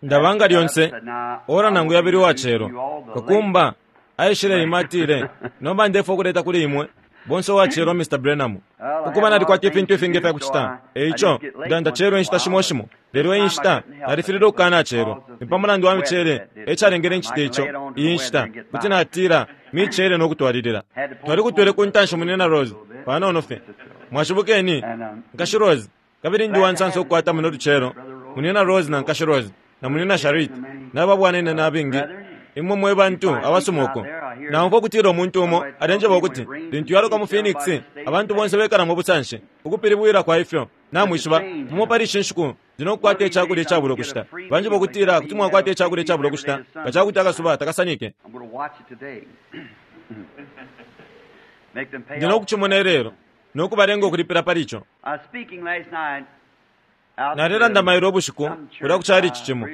Ndaba nga lyonse, ora nangu yabili uwacelo. Kakumba aishileima atile, Nomba ndefwaya ukuleta kuli imwe bonse uwacelo Mr. Branham. Ukuba nalikwata ifintu ifingi ifya kucita, e ico nda ndacelwa inshita shimo shimo. Lelo iyi nshita nalifililwe ukukanacelwa. Ni pa mulandu wa miceele e calengele ncite ico iyi nshita. Kuti natila miceele no kutwalilila. Twalikutwele ku ntanshi Munyina Rose, panono fye. Mwashibukeni, Nkashi Rose. Kabili ndi uwansansa ukukwata muno lucelo Munyina Rose na Nkashi Rose, na Munyina Sharrit, na babwananyina abengi, imwe mwe bantu abasuma uko. Naumfwa ukutila umuntu umo alenjeba ukuti lintu yaloka mu Phoenix, abantu bonse bekala mu busanshi. Ukupilibwila kwa ifyo, namwishiba, mumo pali ishi nshiku ndi no kukwata icakulya icabula ukushita. Banjeba ukutila kuti mwakwata icakulya icabula ukushita nga ca kuti akasuba takasanike. Ndi no kucimona ilelo, no kubalenga ukulipila pali ico. Nalelanda mailo ubushiku kulya ku chalichi cimo.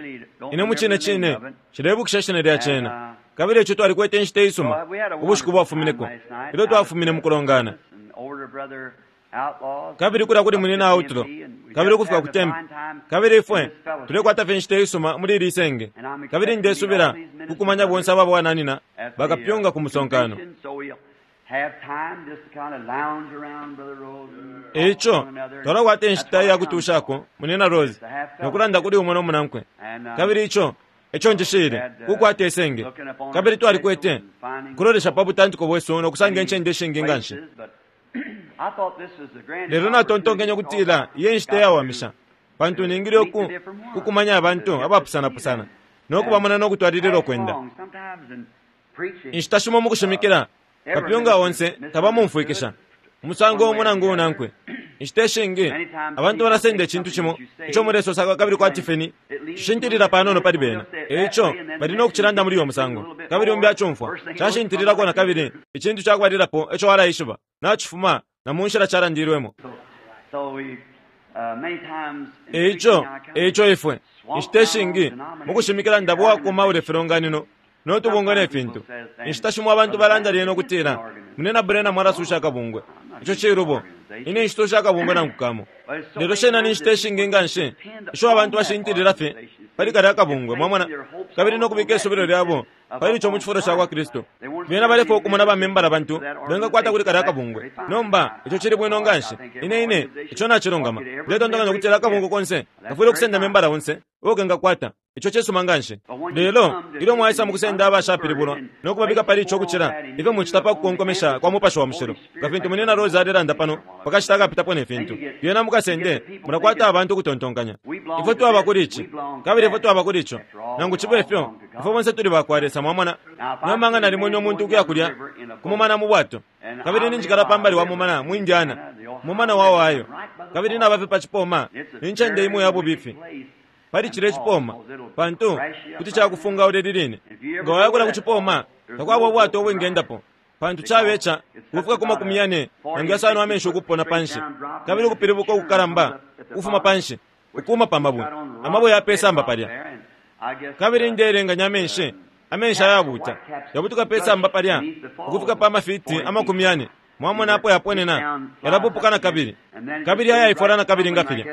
Ine mucine cine nshilebukisha ishina lya cena. Kabili ico twalikwete inshita isuma ubushiku bwafumineko ilyo twafumine mukulongana. Kabili kulya kuli Munyina Outlaw, kabili ukufika ku Tempe. Kabili ifwe tulekwata fye inshita isuma muli ili senge. Kabili ndesubila kukumanya bonse aba bwananyina bakapyunga ku musonkano. E ico, twalakwata inshita iya kutuushako, Munyina Rose, no kulanda kuli umo no munankwe. Kabili ico eco njishiile, kukwata isenge. Kabili twalikwete ukulolesha pa butantiko bwesu no kusanga incende ishingi nga nshi. Lelo natontonkenye ukutila iyi e nshita iyawamisha, pantu ningile uku, kukumanya abantu abapusanapusana, no kubamona no kutwalilila ukwenda. Inshita shimo mu kushimikila, kapyunga onse tabamumfwikisha umusango umo nangu unankwe. Inshita ishingi abantu balasenda icintu cimo ico mulesosa kabili kwati fye ni cishintilila panono pali bena, e ico bali no kucilanda muli uyo musango, kabili umbi acumfwa cashintililako na kabili. Icintu ca kubalilapo ico walaishiba, nacifuma na mu nshila calandilwemo. E ico, e ico ifwe, inshita ishingi mu kushimikila ndaba uwakomaula ifilonganino no tubungwe ne fintu. Inshita shimo abantu balanda lyena ukutila, Munyina Branham alasusha akabungwe. Ico cilubo. Ine nshisusha akabungwe nangu kamo. Lelo shena ni nshita ishingi nganshi isho abantu bashintilila fye pali kalya kabungwe, mwamona, kabili no kubika isubilo lyabo pali ico mu cifulo ca kwa Kristu. Bena balefwaya ukumona ba membala bantu bengakwata kuli kalya kabungwe. Nomba, ico cili bwino nganshi. Ine, ine, ico nacilungama. Ndetontonkanya ukutila akabungwe konse kafwile ukusenda membala onse uo kengakwata. Ico cisuma nganshi. Lelo ilyo mwaisa mukusenda abashapilibulwa no kubabika pali ico ukucila ifyo mucita pa kukonkomesha kwa Mupashi wa Mushilo, nga fintu Munyina Rose alelanda pano pa kashita akapitapo ne fintu, lyena mukasende mulakwata abantu ukutontonkanya, Ifwe twaba kuli ici, kabili ifwe twaba kuli ico. Nangu cibe fyo, ifwe bonse tuli bakwa Lesa. Mwamona? Nomba nga nalimwene umuntu ukuya kulya ku mumana mu bwato, kabili ninjikala pa mbali wa mumana mu Indiana, Umumana wa Ohio, kabili naba fye pa cipoma, ni ncende imo ya bubifi. pali cilya icipooma, pantu kuti cakufungaula ili line. Nga waya kulya ku cipooma, takwaba ubwato ubwingendapo, pantu cabe ca ukufika ku makumi yane nangu yasano amenshi ukupona panshi, kabili ukupilibuka ukukalamba ukufuma panshi, ukuuma pa mabwe, amabwe ya pe samba palya. Kabili ndeelenganya amenshi, amenshi ayabuuta, yabutuka pe samba palya ukufika pa mafiti amakumi yane. Mwamona apo yaponena, yalapupuka na kabili, kabili yayaifwala na kabili nga filya,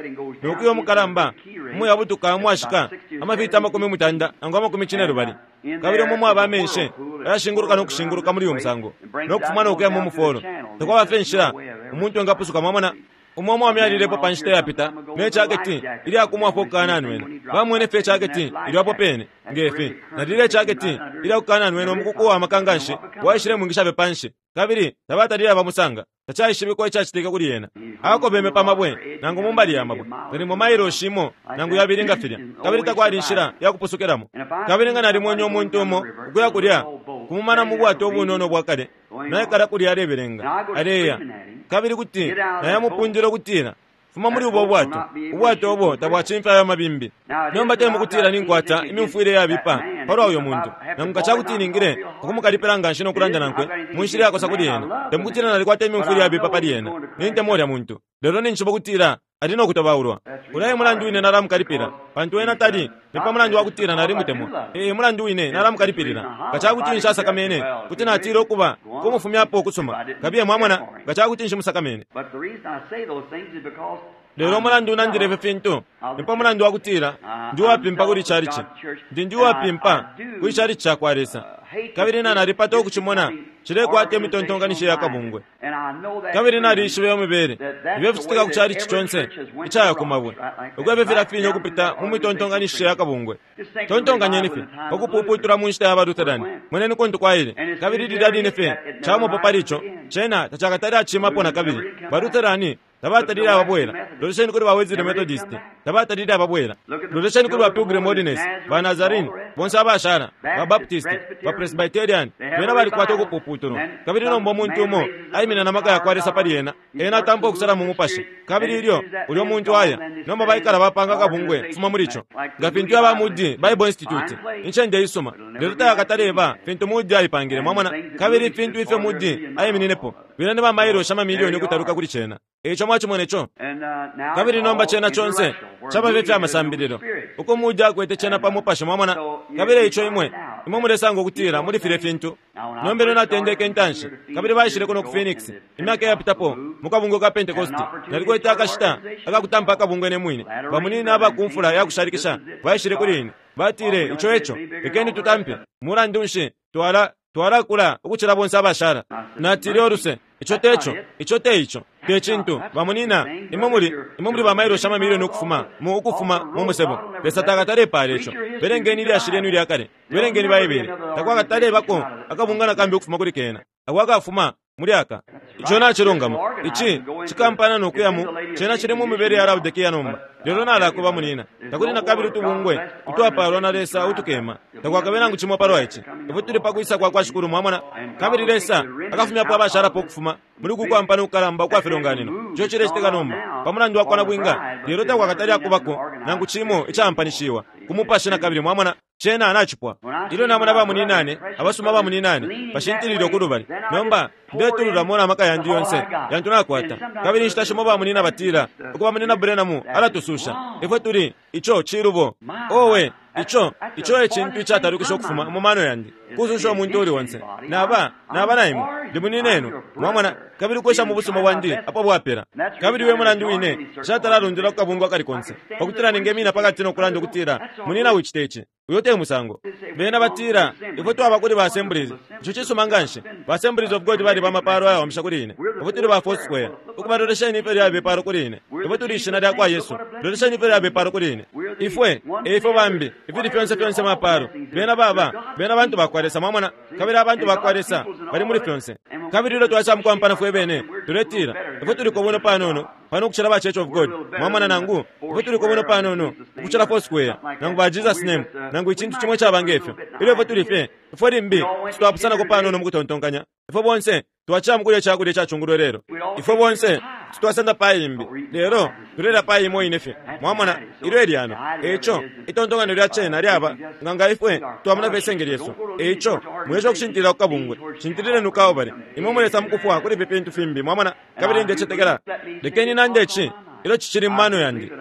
no kuya umukalamba, umuyabutuka umwashika, amafiti amakumi mutanda nangu amakumi cinelubali. Kabili umo mwaba amenshi ayashinguluka no kushinguluka muli uyu musango, no kufuma no kuya mu mufolo. Takwaba fye inshila umuntu engapusuka, mwamona. Umo umwaume alilepo pa nshita yapita ne caketi ilya kumwafwa ukukananwena. Bamwene fye icaketi ilyo apo pene, nge fi. Na lilya icaketi ilya kukananwena umukuku uwa maka nganshi waishilemwingisha fye panshi, kabili tabatalile abamusanga. Tacaishibikwa icacitike kuli ena. Akobeme pa mabwe nangu mu mbali ya mabwe, nalimo mailoshi imo nangu yabili nga filya, kabili takwali inshila ya kupusukilamo. Kabili nga nalimwene umuntu umo ukuya kulya ku mumana mu bwato ubunono ubwa kale, naikala kulya alebelenga, aleya, kabili kuti nayamupundila ukutila, Fuma muli ubo bwato. Ubwato ubo tabwacimfya ayo mabimbi. Nomba te mukutila ninkwata imyumfwile iyabipa palwa uyo muntu, nangu nga ca kuti ningile ukumukalipila nganshi no kulanda nankwe mu nshila iyakosa kuli ena. Te mukutila nalikwata imyumfwile iyabipa pali ena. Nintemwa ulya muntu. Lelo ninjishiba ukutila ali no kutobaulwa. Ulya e mulandu wine nalamukalipila, pantu ena tali ni pa mulandu wa kutila nalimutemwa. E mulandu wine nalamukalipilila. Nga ca kuti nshasakamene, kuti natila ukuba kumufumyapo ukusuma. Kabiye, mwamona, nga ca kuti nshimusakamene. Lelo umulandu unandile ifi fintu ni pa mulandu wa kutila ndi uwapimpa kuli chalichi. Ndi uwapimpa kuli chalichi ca kwa Lesa. Kabili nalipata ukucimona cilekwata imitontonkanisho ya kabungwe. Kabili nalishiba iyo mibele ifyo ficitika ku chalichi conse icaya ku mabwe, ukwebe filafine ukupita mu mitontonkanisho ya kabungwe. Tontonkanyeni fye pa kupuputula mu nshita ya ba Lutheran, moneni kuntu kwaile. Kabili lilya line fye camopo pali ico, cena tacakatale acimapo na kabili. Ba Lutheran tabatalile ababwela. Lolesheni kuli ba Wesley Methodist, tabatalile ababwela. Lolesheni kuli ba Pilgrim Holiness, ba Nazarene, bonse abashala, ba Baptist, ba Presbyterian, bena balikwata ukupuputulwa. Kabili nomba umuntu umo aimina na maka ya kwa Lesa pali ena, ena atampa ukusala mu mupashi. Kabili ilyo ulyo muntu aya, nomba baikala bapanga kabungwe kufuma muli ico. Nga fintu aba Moody Bible Institute, incende isuma, lelo tayakataleba fintu Moody aipangile, mwamona. Kabili ifintu ifyo Moody aimininepo, bena ni ba mailo shamamilioni ukutaluka kuli cena. Eico mwacimona ico. Kabili nomba cena conse caba fye fya masambililo, uko Moody akwete cena pa mupashi, mwamona. Kabili eico imwe mulesanga ukutila muli filye fintu. Nomba ilyo natendeke intanshi, kabili baishile kuno ku Phoenix imyaka iyapitapo mu kabungwe ka Pentecost, nalikwete akashita akakutampa akabungwe ne mwine. Bamunina aba ku mfula ya kushalikisha baishile kuli ine, batile, ico eco, lekeni tutampe. Mulandu nshi twalakula ukucila bonse abashala? Natile, oluse, ico teco, ico te ico, te cintu. Bamunina, imwe muli ba mailo shamamilioni ukufuma mu musebo. Lesa takatale pala ico. Belengeni ilyashi lyenu ilya kale, belengeni Baibele. Takwakatalebako akabungana kambi ukufuma kuli kena, akwakafuma muli aka. Ico nacilungama. Ici cikampana no kuya mu cena cili mu mibele ya Laodikia nomba. Lelo nalakuba munina, takuli na kabili utubungwe utwapalwa na Lesa utukema. Takwakabe nangu cimo palwa ici. Ifwe tuli pa kwisa kwa kwa Shikulu, mwamona. Kabili Lesa akafumyapo abashalapo ukufuma muli kukwampana kukalamba ukwa filonganino. Ico cilecitika nomba pa mulandu wa kwa nabwinga, lelo takwakatali akubako nangu cimo icampanishiwa ku mupashi na kabili, mwamona. Cena nacipwa. Ilyo namona bamuninane, abasuma bamuninane bashintilile ukulubali, nomba ndetululamo na maka yandi yonse yantu nakwata. Kabili inshita shimo bamunina batila, ukuba munina Branham alatususha ifwe tuli ico cilubo. Owe, ico e cintu icatalukisha ukufuma mu mano yandi, kususha umuntu uli onse. Naba na imwe, ndi muninenu, mwamona. Kabili kwesha mu busuma bwandi apo bwapela. Kabili we mulandu wine nshatalalundila ku kabungwe akali konse, pakutila ningemina pakati no kulanda ukutila munina wicite ici. Uyo te musango. Bena batila ifwe twaba kuli ba Assemblies. Ico cisuma nganshi. Ba Assemblies of God bali bamapalo ayawamisha kuli ine. Ifwe tuli ba Foursquare. Ukuba lolesheni ifyo lyabe palo kuli ine. Ifwe tuli ishina lya kwa Yesu. Lolesheni ifyo lyabe palo kuli ine. Ifwe, ifwe bambi, ifili fyonse fyonse mapalo. Bena baba, bena bantu ba kwa Lesa, mwamona. Kabili abantu ba kwa Lesa bali muli fyonse. Kabili ilyo twasha mukampana fwe bene, tuletila ifwe tuli kobuno panono pano ukucila ba Church of God, mwamona. Nangu ifwe tuli kobuno panono ukucila Foursquare, nangu ba Jesus Name, nangu icintu cimwe caba ngefyo. Ilyo ifwe tuli fye, ifwe limbi titwapusanako panono mu kutontonkanya. Ifwe bonse twacila mukulya icakulya icacungulwe lelo. Ifwe bonse titwasenda pai imbi, lelo tulelya pai imo ine fye, mwamona. Ilyo elyano. Eico itontonkanyo lya cena lyaba nga ifwe twamona fye isenge lyesu. Eico mwesha ukushintilila ku kabungwe, shintilileni ku Kalvari. Imwe mulesa mukufwa kuli ifi fintu fimbi, mwamona. Kabili ndecetekela, lekeni nande ici ilyo cicili mu mano yandi.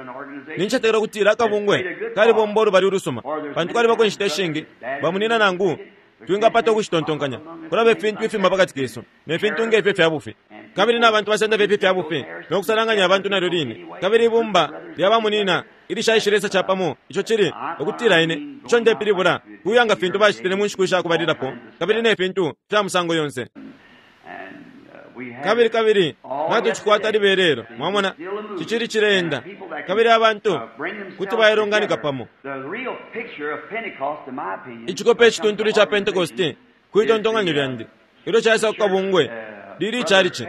Nincetekela ukutila akabungwe kalibomba ulubali ulusuma, pantu kwalibako inshita ishingi bamunina nangu twingapata ukushitontonkanya. Kulaba ifintu ifima pakati kesu ne fintu ngefyo fya bufi. Kabili na bantu basenda fye fya bufi no kusalanganya abantu nalyo line. Kabili ibumba lya bamunina ilishaishile Lesa capamo, ico cili ukutila ine ico ndepilibula kuyanga fintu bacitile mu nshiku ishakubalilapo, kabili ne fintu fya musango yonse. Kabili kabili natucikwata libelelo, mwamona, cicili cileenda. Kabili abantu kuti bailonganika pamo. Icikope icituntulu ca Pentecost kwitontonkanyo lyandi ilyo caisa ku kabungwe lili chalichi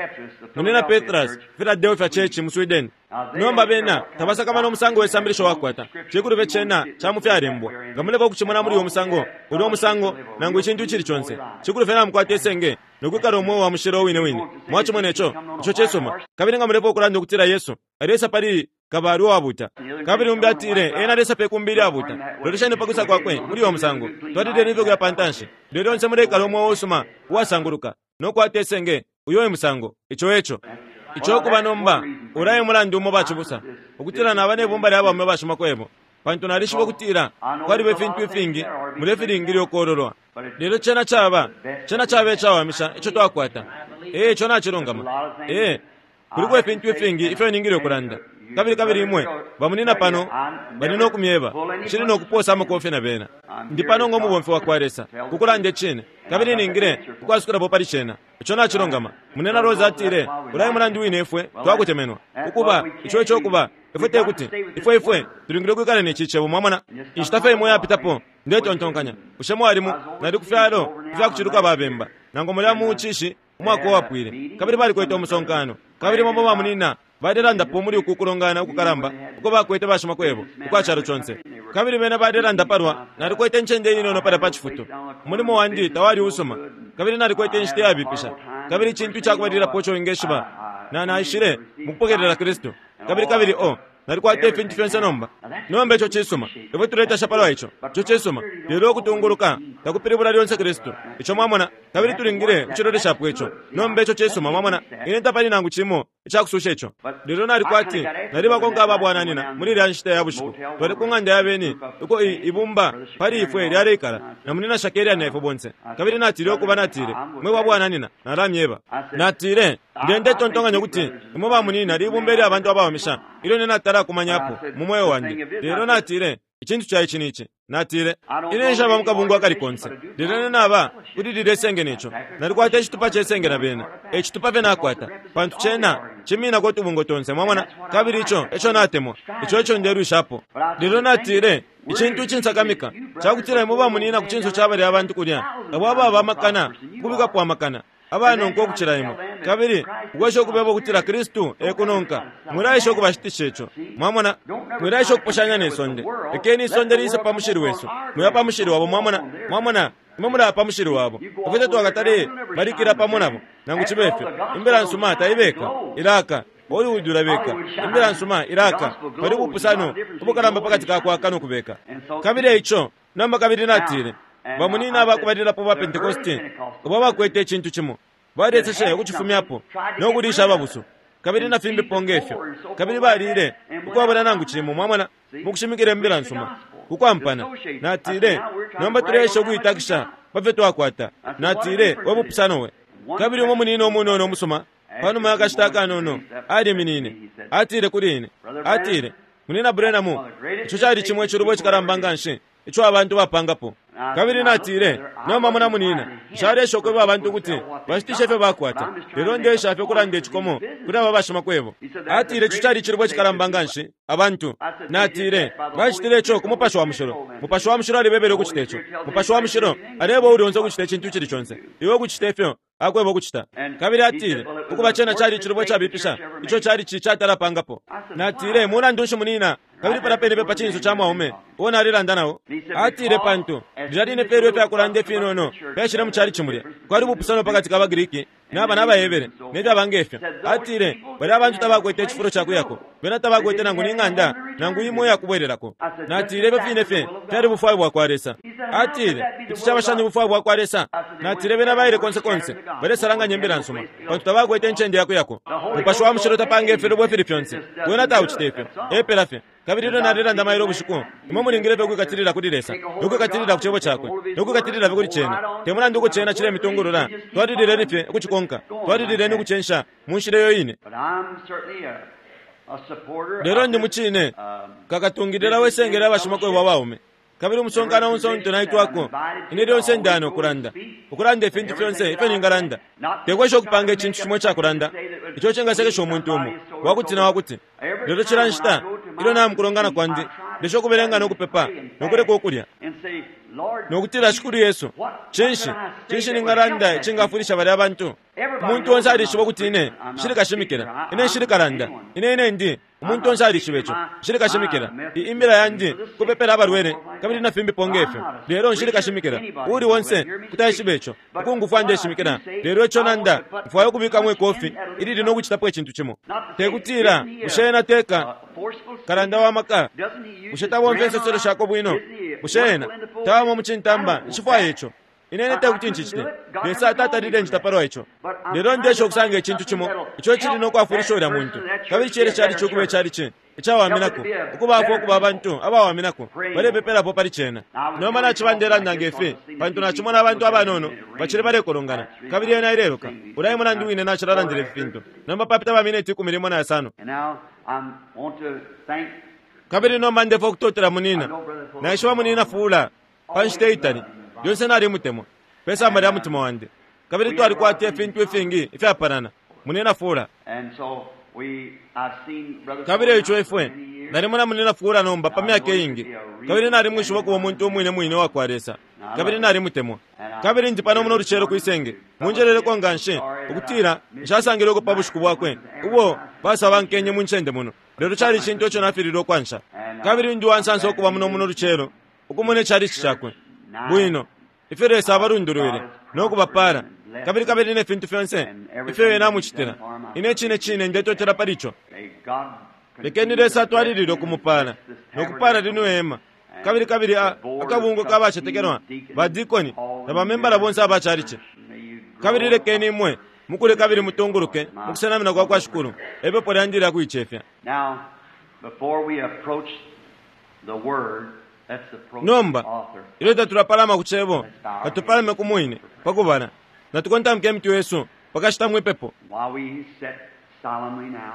munina Petrus Philadelphia Church mu Sweden. Nomba bena tabasakamana umusango we sambilisho wakwata, cikulu fye cena ca mu fyalembwa. Nga muleka ukucimona muli uyo musango, ulyo musango nangu icintu icili conse, cikulu fye namukwata isenge nokwikala umweo wa mushilo wine wine. Mwacimona ico, ico cisuma. Kabili nga mulepa ukulanda ukutila Yesu alesa pali kabali uwabuta, kabili umbi atile ena alesa pe kumbi ilyabuta, lolesheni pakwisa kwakwe muli uyo musango. Twalileni ifyo kuya pantanshi, lelo lyonse muleikala umweo usuma uwasanguluka nokwata isenge. Uyo e musango, ico eco. Ico kuba nomba ulaye mulandu umo bacibusa ukutila naba nebumba lya baume bashimakwebo, pantu nalishiba ukutila kwaliba ifintu ifingi mulefilingile ukololwa. Lelo cena caba icawamisha ico twakwata. Ee, ico nacilungama. Ee, kuliko ifintu ifingi ifyo ningile ukulanda. Kabili, kabili imwe bamunina pano bali no kumyeba, nshili no kuposa amakofi na bena. Ndi pano ngo mubomfi wa kwa Lesa, ku kulanda icine, kabili ningile ukwasukulapo pali cena. Ico nacilungama. Munena Rose atile, Ulya e mulandu wine ifwe twakutemenwa. Ukuba, ico eco ukuba, ifwe tekuti, ifwe, ifwe tulingile ukwikala ne ci Cebo, mwamona. Inshita fye imo iyapitapo, ndetontonkanya, bushe mwali mu, nali ku fyalo ifya kuciluka ba bemba, nangu mulya mu cishi umwaka uwapwile, kabili balikwete umusonkano, kabili bamo ba munina balelandapo muli uku kulongana ukukalamba uko bakwete bashimakwebo ukwa calo conse. Kabili bena balelanda palwa, nalikwete incende inono palya pa cifutu. Umulimo wandi tawali usuma, kabili nalikwete inshita iyabipisha. Kabili icintu icakubalilapo ico wingeshiba, na, naishile mukupokelela Kristu. Kabili, kabili, oh, nalikwata ifintu fyonse nomba. Nomba ico cisuma. Ifwe tuletasha palwa ico. Ico cisuma. Lelo ukutunguluka takupilibula lyonse Kristu. Ico mwamona, kabili tulingile ukuciloleshapo ico. Nomba ico cisuma, mwamona. Ine tapali nangu cimo icakususha ico. Lelo nali kwati nalibakonka aba bwananyina muli ilya nshita ya bushiku. Twali ku ng'anda ya beni uko i, ibumba pali ifwe lyaleikala, na Munyina Shakarian na ifwe bonse. Kabili natile ukuba natile, Mwe ba bwananyina, nalamyeba. Natile, Nde, ndetontonkanya ukuti imwe ba munyina libumba ilya bantu abawamisha ilyo ine natala kumanyapo mu mweo wandi. Lelo natile, Icintu ca ici ni ici. Natile, Ine nshaba mu kabungwe akali konse, lelo ine naba kuli lilye senge ne co. Nalikwata icitupa ce senge na bena. E citupa fye nakwata, pantu cena ciminako utubungwe tonse, mwamona, kabili ico eco natemwa. Ico eco ndelwishapo. Lelo natile, Icintu icinsakamika ca kutila imwe bamunyina ku cinso ca balya bantu kulya, abo ababa amakana ukubikapo amakana, abanonka ukucila imwe, kabili ukwesha ukubeba ukutila Kristu e kunonka. Mwilaesha ukubashitisha ico. Mwamona? Mwilaesha ukuposhanya ne sonde. Lekeni isonde liise pa mushili wesu. Mwiya pa mushili wabo, mwamona. Mwamona? Imwe mulaya pa mushili wabo. Ifwe tatwakatale balikila pamo nabo, nangu cibe fyo. Imbila nsuma taibeka, ilaka. Hollywood ulabeka. Imbila nsuma ilaka. Pali ubupusano ubukalamba pakati ka kwaka no kubeka. Kabili eico, nomba kabili natile, Bamunina abakubalilapo ba Pentekoste abo abakwete icintu cimo, balyeseshe ukucifumyapo no kuliisha ababusu, kabili na fimbipo nge fyo, kabili balile ukwabula nangu cimo, mwamona, mukushimikila Imbila nsuma, ukwampana. Natile, Nomba tuleesha ukuitakisha pa fyo twakwata. Natile, We bupusano we! Kabili umo munina umunono umusuma, panuma ya kashita akanono, aliminine, atile kuli ine, atile, Munina Branham, ico cali cimo icilubo icikalamba nganshi ico abantu bapangapo. Kabili natile, Nomba mona munina, nshalesha ukweba abantu ukuti bashitishe ifyo bakwata, lelo ndeesha fye ukulanda icikomo kuli aba bashimakwebo. Atile ico cali icilubo icikalamba nganshi, abantu. Natile, Bacitile ico ku Mupashi wa Mushilo. Mupashi wa Mushilo alibebele ukucita ico. Mupashi wa Mushilo aleeba uuli onse ukucita icintu icili conse. Iwe ukucita ifyo Akweba ukucita. Kabili atile, Ukuba cena cali icilubo icabipisha ico chalichi catala pangapo. Natile, Mulandu nshi, munina? Kabili palya pene fye pa cinso ca mwaume uo nalelanda na o. Atile, Pantu, lilya line fye ilyo ifyakulanda ifinono fyaishile mu chalichi mulya, kwali ubupusano pakati ka baGriki naba na baHebere, ne fyaba nge fyo. Atile, Balya bantu tabakwete icifulo ca kuyako. Bena tabakwete nangu ni ng'anda nangu imo iya kubwelelako. Natile, Ifyo fine fye fyali bufwayo bwakwa Lesa. Atile, Kuti caba shani ubufwayo bwakwa Lesa? Natile, Bena baile konse konse, balesalanganya Imbila nsuma, pantu tabakwete incende yakuyako. Mupashi wa Mushilo tapanga ifilubo ifili fyonse. Wena taucita ifyo. Epela fye. Kabili ilyo nalelanda mailo ubushiku, imwe mulingile fye ukwikatilila kuli Lesa, no kwikatilila ku Cebo Cakwe, no kwikatilila fye kuli Cena. Te mulandu uko Cena cilemitungulula, twalilileni fye ukucikonka, twalilileni ukucensha mu nshila iyo ine. Lelo ndi mucine kakatungilila we senge lya bashimakwebo abaume. Kabili umusonkano onse untu naitwako, ine lyonse ndano ukulanda, ukulanda ifintu fyonse ifyo ningalanda. Tekwesha ukupanga icintu cimo icakulanda ico icingasekesha umuntu umo, wakuti na wakuti. Lelo cila nshita ilyo naya mukulongana kwandi, ndesha ukubelenga no kupepa, no kuleka ukulya, no kutila, Shikulu Yesu, cinshi, cinshi ningalanda icingafwilisha balya bantu? Umuntu onse alishiba ukuti ine nshili kashimikila, ine nshili kalanda, ine, ine ndi. Umuntu onse alishiba ico. Nshili kashimikila. I, imbila yandi kupepela abalwele kabili na fimbipo nge fyo. Lelo nshili kashimikila. Uuli onse kuti aishiba ico. Ukungufwa ndeshimikila. Lelo ico nanda, mfwaya ukubikamo ikofi ilili no kucitapo icintu cimo. Te kutila, bushe ena teka kalanda wa maka? Bushe tabomfya insoselo shakwe bwino? Bushe ena tawama mu cintamba? Nshifwaya ico. Ine ine tekuti ncicite. Lesa tatalile ncita palwa ico. Lelo ndesha ukusanga icintu cimo ico icili no kwafwilisha ulya muntu. Kabili cele cali ukuba icalici icawaminako, ukubaafwa ukuba abantu abawaminako, balepepelapo pali cena. Nomba naciba ndelanda nge fi, pantu nacimona abantu abanono bacili balekolongana, kabili yena ileloka. Ulya e mulandu wine nacilalandila ifi fintu. Nomba papita ba mineti 15. Kabili nomba ndefwaya ukutotela munina. Naishiba munina Fuller pa nshita itali. Lyonse nalimutemwa, pe samba lya mutima wandi. Kabili twalikwata ifintu ifingi ifyapalana, munina Fuller. Kabili eico ifwe, nalimona munina Fuller nomba pa myaka iingi, kabili nalimwishiba ukuba umuntu umwine mwine uwakwa Lesa, kabili nalimutemwa. Kabili ndi pano muno lucelo kwisenge, munjeleleko nganshi, ukutila nshasangilweko pa bushiku bwakwe ubo basabankenye mu ncende muno, lelo cali icintu ico nafililwe ukwansha. Kabili ndi uwansansa ukuba muno muno lucelo, ukumona icalici cakwe bwino, ifyo Lesa abalundulwile no kubapala, kabili kabili ne fintu fyonse ifyo Ena amucitila. Ine cine cine ndetotela pali ico. Lekeni Lesa atwalilile ukumupala no kupala lino hema, kabili kabili a, akabungwe ka bacetekelwa, ba dikoni, na bamembala bonse aba calici. Kabili lekeni imwe mukule kabili mutunguluke mu kusenamina kwa kwa Shikulu, epepo lyandi lya kuicefya. Now, before we approach the Word, let's approach Nomba, the author. ilyo tatulapalama ku Cebo, katupalame ku Mwine pa kubala. Natukontamike imitwe yesu pakashita mwipepo. While we sit solemnly now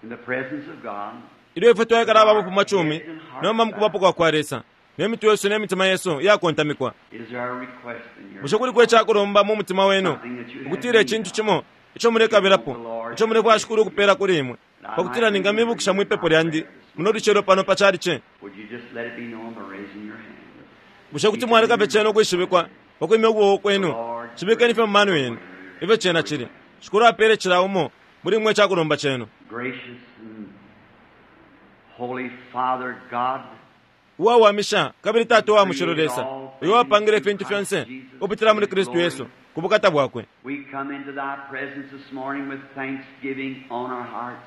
in the presence of God, Ilyo ifwe twaikala ababufumacumi nomba mukubapo kwa kwa Lesa, ne mitwe yesu ne mitima yesu iyakontamikwa. is there a request in your Bushe kuliko icakulomba mu mutima wenu, ukutila icintu cimo ico mulekabilapo, ico mulefwaya Shikulu ukupela kuli imwe, pakutila ningamibukisha mwipepo lyandi muno lucelo pano pa calici? Would you just let it be known by raising your hand? Bushe kuti mwaleka fye cena ukwishibikwa pakwimya ukuboko kwenu? Cibikeni fye mu mano yenu ifyo cena cili. Shikulu apele cila umo muli imwe icakulomba cenu. Gracious and Holy Father God, Uwawamisha kabili Tata uwa mushilo Lesa, uyo wapangile ifintu fyonse ukupitila muli Kristu Yesu ku bukata bwakwe. we come into thy presence this morning with thanksgiving on our hearts.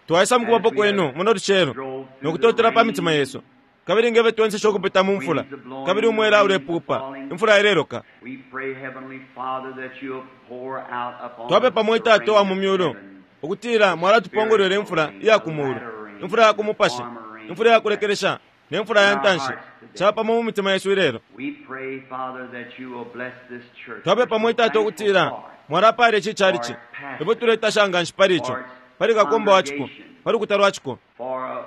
Twaisa mukubapo kwenu muno lucelo no kutotela pa mitima yesu, kabili ngefyo twensesha ukupita mu mfula, kabili umwela ulepupa, imfula ileloka. We pray, Heavenly Father, that you'll pour out upon Twapepa us mwe the Tata rain uwa mu of myulu heaven. ukutila mwalatupongolwela imfula iya ku mulu, imfula ya ku mupashi, imfula ya kulekelesha, ne mfula ya ntanshi, capamo mu mitima yesu ilelo. We pray, Father, that you will bless this church. Twapepa mwe Tata ukutila mwalapala ici calici. Ifwe tuletasha nganshi pali ico, pali kakumba wa ciko, pali lukuta lwa ciko, For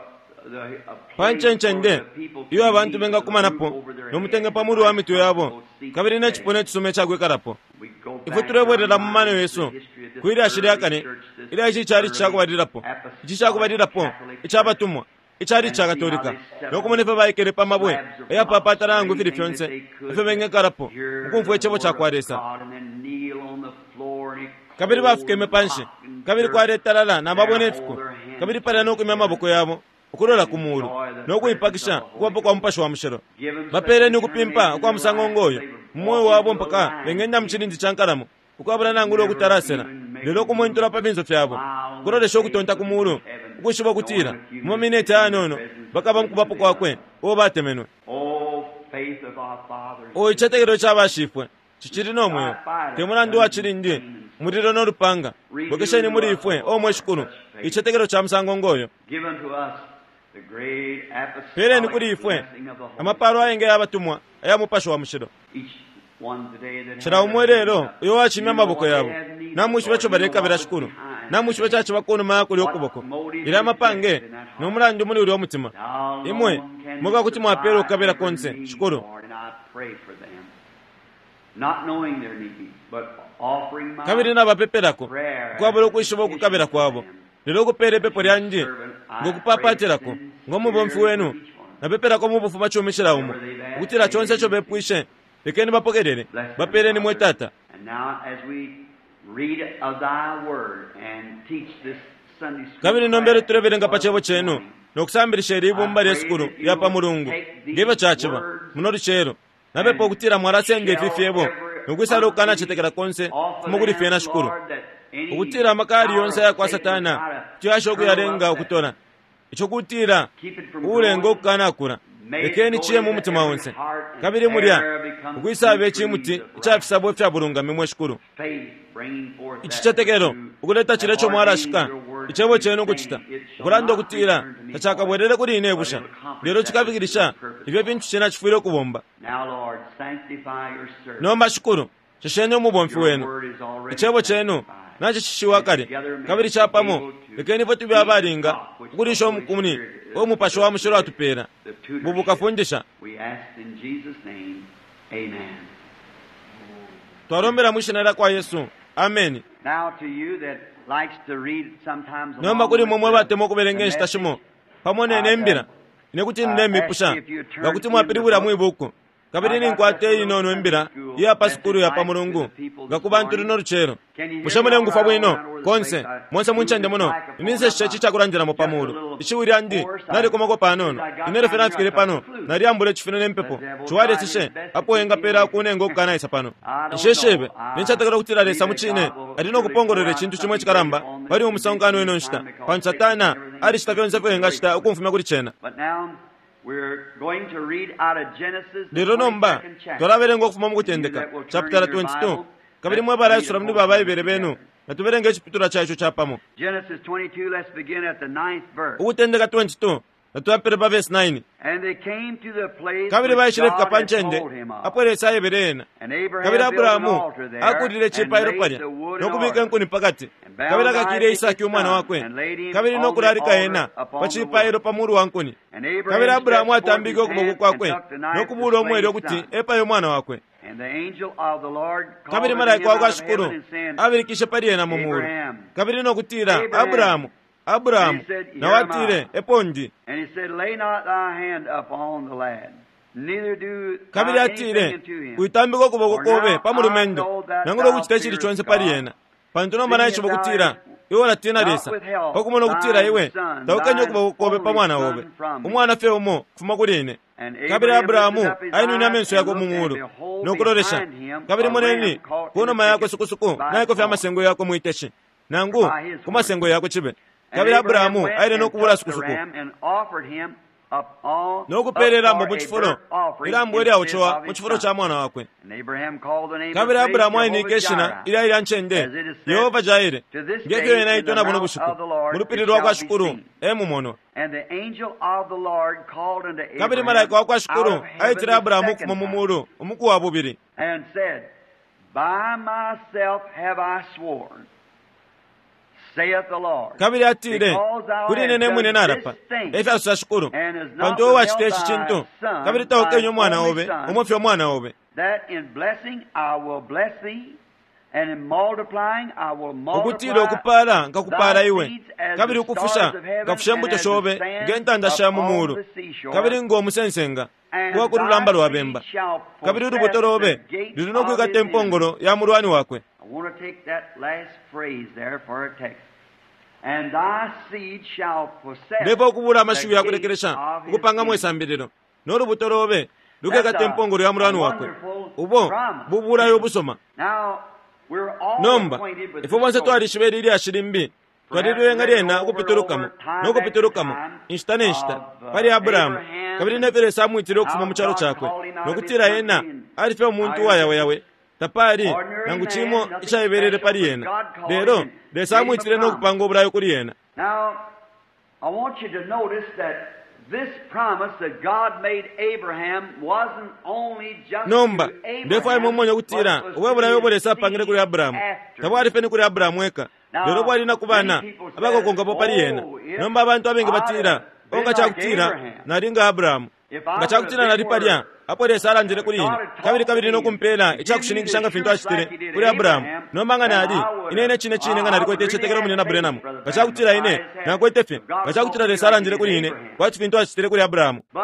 the, a pa place ncencende for the people to iyo abantu meet with a roof bengakumanapo over their no mutenge heads pa and mulu wa mitwe yabo, comfortable seats kabili to ne stay. cipuna icisuma icakwikalako. We go Ifwe back tulebwelela our mu mano minds to yesu the history of this kwi lyashi lya early kale church, this ilya ici calici early cakubalilapo, ici cakubalilapo Apostolic ica batumwa, icalici ca Katolika, no kumona ifyo baikele pa mabwe ayapapatala nangu ifili fyonse ifyo bengekalapo mukumfwa icebo ca kwa Lesa. Kabili bafukeme panshi, kabili kwaletalala na mabwe ne fiko, kabili palya no kwimya amaboko yabo ukulola ku mulu no kuipakisha ukubapo kwa Mupashi wa Mushilo. Bapeeleni ukupimpa ukwa musango ngoyo mu mweo wabo mpaka bengenda mu cilindi ca nkalamo ukwabula nangula ukutalasela, lelo ukumwentula pa finso fyabo, ukulolesha ukutonta ku mulu, ukwishiba ukutila mu mamineti ayanono bakaba mu kubapo kwakwe uo batemenwe. Oh, faith of our fathers. O icitetekelo ca bashifwe cicili no mweo, te mulandu wa cilindi, mulilo no lupanga. Bwekesheni muli ifwe, o mwe Shikulu, icitetekelo ca musango ngoyo. Give unto us the great apostolic Peeleni kuli ifwe blessing of the Holy amapalo ayengi ayabatumwa aya Mupashi wa Mushilo. Each one today that Cila has umo their ilelo hand up. uyo wacimya You know amaboko what yabo, they have need of, namwishiba Lord. ico You know balekabila what was Shikulu, behind. namwishiba icaciba kunuma ya kulya ukuboko, ilya amapange no mulandu muli ulya umutima. Thou Imwe alone can mweka kuti mwapela supply ukukabila every konse, need, Shikulu. Lord, and I pray for them. Not knowing their need, but offering my Kabili nabapepelako prayer ukwabula ukwishiba ukukabila kwabo, lelo ukupeela ipepo lyandi ngokupapatilako ngo mubomfi wenu, napepelako mu bufumacumi cila umo, ukutila conse ico bepwishe lekeni bapokelele, Bless them, bapeeleni mwe Father. Tata. And now as we read of thy word and teach this Sunday school Kabili nombelo class tulebelenga pa this cebo cenu morning, no kusambilisha ili ibumba lye sukulu lya pa mulungu ngefyo caciba muno lucelo. Napepa ukutila mwalasenda ifi fyebo no kwisala ukukanacetekela konse fuma kuli fyena Shikulu, ukutila amaka yali yonse aya kwa Satana kuti yasha ukuyalenga ukutola, ico kutila uulenga ukukanakula, Lekeni ciye mu mutima onse, kabili mulya ukwisaba icimuti ica fisabo ifya bulungami, mwe Shikulu. Icicetekelo ukuleta cilya ico mwalashika icebo cenu ukucita, ukulanda ukutila tacakabwelele kuli ine ibusha, lelo cikafikilisha ifyo fintu cena cifwile ukubomba. Nomba Shikulu, shesheni umubomfi wenu. Icebo cenu nacishishiwa kale, kabili capamo lekeni ifwe tube abalinga ukulisha umukuni uo Mupashi wa Mushilo atupela. Bubu kafundisha. Twalombela mwi shina lya kwa Yesu. Ameni. Nomba kuli imwe mwe batemwa ukubelenga inshita shimo pamo ne mbila, ine kuti ndemipusha nga kuti mwapilibwila mwi buku. Kabili ninkwata inono imbila iya pa sukulu ya pa mulungu nga ku bantu luno lucelo. Bushe mulengufwa bwino konse monse mu ncende muno? Ine nseshishe ici icakulandilamo pa mulu. Ishiwi lyandi nalikomako panono. Ine ilyo fye nafikile pano, nalyambula icifine ne mpepo. Ciwaleseshe apo engapela kunenga ukukanaisa pano. Nshishibe, nincetekela ukutila Lesa mucine ali no kupongolola icintu cimo icikalamba pali umusonkano ino nshita, pantu Satana alicita fyonse ifyo engacita ukumfumya kuli cena. Lelo nomba twalabelenga ukufuma mu Kutendeka chapitala 22, kabili mwe balaisula muli ba Baibele benu, natubelenge iciputulwa ca ico capamo. Ukutendeka 22, natuyapele pa vesi 9. Kabili baishilefika pa ncende apo Lesa aebele ena. Kabili Abrahamu akuulile icipailo palya no kubika inkuni pa kati, kabili akakile Isaki umwana wakwe, kabili no kulalika ena pa cipailo pa mulu wa nkuni. Kabili Abrahamu atambike ukuboko kwakwe no kubuula umwele ukuti epaye umwana wakwe. Kabili malaika wa kwa Shikulu abilikishe pali ena mu mulu, kabili no kutila, Abrahamu, Abrahamu, na watile, epo ndi. Kabili atile, Witambika ukuboko kobe pa mulumendo, nangula ukucita icili conse pali ena, pantu nomba naishiba ukutila iwe ulatina Lesa, pa kumona ukutila iwe taukenye ukuboko kobe pa mwana obe, umwana fye umo kufuma kuli ine. Kabili Abrahamu ainwine amenso yakwe mu mulu no kulolesha, kabili moneni, ku numa yakwe sukusuku naikofya amasengo yakwe mwiteshi, nangu ku masengo yakwe cibe. Kabili Abrahamu aile no kubula sukusuku no kupeela ilambo mu cifulo, ilambo ilyaocewa mu cifulo ca mwana wakwe. Kabili Abrahamu ainike ishina ilya ilya ncende Yehova Jaire, nge fyo ena aitwa na buno bushiku, mu lupili lwa kwa Shikulu e mumonwa. Kabili malaika wa kwa Shikulu aitile Abrahamu ukufuma mu mulu umuku wa bubili. Kabili atile, Kuli ine ne mwine nalapa, e fyasosa Shikulu, pantu iwe wacita ici cintu, kabili taukenye umwana obe, umo fye umwana obe. Ukutila ukupaala nkakupaala iwe, kabili ukufusha nkafusha imbuto shobe nge ntanda sha mu muulu, kabili ngo musensenga uwa ku lulamba lwa bemba, kabili ulubuto lobe luli no kwikata impongolo ya mulwani wakwe. I want to take that last phrase there for a text. And thy seed shall possess Ndefwaya ukubula amashiwi the ya gates kulekelesha of his ukupangamo enemies. isambililo. No lubuto lobe lukekata That's a impongolo ya mulwani wakwe. wonderful Ubo promise. bubulayo ubusoma. Now, we're all Nomba acquainted with ifwe the bonse story. twalishiba ili lyashi limbi, twalililenga lyena ukupitulukamo no kupitulukamo inshita ne nshita pali Abrahamu, kabili nefyo Lesa amwitile ukufuma mu calo cakwe, no kutila ena ali fye umuntu uwayaweyawe, tapali nangu cimo icaibelele pali ena, lelo Lesa amwitile no kupanga ubulayo kuli ena. Now, I want you to notice that this promise that God made Abraham wasn't only just Nomba to Abraham, ndefwaya mumone ukutila but was ubwe to bulayo his ubo Lesa apangile kuli seed Abrahamu after tabwali fye ni kuli Abrahamu eka, lelo bwali na ku bana abakokonkapo pali ena. Nomba abantu abengi batila, o nga cakutila nali nga Abrahamu, nga cakutila nali palya apo Lesa alandile kuli ine, kabili kabili no kumpela icakushininkisha nga fintu acitile kuli Abrahamu. Nomba nga nali ine ine cine cine nga nalikwete icitetekelo mune na Branham, nga cakutila ine nakwete fye, nga cakutila Lesa alandile kuli ine kwati fintu acitile kuli Abrahamu. But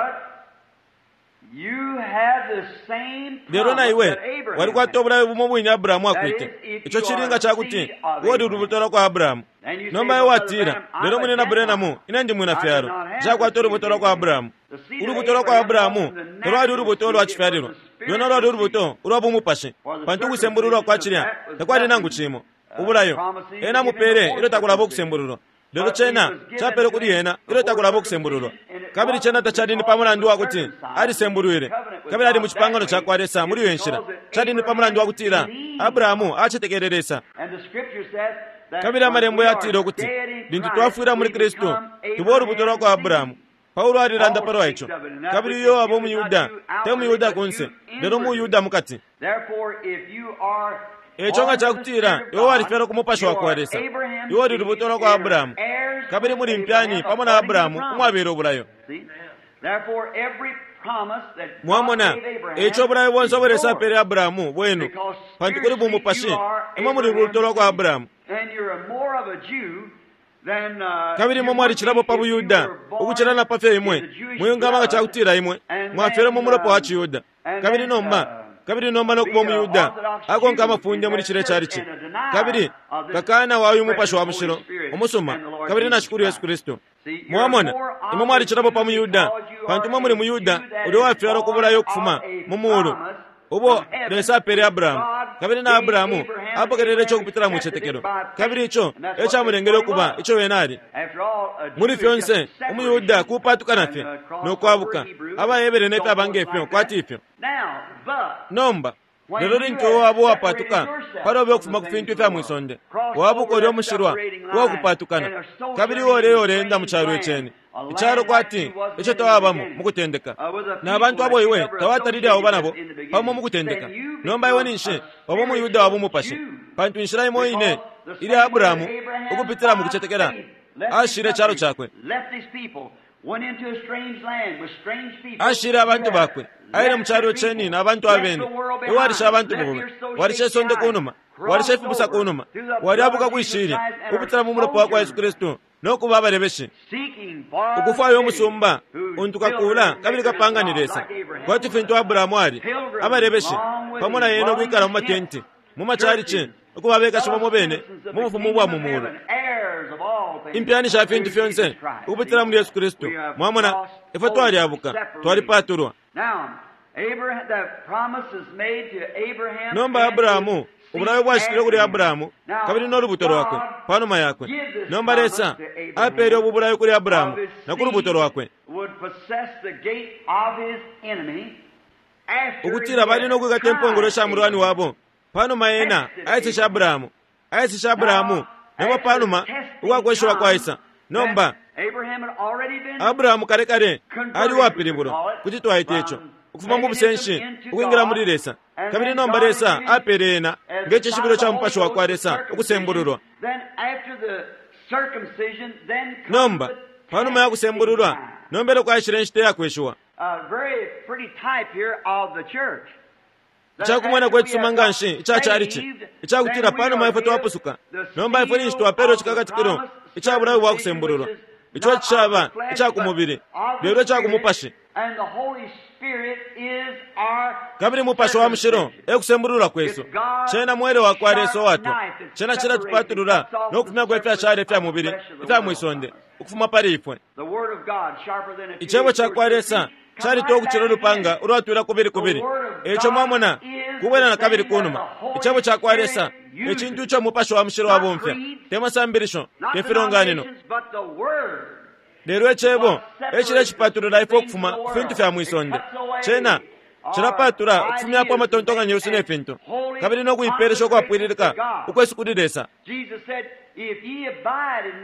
you have the same Lelo na promise iwe that Abraham walikwata had. ubulayo bumo bwine Abrahamu akwete. Ico cilinga cakuti uwali ulubuto lwa kwa Abrahamu. Nomba iwe watila, lelo mune na Branham, ine ndi mwina fyalo, nshakwata ulubuto lwa kwa Abrahamu. Ulubuto lwa kwa Abrahamu talwali ulubuto lwa cifyalilwa, lwena lwali ulubuto ulwa bumupashi, pantu ukusembululwa kwa cilya takwali nangu cimo. Ubulayo ena amupele ilyo takulaba ukusembululwa, lelo cena capele kuli ena ilyo takulaba ukusembululwa. And it Kabili cena tacali ni pa mulandu wa kuti alisembulwile kabili ali mu cipangano ca kwa Lesa muli iyo nshila. Cali ni pa mulandu wa kutila Abrahamu acetekele Lesa. Kabili amalembo yatile ukuti lintu twafwila muli Kristu tuba ulubuto lwa kwa Abrahamu. Paulo alilanda palwa ico. Kabili uyo waba umuYuda te muYuda kunse, lelo muYuda mukati. Eco nga cakutila iwe walifyalwa ku mupashi wa kwa Lesa, iwe uli lubuto lwa kwa Abrahamu, kabili muli mpyani pamo na Abrahamu umwabela ubulayo. Mwamona, eco ubulayo bonse ubo Lesa apele Abrahamu bwenu, pantu kuli bumupashi imwe muli lubuto lwa kwa Abrahamu. Kabili imwe mwalicilapo pa buYuda ukucila na pa fyo imwe mwingaba nga cakutila imwe mwafyelwe mu mulopa wa ciYuda. Kabili nomba kabili nomba no kuba umuYuda akonka amafunde muli cilya calici, kabili kakana wa uyu mupashi wa mushilo umusuma kabili na Shikulu Yesu Kristu. Mwamona, imwe mwalicilapo pa muYuda, pantu imwe muli muYuda ulya uwafyalwa ku bulayo ukufuma mu muulu ubo Lesa apele Abrahamu, kabili na Abrahamu apokelele ico ukupitila mu citetekelo, kabili ico e camulengele ukuba ico wene ali. Muli fyonse umuYuda kupatukana fye no kwabuka, abaHebere ne fyaba nge fyo kwati ifyo. Nomba lelo lintu iwe waba uwapatuka palobe ukufuma ku fintu ifya mwisonde, wabuka ulya umushilwa uwakupatukana, kabili iwe uleya uleenda mu calo iceni, icalo kwati ico tawabamo mu kutendeka, na bantu abo iwe tawatalile auba nabo pamo mu kutendeka. Nomba iwe ninshi waba umuYuda wa bumupashi, pantu inshila imo ine ilya Abrahamu ukupitila mu kucetekela ashile icalo cakwe, ashile abantu bakwe, aile mu calo ceni na bantu abene. Iwe walisha abantu bobe, walisha isonde kunuma, walisha ifibusa kunuma, walyabuka kwishilya ukupitila mu mulopa wa kwa Yesu Kristu no kuba abalebeshi, ukufwaya umusumba untu kakula kabili kapanga ni Lesa, kwati fintu Abrahamu ali abalebeshi pamo na yena ukwikala mu matenti mu macalici, ukuba abekashi bamo bene mu bufumu bwa mu mulu, impyani sha fintu fyonse ukupitila muli Yesu Kristu. Mwamona, ifwe twalyabuka, twalipatulwa. Nomba Abrahamu, ubulayo bwashitile kuli Abrahamu kabili no lubuto lwakwe panuma yakwe. Nomba Lesa apele ubu bulayo kuli Abrahamu na ku lubuto lwakwe, ukutila bali no kwikata impongolo sha mulwani wabo panuma ena aeseshe Abrahamu, aeseshe Abrahamu nabo panuma ukwakweshiwa kwaisa. Nomba Abrahamu kale kale ali uwapilibulwa, kuti twaita ico, ukufuma mu busenshi ukwingila muli Lesa. Kabili nomba Lesa apele ena nge cishibilo ca mupashi wa kwa Lesa ukusembululwa. Nomba panuma ya kusembululwa, nomba elyo kwaishile inshita ya kweshiwa. Icakumwenako icisuma nga nshi ica calici, icakutila panuma ifwe twapusuka, nomba ifwe ninshi twapelwa icikakatikilo ica bulayo bwa kusembululwa, ico cishaba ica ku mubili lelo ica ku mupashi. Kabili mupashi wa mushilo e kusembululwa kwesu. Cena mwele wa kwa Lesa uwatwa, cena cilatupatulula no kufumyako ifyashala ifya mubili ifya mwisonde ukufuma pali ifwe. Icebo ca kwa Lesa calitwa ukucila ulupanga ulwatwila kubili kubili. Eco mwamona, kubwela na kabili kunuma. Icebo ca kwa Lesa e cintu ico mupashi wa mushilo wabomfya, te masambilisho, te filonganino, lelo icebo e cilecipatulula ifwe ukufuma ku fintu fya mwisonde. Cena cilapatula ukufumyapo amatontonkanyo yesu ne fintu, kabili no kuipeelesha ukwapwililika ukwesu kuli Lesa.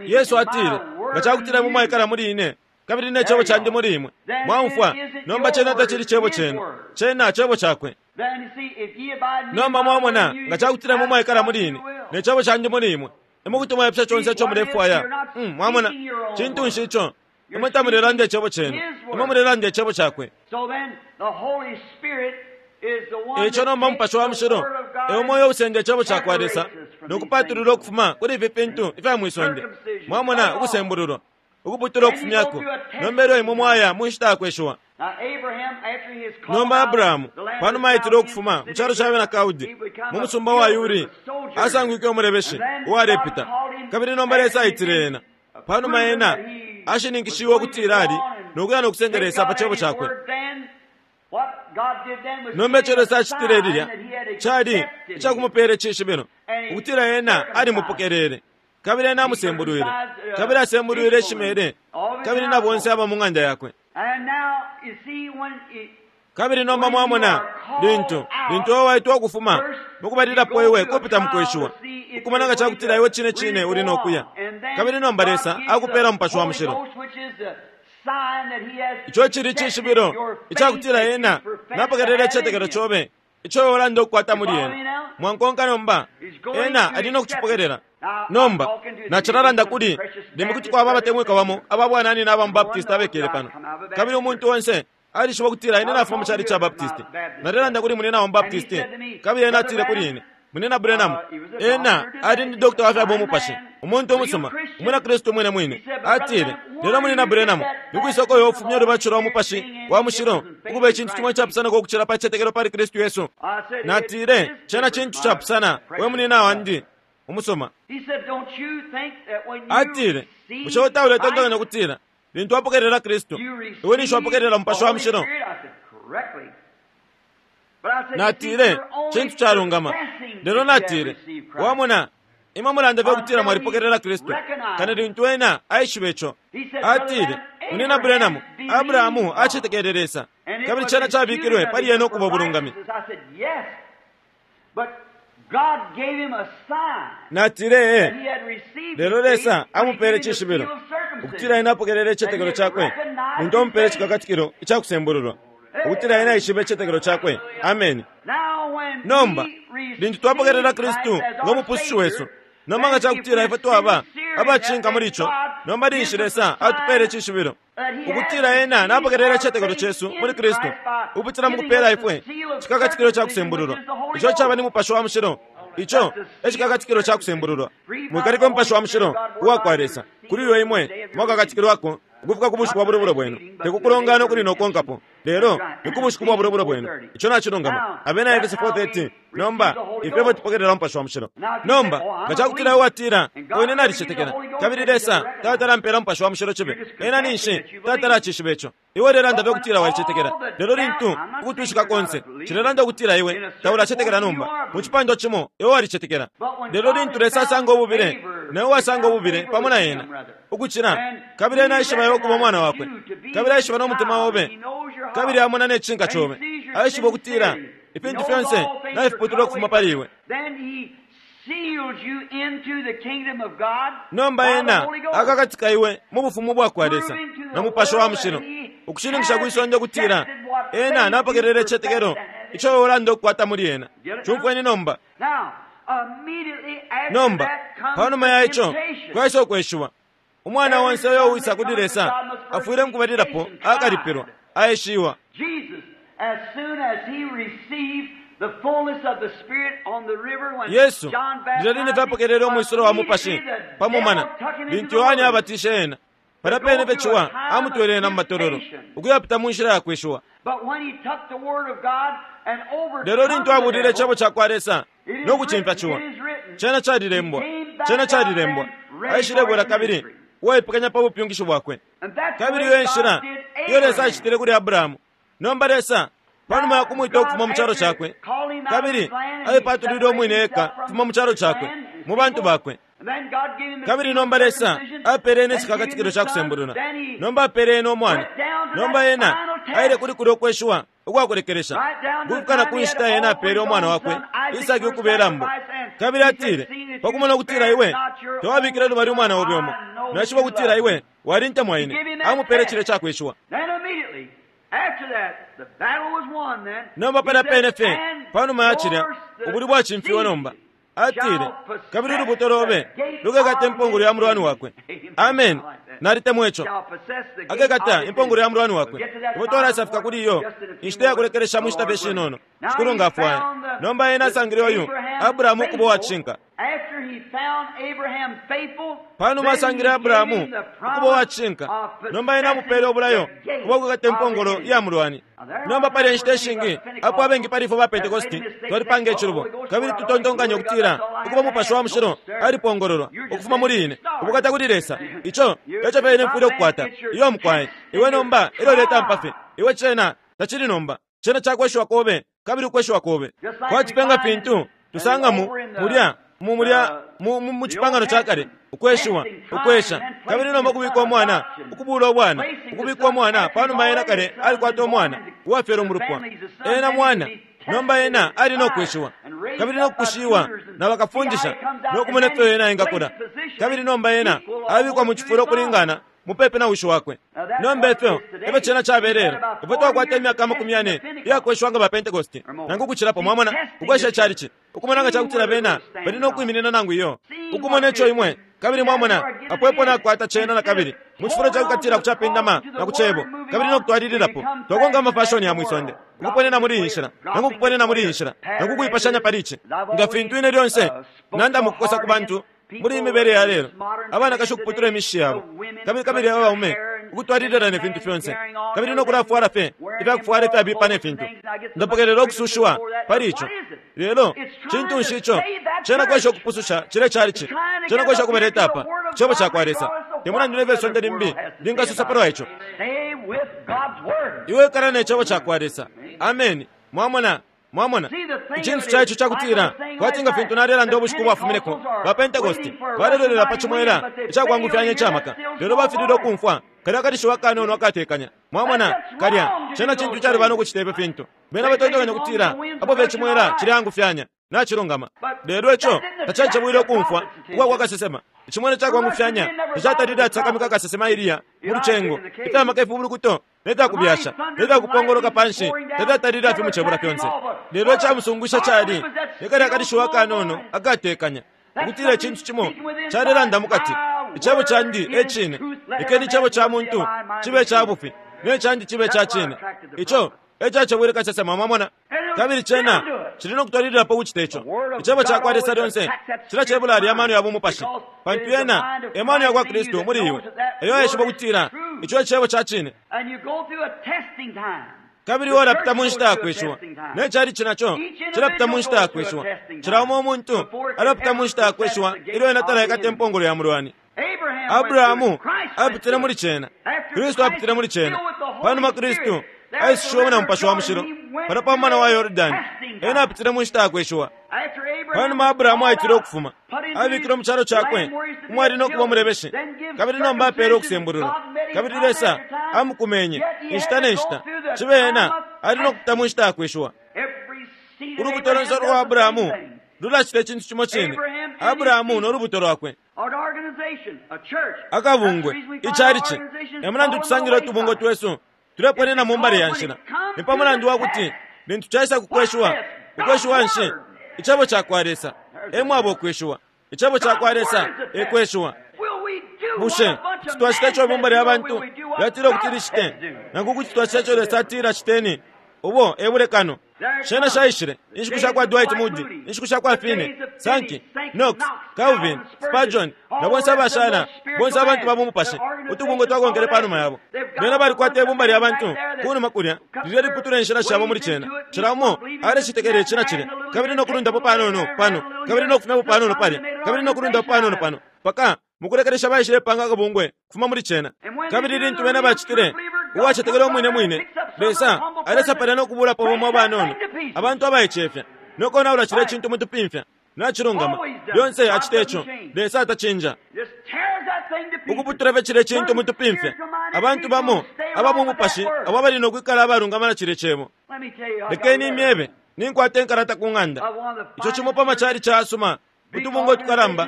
Yesu atile, nga cakutila imwe mwaikala muli ine kabili ne cebo candi muli imwe, mwaumfwa. Nomba cena tacili cebo cenu, cena cebo cakwe. Nomba mwamona, nga cakutila imwe mwaikala muli ine ne cebo candi muli imwe, imwe kuti mwaipusha conse ico mulefwaya. Mwamona, cintu nshi ico? Imwe tamulelanda icebo cenu, imwe mulelanda icebo cakwe. Eico nomba mupashi wa mushilo e umo uyo usenda icebo ca kwa Lesa no kupatulula ukufuma kuli ifi fintu ifya mwisonde. Mwamona, ukusembululwa, ukuputula ukufumyako. Nomba elyo imwe mwaya mu nshita ya kweshiwa. Nomba Abrahamu panuma aitile ukufuma mu calo ca bena Kaldi mu musumba wa Uri, asangwike umulebeshi uwalepita. Kabili nomba Lesa aitile ena panuma ena ashininkishiwe ukutila ali no kuya no kusenda Lesa pa cebo cakwe. Nomba ico Lesa acitile lilya cali icakumupeela icishibilo ukutila ena alimupokelele, kabili ena amusembulwile, kabili asembulwile Ishmaele kabili na bonse aba mu ng'anda yakwe. Kabili nomba mwamona, lintu, lintu iwe waitwa ukufuma, mukubalilapo iwe kupita mukweshiwa, ukumona nga cakutila iwe cine cine uli nokuya. Kabili nomba Lesa akupela Mupashi wa Mushilo. Ico cili cishibilo icakutila Ena napokelela icitetekelo cobe ico iwe ulanda ukukwata muli Ena. Mwankonka nomba? Ena ali no kucipokelela. Nomba, nacilalanda kuli, limbi kuti kwaba abatemwikwa bamo aba bwananyina aba mu Baptist abekele pano. Kabili umuntu onse alishiba ukutila ine nafuma mu chalichi ca Baptist. Nalelanda kuli munyina wa mu Baptist, kabili ena atile kuli ine, Munyina Branham, ena ali ni doctor wa fya bumupashi, umuntu umusuma, umwina Kristu umwine mwine. Atile, Lelo Munyina Branham, nikwisa uko iwe ufumya ulubatisho lwa Mupashi wa Mushilo ukuba icintu cimo icapusanako ukucila pa citetekelo pali Kristu Yesu? Natile, Cena cintu capusana, we munyina wandi umusuma. Atile, Bushe iwe tauletontonkanya ukutila lintu wapokelela Kristu, iwe ninshi wapokelela Mupashi wa Mushilo? Natile, Cintu calungama. Lelo natile, Wamona, imwe mulanda fye ukutila mwalipokelela Kristu, kano lintu ena aishiba ico. Atile, Munyina Branham, Abrahamu acetekele Lesa, kabili cena cabikilwe pali ena ukuba ubulungami. Natile, Ee. Lelo Lesa amupele icishibilo, ukutila ena apokelele icitetekelo cakwe lintu amupele icikakatikilo ica kusembululwa, ukutila ena aishibe icitetekelo cakwe. Ameni. Nomba, lintu twapokelela Kristu ngo Mupusushi wesu, nomba nga cakutila ifwe twaba abacishinka muli ico, nomba ninshi Lesa atupele icishibilo, ukutila Ena napokelela icitetekelo cesu muli Kristu, ukupitila mukupela ifwe cikakatikilo ca kusembululwa, ico caba ni Mupashi wa Mushilo. Ico e cikakatikilo ca kusembululwa. Mwikalika Umupashi wa Mushilo uwakwa Lesa, kuli uyo imwe mwakakatikilwako ukufika ku bushiku bwa bulubulo bwenu, te ku kulongana ukuli no kukonkapo, lelo ni ku bushiku bwa bulubulo bwenu. Ico nacilungama. Abena Efese 4:13. Nomba, ifyo efyo tupokelela Umupashi wa Mushilo. Nomba, nga cakutila iwe watila, Oh, ine nalicetekela, kabili Lesa tatala ampela Umupashi wa Mushilo cibe, ena ninshi tatala acishiba ico. Iwe ulelanda fye ukutila walicetekela, lelo lintu ukutwishika konse cilelanda ukutila iwe taulacetekela nomba, mu cipandwa cimo iwe walicetekela. Lelo lintu Lesa asanga ububile, na iwe wasanga ububile pamo na Ena, ukucila, kabili Ena aishiba iwe ukuba umwana Wakwe, kabili aishiba no mutima obe, kabili amona ne cishinka cobe, aishiba ukutila ifintu fyonse nafiputulwa ukufuma pali iwe. Nomba Ena akakatika iwe mu Bufumu ubwakwa Lesa na Mupashi wa Mushilo, ukushininkisha kwi sonde ukutila Ena napokelela icitetekelo ico iwe ulanda ukukwata muli Ena. Cumfweni nomba. Nomba, panuma ya ico, kwaisa ukweshiwa. Umwana onse uyo uwisa kuli Lesa afwile mukubalilapo akalipilwa, aeshiwa. Yesu, lilya line fye apokelele umwisulo wa Mupashi pa mumana, lintu Yohane abatishe ena, palya pene fye Ciwa amutwele ena mu matololo, ukuyapita mu nshila ya kweshiwa. Lelo lintu abulile Icebo cakwa Lesa no kucimfya Ciwa, Cena calilembwa, Cena calilembwa, aishilebwela kabili uwaipekanya pa bupyungishi bwakwe. Kabili iyo e nshila iyo Lesa acitile kuli Abrahamu. Nomba Lesa, panuma ya kumwita ukufuma mu calo cakwe, kabili aipatulwile umwine eka ukufuma mu calo cakwe, mu bantu bakwe. Kabili nomba Lesa apele ena icikakatikilo ca kusembulula. Nomba apele ena umwana. Nomba ena aile kuli kulyo kweshiwa ukwa kulekelesha, ukufika na ku nshita ena apele umwana wakwe Isaki ukuba ilambo. Kabili atile, Pa kumona ukutila iwe tawabikile lubali umwana obe umo, naishiba ukutila iwe walintemwa ine. Amupele cilya cakweshiwa. Nomba palya pene fye panuma ya cilya, ubulwi bwacimfiwe nomba. Atile, Kabili ulubuto lobe lukekata impongolo ya mulwani wakwe. Ameni. Nalitemwa ico. Akekata impongolo ya mulwani wakwe. Ifwe twalasafika kuli iyo inshita ya kulekelesha mu nshita fye shinono, Shikulu nga afwaya. Nomba ena asangile uyu Abrahamu ukuba uwacishinka. Panuma asangile Abrahamu ukuba uwacishinka, nomba ena amupele ubulayo ubwa kwikata impongolo iya mulwani. Nomba pali inshita ishingi apo abengi pali ifwe ba Pentekosti twalipanga icilubo, kabili tutontonkanya ukutila ukuba Mupashi wa Mushilo alipongololwa ukufuma muli ine. Ubukata kuli Lesa! Ico eco fye ine mfwile ukukwata. Iyo, mukwai. Iwe nomba elyo uletampa fye. Iwe cena tacili nomba. Cena cakweshiwa kobe kabili ukweshiwa kobe. Kwati fye nga fintu tusanga mu, mulya, mu, mulya. Mu, mu, mu Cipangano ca Kale, ukweshiwa, ukwesha, kabili nomba kubika umwana, ukubula ubwana, ukubika umwana, panuma ena kale alikwata umwana, uwafyelwe mu lupwa. Ena mwana, nomba ena ali no kweshiwa, kabili no kukushiwa na bakafundisha, no kumona ifyo ena engakula. Kabili nomba ena abikwa mu cifulo ukulingana mupepi na wishi wakwe. Nomba ifyo efyo cena cabelelo. Ifwe twakwata imyaka 40 iyakweshiwa nga ba Pentecost, nangu ukucilapo, mwamona, ukwesha icalici, ukumona nga cakutila bena bali no kwiminina nangu iyo, ukumona ico imwe, kabili mwamona, apo epo nakwata cena nakabili, mu cifulo cakwikatila ku capindama na ku cebo, kabili no kutwalililapo, twakonka amafashoni ya mwisonde, ukuponena muli iyi nshila, nangu ukuponena muli iyi nshila, nangu ukuipashanya pali ici. Nga fintu ine lyonse nanda mukukosa ku bantu, muli iyi mibele ya lelo, abanakashi ukuputula imishishi yabo, kabili kabili abaume ukutwalilila ne fintu fyonse, kabili no kulafwala fye ifyakufwala ifyabipa ne fintu. Ndapokelela ukusushiwa pali ico. Lelo cintu nshi ico? Cena kwesha ukupususha cile calici, cena kwesha ukubaleta apa ku Cebo cakwa Lesa. Te mulandu ne fyo isonde limbi lingasosa palwa ico, iwe ikala ne Cebo cakwa Lesa. Ameni. Mwamona? Mwamona, icintu ca ico cakutila, kwati nga fintu nalelanda ubushiku bwafumineko, ba Pentecost balelolela pa cimwela icakwangufyanya ica maka, lelo bafililwe ukumfwa kalya kalishiwa akanono akatekanya. Mwamona, kalya cena cintu calubana ukucita ifyo fintu. Bena batontonkanya ukutila apo fye icimwela cileangufyanya, nacilungama. Lelo ico tacacebwile ukumfwa ukwa kwa kasesema. Icimwela icakwangufyanya tacatalile acisakamika kasesema Eliya mu lucengo, ifya maka ifibulukuto ne fya kubyasha ne fya kupongoloka pa nshi tafyatalile afimucebula fyonse. Lelo icamusungwisha cali ni kalya kalishiwa akanono akatekanya, ukutila icintu cimo calelanda mu kati, Icebo candi e cine, lekeni icebo ca muntu cibe ica bufi, ne candi cibe ica cine. Ico e cacebwile kasesema, mwamona. Kabili cena cili no kutwalililapo ukucita ico. Icebo ca kwa Lesa lyonse cilacebula alya amano ya bumupashi, pantu yena e mano ya kwa Kristu muli iwe, eyo aishiba ukutila ico e Cebo ca cine. Kabili iwe ulapita mu nshita ya kweshiwa, ne chalichi naco cilapita mu nshita ya kweshiwa. Cila umo umuntu alapita mu nshita ya kweshiwa ilyo ena talaikata impongolo ya mulwani. Abrahamu apitile muli cena, Kristu apitile muli cena. Panuma Kristu aisushiwemo na Mupashi wa Mushilo palya pa mumana wa Yordani, ena apitile mu nshita ya kweshiwa. Panuma Abrahamu aitilwe ukufuma, abikilwe mu calo cakwe umwali no kuba umulebeshi, kabili nomba apeelwe ukusembululwa, kabili Lesa amukumenye inshita ne nshita, cibe ena ali no kupita mu nshita ya kweshiwa. Ulubuto lonse ulwa Abrahamu lulacita icintu cimo cine, Abrahamu no lubuto lwakwe. Akabungwe, icalici, e mulandu tusangila utubungwe twesu tuleponena mu mbali ya nshila. Ni pa mulandu wa kuti lintu caisa ku kweshiwa, ukweshiwa nshi? Icebo ca kwa Lesa e mwaba ukweshiwa. Icebo ca kwa Lesa e kweshiwa. Bushe kuti twacita ico ibumba lya bantu lyatila ukuti licite, nangu kuti twacita ico Lesa atila citeni? Ubo e bulekano. Shena shaishile inshiku sha kwa Dwight Moody, inshiku sha kwa Finney, Sankey, Knox, Calvin, Spurgeon, na bonse abashala, bonse abantu ba bumupashi, utubungwe twakonkele pa numa yabo. Bena balikwata ibumba lya bantu kunuma kulya lilya liputula inshila shabo muli cena. Cila umo alecitekela ici na cilya, kabili no kulundapo panono pano, kabili no kufumyapo panono palya, kabili no kulundapo panono pano, mpaka mukulekelesha baishilepanga akabungwe kufuma muli cena. Kabili lintu bena bacitile, uwacetekela umwine mwine, Lesa alesa palya no kubulapo bamo abanono, abantu abaicefya, no konaula cilya cintu mutupimfya. Nacilungama. Lyonse acite co. Lesa atacinja. Ukuputula fye cilya cintu mutupimfya. Abantu bamo aba mu mupashi abo abali no kwikala abalungama na cilya Cebo. Lekeni imyebe, ninkwata inkalata ku ng'anda. Ico cimo pa macalici ayasuma utubungwe utukalamba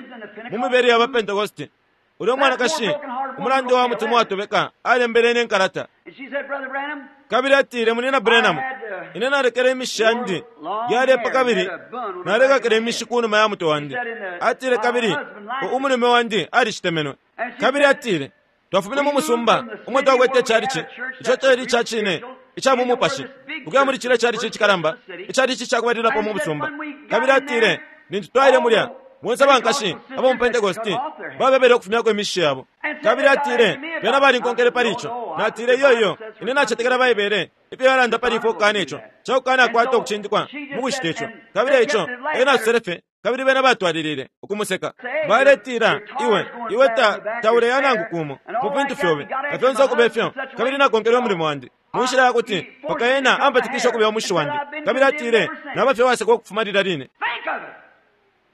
mu mibele ya baPentekoste. Ulya mwanakashi, umulando wa mutima uwatobeka, alembele ine inkalata. Kabili atile, Munyina Branham, ine nalekele imishi yandi yalepa kabili nalekakila imishi ku numa ya mutwe wandi. Atile, kabili umulume wandi alicitemenwe. Kabili atile, Twafumine mu musumba umo twakwete icalici, ico cali ica cine ica mu mupashi, ukuya muli cilya calici icikalamba, icalici ca kubalilapo mu musumba. Kabili atile, Lintu twaile mulya, bonse abankashi aba mu Pentekoste babebele ukufumyako imishishi yabo. Kabili atile, Bena balinkonkele pali ico. Natile, Iyo, iyo, ine nacetekela Baibele ifyo yalanda pali ifwe ukukana ico, ca kukanakwata ukucindikwa mu kucita ico. Kabili eico ena asosele fye, kabili bena batwalilile ukumuseka. Baletila, Iwe, iwe ta, tauleya nangu kumo mu fintu fyobe, na fyonse ukuba ifyo. Kabili nakonkele umulimo wandi mu nshila ya kuti mpaka ena ampatikishe ukubya umushi wandi. Kabili atile, Naba fye uwasekwa ukufuma lilya line. Think of it!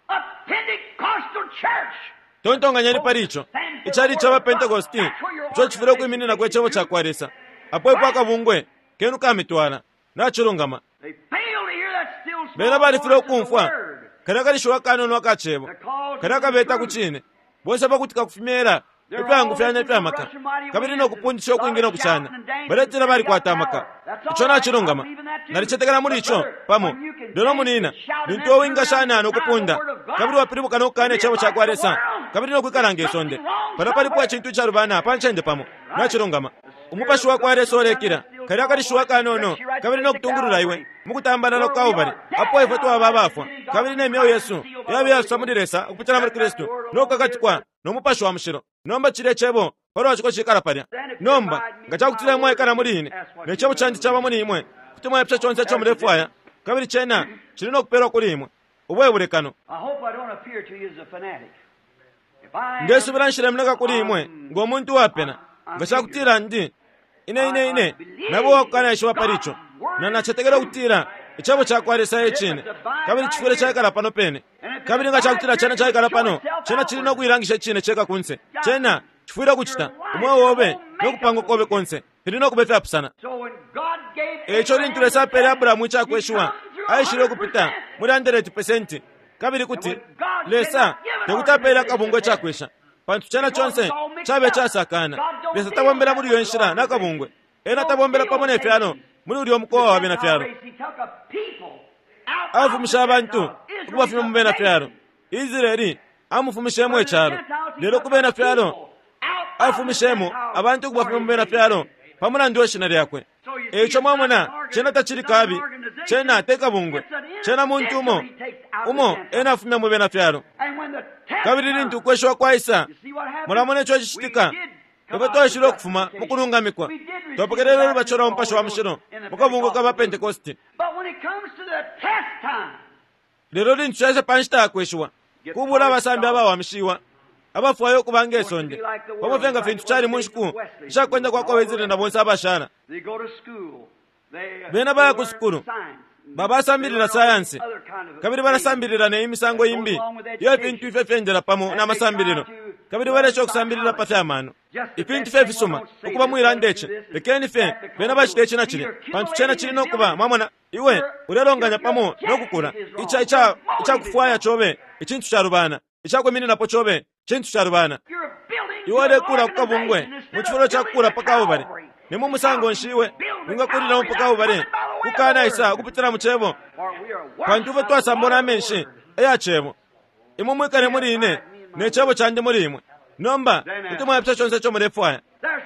A Pentecostal Tontonkanyeni pali ico. Icali caba Pentecosti ico cifwile ukwimininako Icebo cakwa Lesa. Apo epo akabungwe kenu kamitwala. Nacilungama. Bena balifilwa ukumfwa kalya kalishiwi akanono aka Cebo, kalya akabeta ku Cine. Bonse pakutika ku fimyela ifyaangufyanya ifya maka kabili no kupundisha ukwingi no kucana, baletila balikwata amaka. Ico nacilungama. Nalicetekela muli ico, pamo. Lelo, munina, lintu iwe wingashana no kupunda, kabili wapilibuka no kukana Icebo cakwa Lesa, kabili no kwikala nge sonde, palya palipo icintu icalubana pa ncende pamo. Nacilungama. Umupashi wakwa Lesa ulekila kalya akalishiwi akanono kabili no kutungulula iwe mukutambalala ku Kalbale, apo ifwe twaba abafwa, kabili ne myeo yesu yaba iyafiswa muli Lesa ukupitila muli Kristu, no kukakatikwa no Mupashi wa Mushilo. Nomba cilye Cebo palwa ciko cikala palya. Nomba, nga ca kutila imwe mwaikala muli ine, ne Cebo candi caba muli imwe, kuti mwaipusha conse ico mulefwaya, kabili cena cili no kupelwa kuli imwe. Ubo e bulekano. Ndesubila nshilemoneka kuli imwe ngo muntu uwapena. Nga ca kutila ndi, ine, ine, ine naba uwakukanaishiba pali ico, na nacetekela ukutila Icebo cakwa Lesa e Cine, kabili cifwile caikala pano pene. Kabili nga cakutila Cena caikala pano, Cena cili no kuilangisha Icine ceka kunse. Cena cifwile ukucita. Umweo obe no kupanga kobe konse fili no kuba ifyapusana. E ico lintu Lesa apeele Abrahamu icakweshiwa, aishile ukupita muli 100%, kabili kuti Lesa tekuti apeele akabungwe icakwesha, pantu cena conse cabe icasakana. Lesa tabombela muli iyo nshila na kabungwe. Ena tabombela pamo ne fyalo muli ulya mukowa wa bena fyalo. Afumishe abantu ukubafumya mu bena fyalo. Israeli amufumishemo icalo, lelo ku bena fyalo afumishemo abantu ukubafumya mu bena fyalo pa mulandu we shina lyakwe. E ico mwamona, cena tacili kabi, cena te kabungwe, cena muntu umo umo ena afumya mu bena fyalo. Kabili lintu ukweshiwa kwaisa, mulamona ico cicitika. Ifwe twaishile ukufuma mu kulungamikwa, twapokelele ulubatisho lwa Mupashi wa Mushilo mu kabungwe ka ba Pentekoste. Lelo lintu caisa pa nshita ya kweshiwa, kubula abasambi abawamishiwa abafwaya ukuba nge sonde, pamo fye nga fintu cali mu nshiku isha kwenda kwa kwa Wesley na bonse abashala. Bena baya ku sukulu, babasambilila sayansi, kabili balasambilila ne imisango imbi iyo fintu ifyo fyendela pamo na masambililo, kabili balesha ukusambilila pa fya mano, ifintu fye fisuma ukuba mwilanda ici. Lekeni fye bena bacite ici na cilya, pantu cena cili no kuba, mwamona, iwe ulelonganya pamo no kukula ica ica icakufwaya cobe icintu calubana, icakwimininapo cobe cintu calubana. Iwe ulekula ku kabungwe mu cifulo ca kukula pa Kalbale. Ni mu musango nshi iwe wingakulilamo pa Kalbale kukanaisa ukupitila mu Cebo? Pantu ifwe twasambwa na menshi aya Cebo. Imwe mwikale muli ine, ne Cebo candi muli imwe. Nomba kuti mwaipusha conse ico mulefwaya.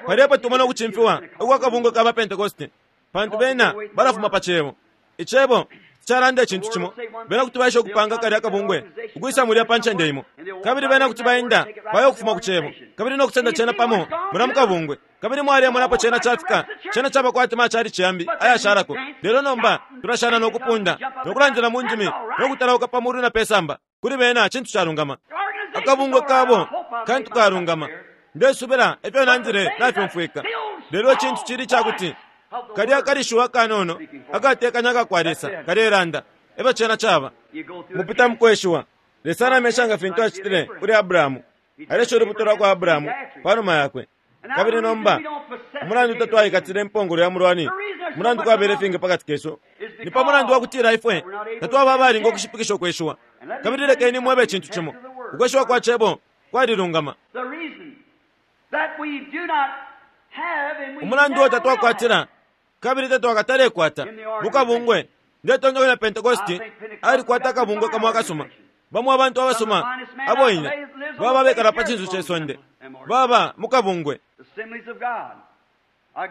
Palya epo tumona ukucimfiwa ukwa kabungwe ka ba Pentekoste, pantu bena balafuma pa Cebo. Icebo calanda icintu cimo, bena kuti baesha ukupanga kalya kabungwe ukwisa mulya pa ncende imo, kabili bena kuti baenda baya ukufuma ku Cebo kabili no kusenda cena pamo mulya mu kabungwe. Kabili mwalemona apo cena cafika, cena caba kwati ma chalichi yambi ayashalako. Lelo nomba tulashana no kupunda no kulandila mu ndimi no kutalauka pa mulu na pe samba. Kuli bena cintu calungama, akabungwe kabo kantu kalungama. Ndesubila ifyo nandile nafyumfwika. Lelo icintu cili ca kuti kalya kalishiwi akanono akatekanya akakwa Lesa kalelanda, efyo cena caba. Mupita mukweshiwa. Lesa alamesha nga fintu acitile kuli Abrahamu. Alesha ulubuto lwa kwa Abrahamu panuma yakwe. Kabili nomba, umulandu tatwaikatile impongolo ya mulwani, umulandu kwabele ifingi pakati kesu, ni pa mulandu wa kutila ifwe tatwaba abalinga ukushipikisha ukweshiwa. Kabili lekeni mwebe icintu cimo, ukweshiwa kwa Cebo kwalilungama. Umulandu uo tatwakwatila kabili tatwakatalekwata mu kabungwe, ndetontonkanya Pentekoste alikwata akabungwe kamo akasuma. Bamo abantu abasuma abo ine baba abekala pa cinso ce sonde baba mu kabungwe.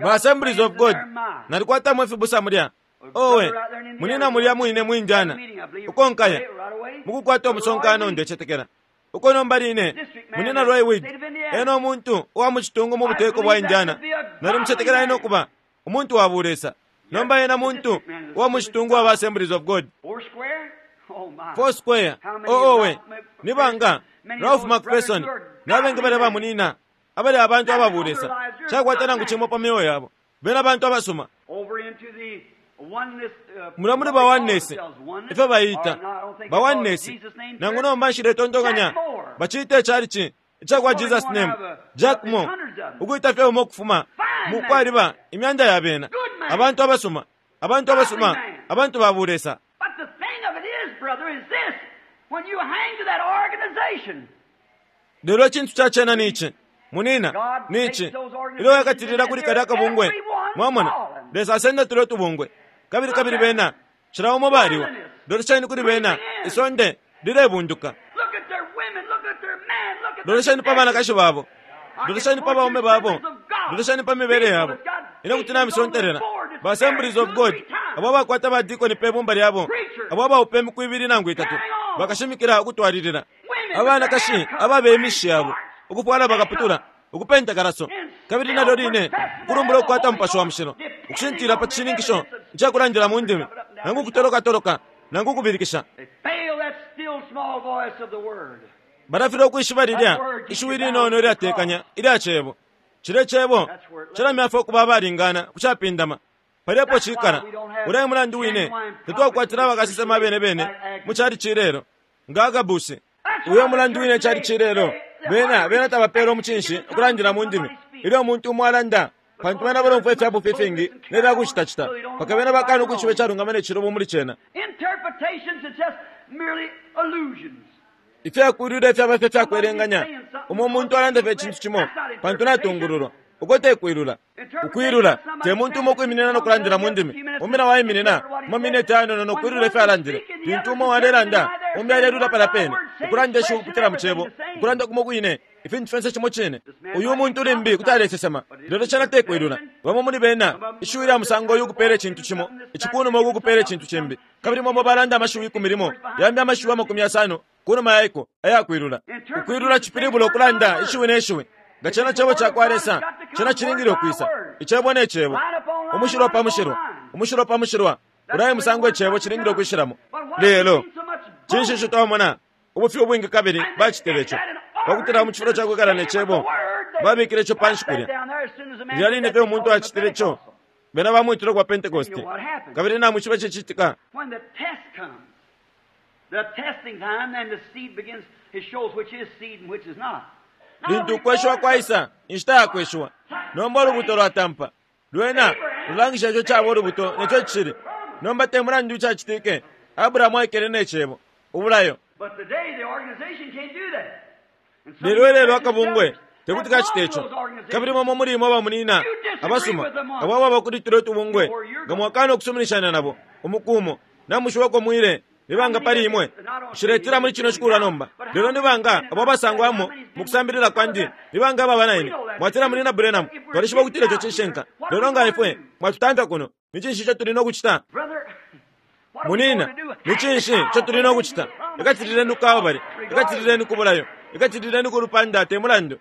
Ba Assemblies of God, nalikwatamo ifibusa mulya. Owe, munina mulya mwine mu Indiana, uko nkaya mukukwata umusonkano, ndecetekela uko nomba line munina Roy Weed, ena umuntu uwa mu citungu mu buteko bwa Indiana. Nalimucetekela ena ukuba umuntu wa bulesa. Nomba ena muntu uwa mu citungu wa Assemblies of God. Four Square, oh owe, ni banga Ralph McPherson nabengi balya bamunina abali abantu ababulesa cakwata nangu cimo pa myeo yabo. Bena bantu abasuma. Mulya muli ba Oneness, ifyo baita ba Oneness, nangu nomba nshiletontonkanya baciita icalici icakwa Jesus Name, Jack Moore, ukuita fye umo ukufuma mu kwaliba imyanda ya bena, abantu abasuma, abantu abasuma, abantu ba bulesa. But the thing of it is, brother, is this. When you hang to that organization, Lelo icintu ca cena ni ici, munina, ni ici, ilyo wakatilila kuli kalya kabungwe, mwamona, Lesa asenda tulyo tubungwe, kabili kabili bena, cila umo baliwa, lolesheni kuli bena, isonde lilebunduka. look at their women, look at their men, look at their Lolesheni pa banakashi babo, I can lolesheni pa point baume to babo, assemblies of God. lolesheni pa mibele yabo. Ine kuti namisontelela, ba Assemblies of God, abo abakwata ba dikoni pe bumba lyabo, abo abaupa imiku ibili nangu itatu, bakashimikila ukutwalilila. Abanakashi ababe imishi yabo, ukufwala bakaputula, ukupenta kalaso, kabili nalyo line ukulumbula ukukwata Mupashi wa Mushilo, ukushintila pa cishininkisho icakulandila mu ndimi, nangu ukutolokatoloka, nangu ukubilikisha. They fail that still small voice of the word. Balafilwa ukwishiba lilya ishiwi linono ilyatekanya ilya cebo. Cilya cebo cilamyafwa ukuba abalingana ku capindama. Palyapo cikala, ulya e mulandu wine tatwakwatila abakasesema abene bene mu calici ilelo, nga Agabusi. Uyo mulandu wine calici ilelo, bena bena tabapeela umucinshi ukulandila mu ndimi ilyo umuntu umo alanda, pantu bena balomfwa ifya bufi ifingi ne fya kucitacita, mpaka bena bakana ukwishiba icalungama ne cilubo muli cena. Interpretations are just merely illusions. Ifyakwilula ifyaba fye fyakwelenganya umo umuntu alanda fye icintu cimo pantu natungululwa. Uko te kwilula. Ukwilula te muntu umo ukwiminina no kulandila mu ndimi. Umbi na waiminina mu mamineti ayanono no kwilula ifyo alandile. Lintu umo alelanda, umbi alelula palya pene, ukulanda ishiwi ukupitila mu cebo, ukulanda kumo kwine, ifintu fyonse cimo cine. Uyu muntu limbi kuti alesesema, lelo cena te kwilula. Bamo muli bena, ishiwi lya musango uyu ukupeela icintu cimo, ici kunuma uku ukupeela icintu cimbi. Kabili momo balanda amashiwi 10, yambi amashiwi 50 kunuma yaiko ayakwilula. Ukwilula cipilibula ukulanda ishiwi ne shiwi. Nga cena cebo cakwa Lesa, cena cilingile ukwisa. Icebo ne cebo. Umushilwa pa mushilwa, umushilwa pa mushilwa. Ulya e musango icebo cilingile ukwishilamo. Lelo, cinshi ico twamona? Ubufi ubwingi kabili bacitile ico. Pakutila mu cifulo ca kwikala ne cebo, babikile ico panshi kulya. Lilya line fye umuntu acitile ico, bena bamwitile ukuba Pentecosti. Kabili namwishiba icicitika. When the test comes, the testing time, then the seed begins, it shows which is seed and which is not. Now, Lintu ukweshiwa kwaisa, inshita ya kweshiwa. Nomba ulubuto lwatampa. Lwena lulangisha ico caba ulubuto neco cili. Nomba te mulandu icacitike, Abrahamu aikele ne cebo, ubulayo. But today the organization can't do that. And some Lelo ilelo of you akabungwe tekuti kacite ico. Kabili momo muli imwe abamunina abasuma, abo ababa kuli tulya tubungwe, nga mwakana ukusuminishana nabo, umuku umo, namushiwako mwile, ni banga pali imwe. Nshiletila muli cino cikulwa nomba. Lelo ni banga abo abasangwamo mu kusambilila kwandi, ni banga ababa na ine. Mwatila munina Branham, twalishiba ukutila ico cishinka. Lelo nga ifwe mwatutamfya kuno, ni cinshi ico tuli no kucita? Brother, what are we Munina, going to do? ni cinshi ico tuli no kucita? Ikatilileni ku Kalbale, ikatilileni ku bulayo, ikatilileni ku lupanda te mulandu.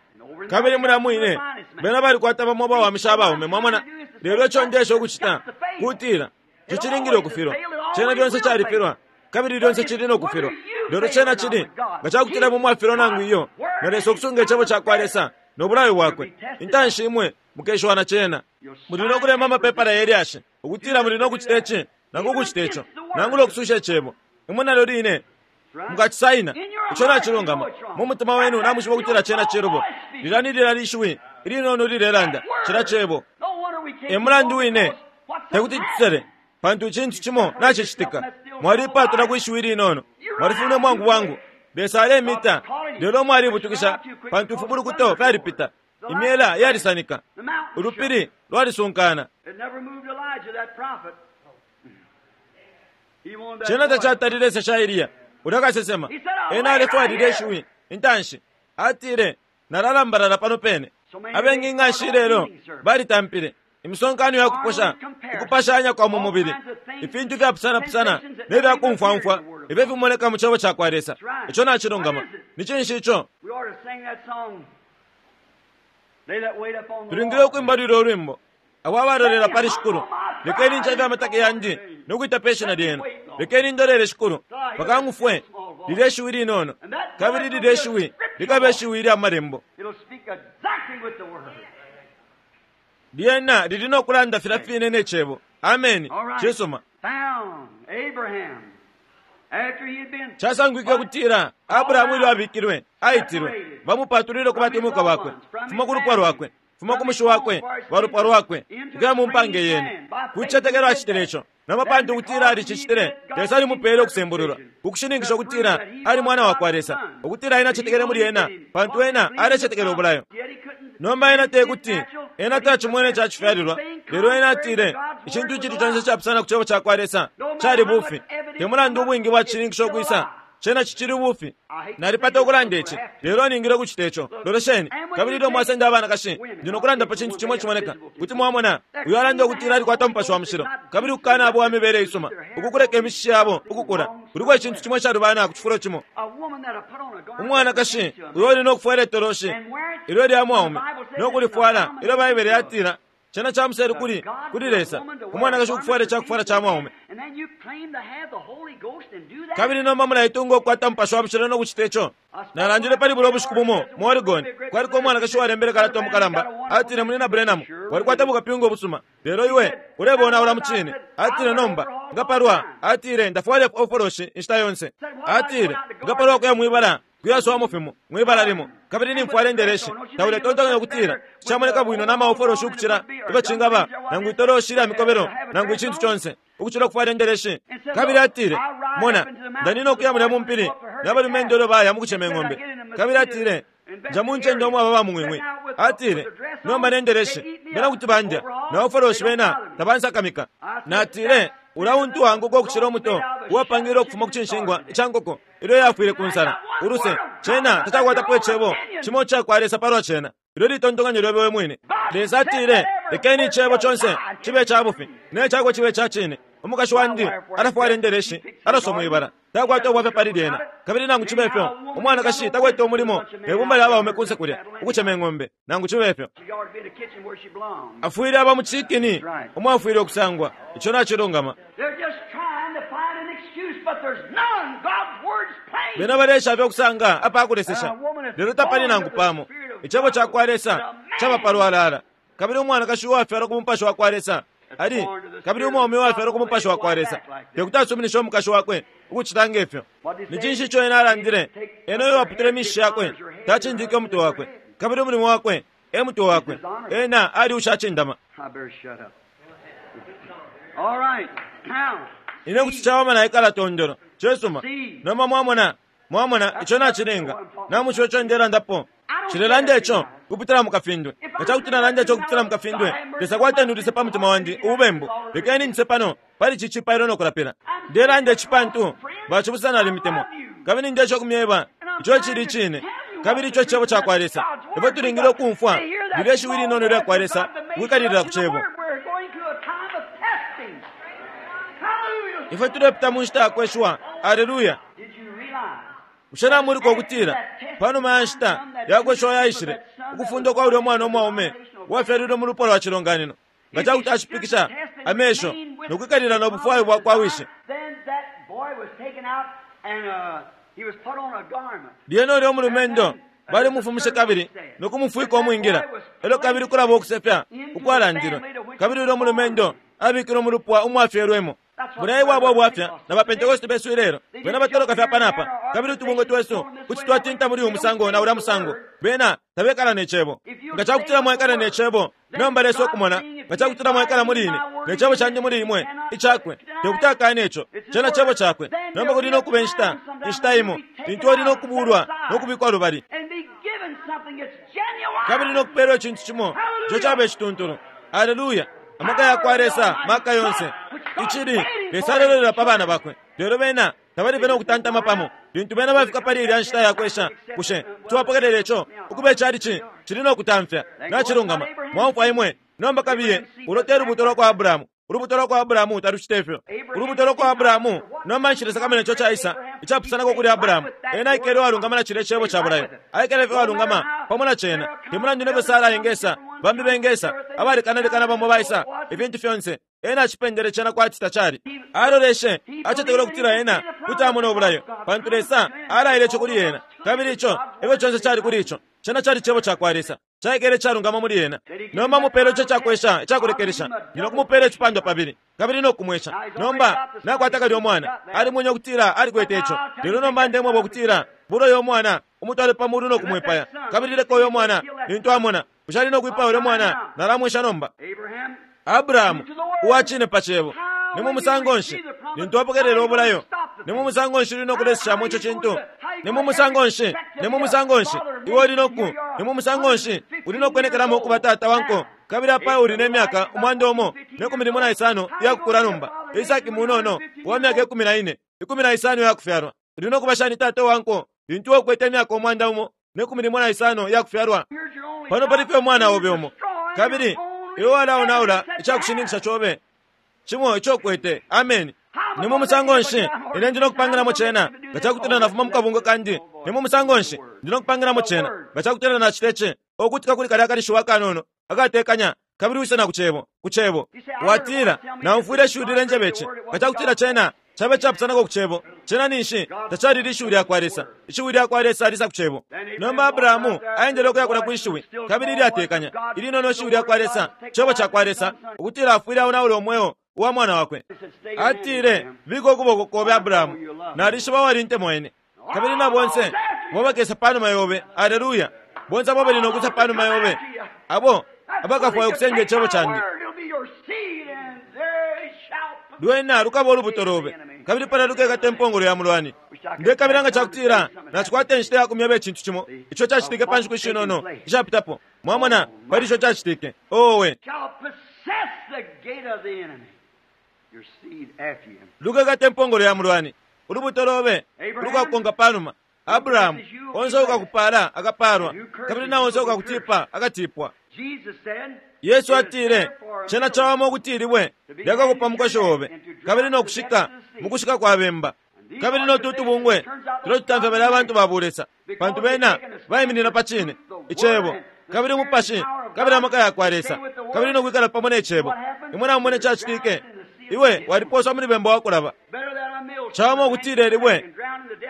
Kabili mulya mwine, bena balikwata bamo abawamisha abaume, mwamona. Lelo ico ndesha ukucita, kutila, ico cilingile ukufilwa. Cena lyonse califilwa, kabili lyonse cili no kufilwa. Lelo cena cili, nga cakutila imwe mwafilwa nangu iyo, na Lesa ukusunga icebo cakwa Lesa no bulayo bwakwe, intanshi imwe mukeshiwa na cena. Muli no kulemba amapepala ye lyashi, ukutila muli no kucita ici, nangu ukucita ico, nangula ukususha icebo. Imwe nalyo line mukacisaina, ico nacilungama. Mu mutima wenu namwishiba ukutila cena cilubo. Lilya ni lilya lishiwi ilinono lilelanda, cila cebo. No wonder we can't E mulandu wine, What's tekuti tusele, pantu icintu cimo nacicitika. Mwalipatula kwi shiwi linono, mwalifumine mwangu bwangu. Lesa alemita, lelo mwalibutukisha, pantu ifibulukuto fyalipita. Imyela yalisanika, The mountain shook. ulupili lwalisunkana. It never moved Elijah, that prophet. He wanted that Cena voice. tacatalile sha Eliya, ulya kasesema. Ena alefwalile ishiwi intanshi. Atile, nalalambalala pano pene. Abengi nga nshi lelo balitampile imisonkano ya kuposha, ukupashanya kwa mu mubili, ifintu ifyapusanapusana ne fya kumfwamfwa ifyo fimoneka mu cebo ca kwa Lesa. Ico nacilungama. Ni cinshi ico? We ought to sing that song. They that wait upon the Tulingile Lord. ukwimba lulyo lwimbo. Abo abalolela pali Shikulu, lekeni ncafye amataki yandi no kwita pe shina lyenu. Lekeni ndolele Shikulu, mpaka ng'ufwe lilye shiwi linono, kabili lilye shiwi likabe shiwi lya malembo. It'll speak exactly with the word. Lyena lili no kulanda filya fine ne cebo. Ameni. Cisuma. Casangwike ukutila Abrahamu ilyo abikilwe, aitilwe, bamupatulile ku batemwikwa bakwe, fuma ku lupwa lwakwe, fuma ku mushi wakwe, balupwa lwakwe, ukuya mu mpanga iyene. Ku cicetekelo acitile ico. Nomba pantu ukutila alicicitile, Lesa alimupele ukusembululwa, ku kushininkisha ukutila ali mwana wakwa Lesa, ukutila ena acetekele muli ena, pantu ena alecetekela ubulayo. Nomba ena tekuti, ena tacimwene ca cifyalilwa, lelo ena atile, icintu icili conse icapusana ku Cebo cakwa Lesa cali bufi. Te mulandu ubwingi bwa cishininkisho ukwisa, cena cicili bufi. Nalipata ukulanda ici, lelo ningile ukucita ico. Lolesheni, kabili ilyo mwasenda abanakashi, ndi no kulanda pa cintu cimo icimoneka. Kuti mwamona, uyo alanda ukutila alikwata Umupashi wa Mushilo, kabili ukukana abo wa mibele isuma, ukukuleka imishishi yabo ukukula. Kuliko icintu cimo icalubana ku cifulo cimo. Umwanakashi uyo uli no kufwala itoloshi ilyo lya mwaume, no kulifwala ilyo Baibele yatila cena ca muselu kuli, kuli Lesa, umwanakashi ukufwala icakufwala ca mwaume. Kabili nomba mulaitunga ukukwata Mupashi wa Mushilo no kucita ico. Nalandile pali bulya ubushiku bumo mu Oregon, kwaliko umwanakashi uwalembele kalata umukalamba, atile, Munyina Branham, walikwata bukapyunga ubusuma, lelo iwe ulebonaula mucine. Atile, Nomba, nga palwa, atile, ndafwala ofoloshi inshita yonse. Atile, Nga palwa kuya mwibala, kuyaswamo fimo, mwibala limo, kabili nimfwala indeleshi, tauletontonkanya ukutila camoneka bwino na maofoloshi ukucila ifyo cingaba, nangu itoloshi ilya mikobelo, nangu icintu conse, ukucila ukufwala indeleshi. Kabili atile, Mona, ndanina ukuya mulya mu mpili na balumendo ilyo baya mukucema ing'ombe. Kabili atile, Nja mu ncende umwaba ba mung'wing'wi. Atile, Nomba ne ndeleshi, bena kuti bandya, na ofoloshi bena tabansakamika. Natile, Ulya untu wanguka ukucila umuto uwapangilwe ukufuma ku cinshingwa ica nkoko ilyo yafwile ku nsala. Uluse, cena tacakwatapo icebo cimo icakwa Lesa palwa cena. Ilyo litontonkanyo lyobe we mwine. Lesa atile, Lekeni icebo conse cibe ica bufi, ne cakwe cibe ica cine. Umukashi wandi alafwala indeleshi, alaswa mwibala. Takwata ubwafya pali lyena. Kabili nangu cibe fyo, umwanakashi takwete umulimo ne bumba lya baume kunse kulya, ukucema ing'ombe, nangu cibe fyo. Afwile aba mu cikini umo afwile ukusangwa. Ico nacilungama. Bena baleesha fye ukusanga apa kulesesha, lelo tapali nangu pamo. Icebo ca kwa Lesa caba palwalala. Kabili umwanakashi uwafyalwa ku Mupashi wa kwa Lesa ali, kabili umwaume uwafyalwa ku Mupashi wa kwa Lesa te kuti asuminishe umukashi wakwe ukucita nge fyo. Ni cinshi ico ena alandile? Ena uyo waputile imishishi yakwe tacindike umutwe wakwe, kabili umulimo wakwe e mutwe wakwe. Ena ali ushacindama. Ine kuti cawama naikala tondolo. Cisuma. Nomba mwamona, mwamona, ico nacilinga. Namwishiba ico ndelandapo. Nshilelanda ico ukupitila mu kafindwe. Nga ca kuti nalanda ico ukupitila mu kafindwe, Lesa kwatendulise pa mutima wandi ububembu. Lekeni njise pano pali ici cipailo no kulapila. Ndelanda ici pantu bacibusa nalimitemwa, kabili ndesha ukumyeba ico icili icine, kabili ico Cebo cakwa Lesa. Ifwe tulingile ukumfwa lilye shiwi linono ilya kwa Lesa ukwikalilila ku Cebo. Ifwe tulepita mu nshita ya kweshiwa. Aleluya! Bushe namuliko ukutila panuma ya nshita ya kweshiwa yaishile, ukufunda kwa ulya mwana umwaume uwafyalilwe mu lupwa lwa cilonganino, nga ca kuti ashipikisha amesho no kwikalila no bufwayo bwa kwa wishi? Lyena ulya umulumendo balimufumishe kabili no kumufwika umwingila, elyo kabili kulaba ukusefya ukwalandilwe, kabili ulya umulumendo abikilwe mu lupwa umwafyelwemo. Bulya ebwaba ubwafya na ba Pentekoste besu ilelo. Bena batoloka fye apa na apa, kabili utubungwe twesu kuti twatinta muli uyu musango na ulya musango. Bena tabekala ne Cebo. Nga cakutila mwaikala ne Cebo, nomba Lesa ukumona, nga cakutila mwaikala muli Ine, ne Cebo Candi muli imwe, Icakwe, tekuti akane ico. Cena Cebo Cakwe. Nomba kuli no kuba inshita, inshita imo, lintu uli no kubulwa no kubikwa lubali, kabili no kupelwa icintu cimo ico caba icituntulu. Aleluya! Amaka yakwa Lesa maka yonse. Icili, Lesa alelolela pa bana Bakwe, lelo bena tabali fye no kutantama pamo. Lintu bena bafika pali ilya nshita ya kwesha, bushe kuti wapokelela ico ukuba icalici cili no kutamfya? Nacilungama. Mwaumfwa imwe. Nomba kabiye, ulo te lubuto lwa kwa Abrahamu. Ulubuto lwa kwa Abrahamu talucita ifyo. Ulubuto lwa kwa Abrahamu, nomba nshilesakamana ico caisa, icapusanako kuli Abrahamu. Ena aikele uwalungama na cilya Cebo ca bulayo. Aikele fye uwalungama pamo na Cena. Te mulandu nefyo Sara engesa, bambi bengesa, abalekanalekana bamo baisa, ifintu fyonse, ena acipendele cena kwati tacali. Aloleshe, acetekele ukutila ena kuti amona ubulayo, pantu Lesa alaile ico kuli ena. Kabili ico efyo conse cali kuli ico. Cena cali Cebo cakwa Lesa. Caikele icalungama muli ena. Nomba mupele ico cakwesha icakulekelesha. Ndi no kumupela icipandwa pabili, kabili no kumwesha. Nomba nakwata kalya umwana. Alimwenye ukutila alikwete ico. Lelo nomba ndemweba ukutila bula uyo mwana, umutwale pa mulu no kumwipaya. Kabili leka uyo mwana, lintu amona, bushe ali no kwipaya ulyo mwana? Nalamwesha nomba. Abrahamu, uwa cine pa Cebo. Ni mu musango nshi lintu wapokelela ubulayo? Ni mu musango nshi uli no kuleseshamo ico cintu? Ni mu musango nshi? Ni mu musango nshi iwe uli no ku? Ni mu musango nshi uli no kwenekelamo ukuba tata wa nko? Kabili apa uli ne myaka 115 iya kukula nomba. Isaki munono uwa myaka 14, 15 iya kufyalwa. Uli no kuba shani tata wa nko lintu iwe ukwete imyaka 115 iya kufyalwa? Pano pali fye umwana obe umo, kabili iwe walaonaula icakushininkisha cobe cimo ico ukwete. Ameni. Ni mu musango nshi ine ndi no kupangilamo cena nga cakutila nafuma mu kabungwe kandi? Ni mu musango nshi ndi no kupangilamo cena nga cakutila nacita ici? Ukutika kuli kalya kalishiwa akanono akatekanya, kabili wise na ku Cebo, ku Cebo. Watila, Naumfwile ishiwi lilenjeba ici. Nga cakutila cena cabe icapusanako ku Cebo, cena ninshi tacali lishiwi lyakwa Lesa. Ishiwi lyakwa Lesa lisa ku Cebo. Nomba Abrahamu aendele ukuya kulya kwi Shiwi, kabili ilyatekanya, ilinono Ishiwi lyakwa Lesa, Cebo cakwa Lesa, ukutila afwile aonaula umweo uwa mwana wakwe. Atile, Bika ukuboko kobe, Abrahamu. Nalishiba walintemwa ine. Kabili na bonse abo bakesa panuma yobe, aleluya, bonse abo abali no kwisa panuma yobe, abo abakafwaya ukusenda Icebo candi. Lwena lukaba ulubuto lobe, kabili palya lukekata impongolo ya mulwani. Ndekabila nga cakutila nacikwata inshita ya kumyeba icintu cimo ico cacitike pa nshiku ishinono ishapitapo. Mwamona, pali ico cacitike. Owe! Lukekata impongolo ya mulwani, ulubuto lobe ulukakukonka panuma. Abrahamu, onse uukakupala akapaalwa, kabili na onse uukakutipa akatipwa. Yesu atile, Cena cawama ukuti ilibwe lyakakupa mukoshi obe, kabili no kushika mu kushika kwa bemba. Kabili no tu tubungwe tuletutamfya balya abantu ba bulesa, pantu bena baiminina pa Cine, Icebo, kabili Umupashi, kabili amaka yakwa Lesa, kabili no kwikala pamo ne Cebo. Imwe namumona icacitike? Iwe waliposwa muli bemba wa kulaba. Cawama ukutila ilibwe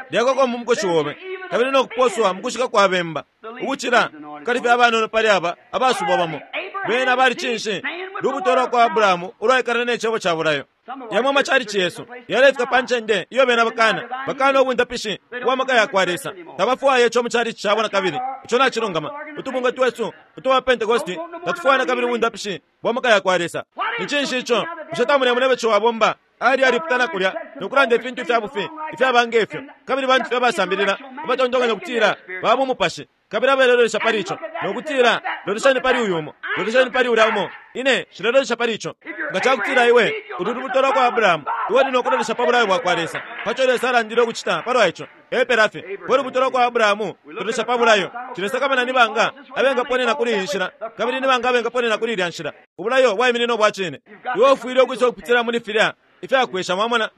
lyakakwa mu mukoshi obe, kabili no kuposwa mu kushika kwa bemba, ukucila kukalifya abanono pali aba abasubwa bamo. Bena bali cinshi? Lubuto lwa kwa Abrahamu ulwaikala ne cebo ca bulayo. Yamo amachalichi yesu yalefika pa ncende iyo bena bakana, bakana ubundapishi ubwa maka ya kwa Lesa. Tabafwaya ico mu chalichi cabo na kabili. Ico nacilungama. Utubungwe twesu utwa Pentekosti tatufwaya na kabili ubundapishi bwa maka ya kwa Lesa. Ni cinshi ico? Bushe tamulemona ifyo ciwa abomba? Ali aliputana kulya no kulanda ifintu ifya bufi ifyaba nge fyo, kabili bantu fye abasambilila abatontonkanya ukutila ba bumupashi, kabili abalelolesha pali ico no kutila, Lolesheni pali uyu umo, lolesheni pali ulya umo. Ine nshilelolesha pali ico. Nga ca kutila iwe uli lubuto lwa kwa Abrahamu, iwe uli no kulolesha pa bulayo bwa kwa Lesa, pa co Lesa alandile ukucita palwa ico. Epela fye. We lubuto lwa kwa Abrahamu, lolesha pa bulayo. Nshilesakamana ni banga abengaponena kuli iyi nshila, kabili ni banga abengaponena kuli ilya nshila. Ubulayo bwaiminina ubwa cine. Iwe ufwile ukwisa ukupitila muli filya ifyakwesha, mwamona.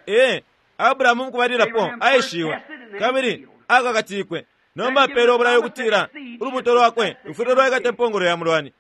Ee, Abrahamu mukubalilapo aeshiwe, kabili akakatikwe. Nomba apeelwe ubulayo ukutila ulubuto lwakwe lufwile lwaikata impongolo ya mulwani.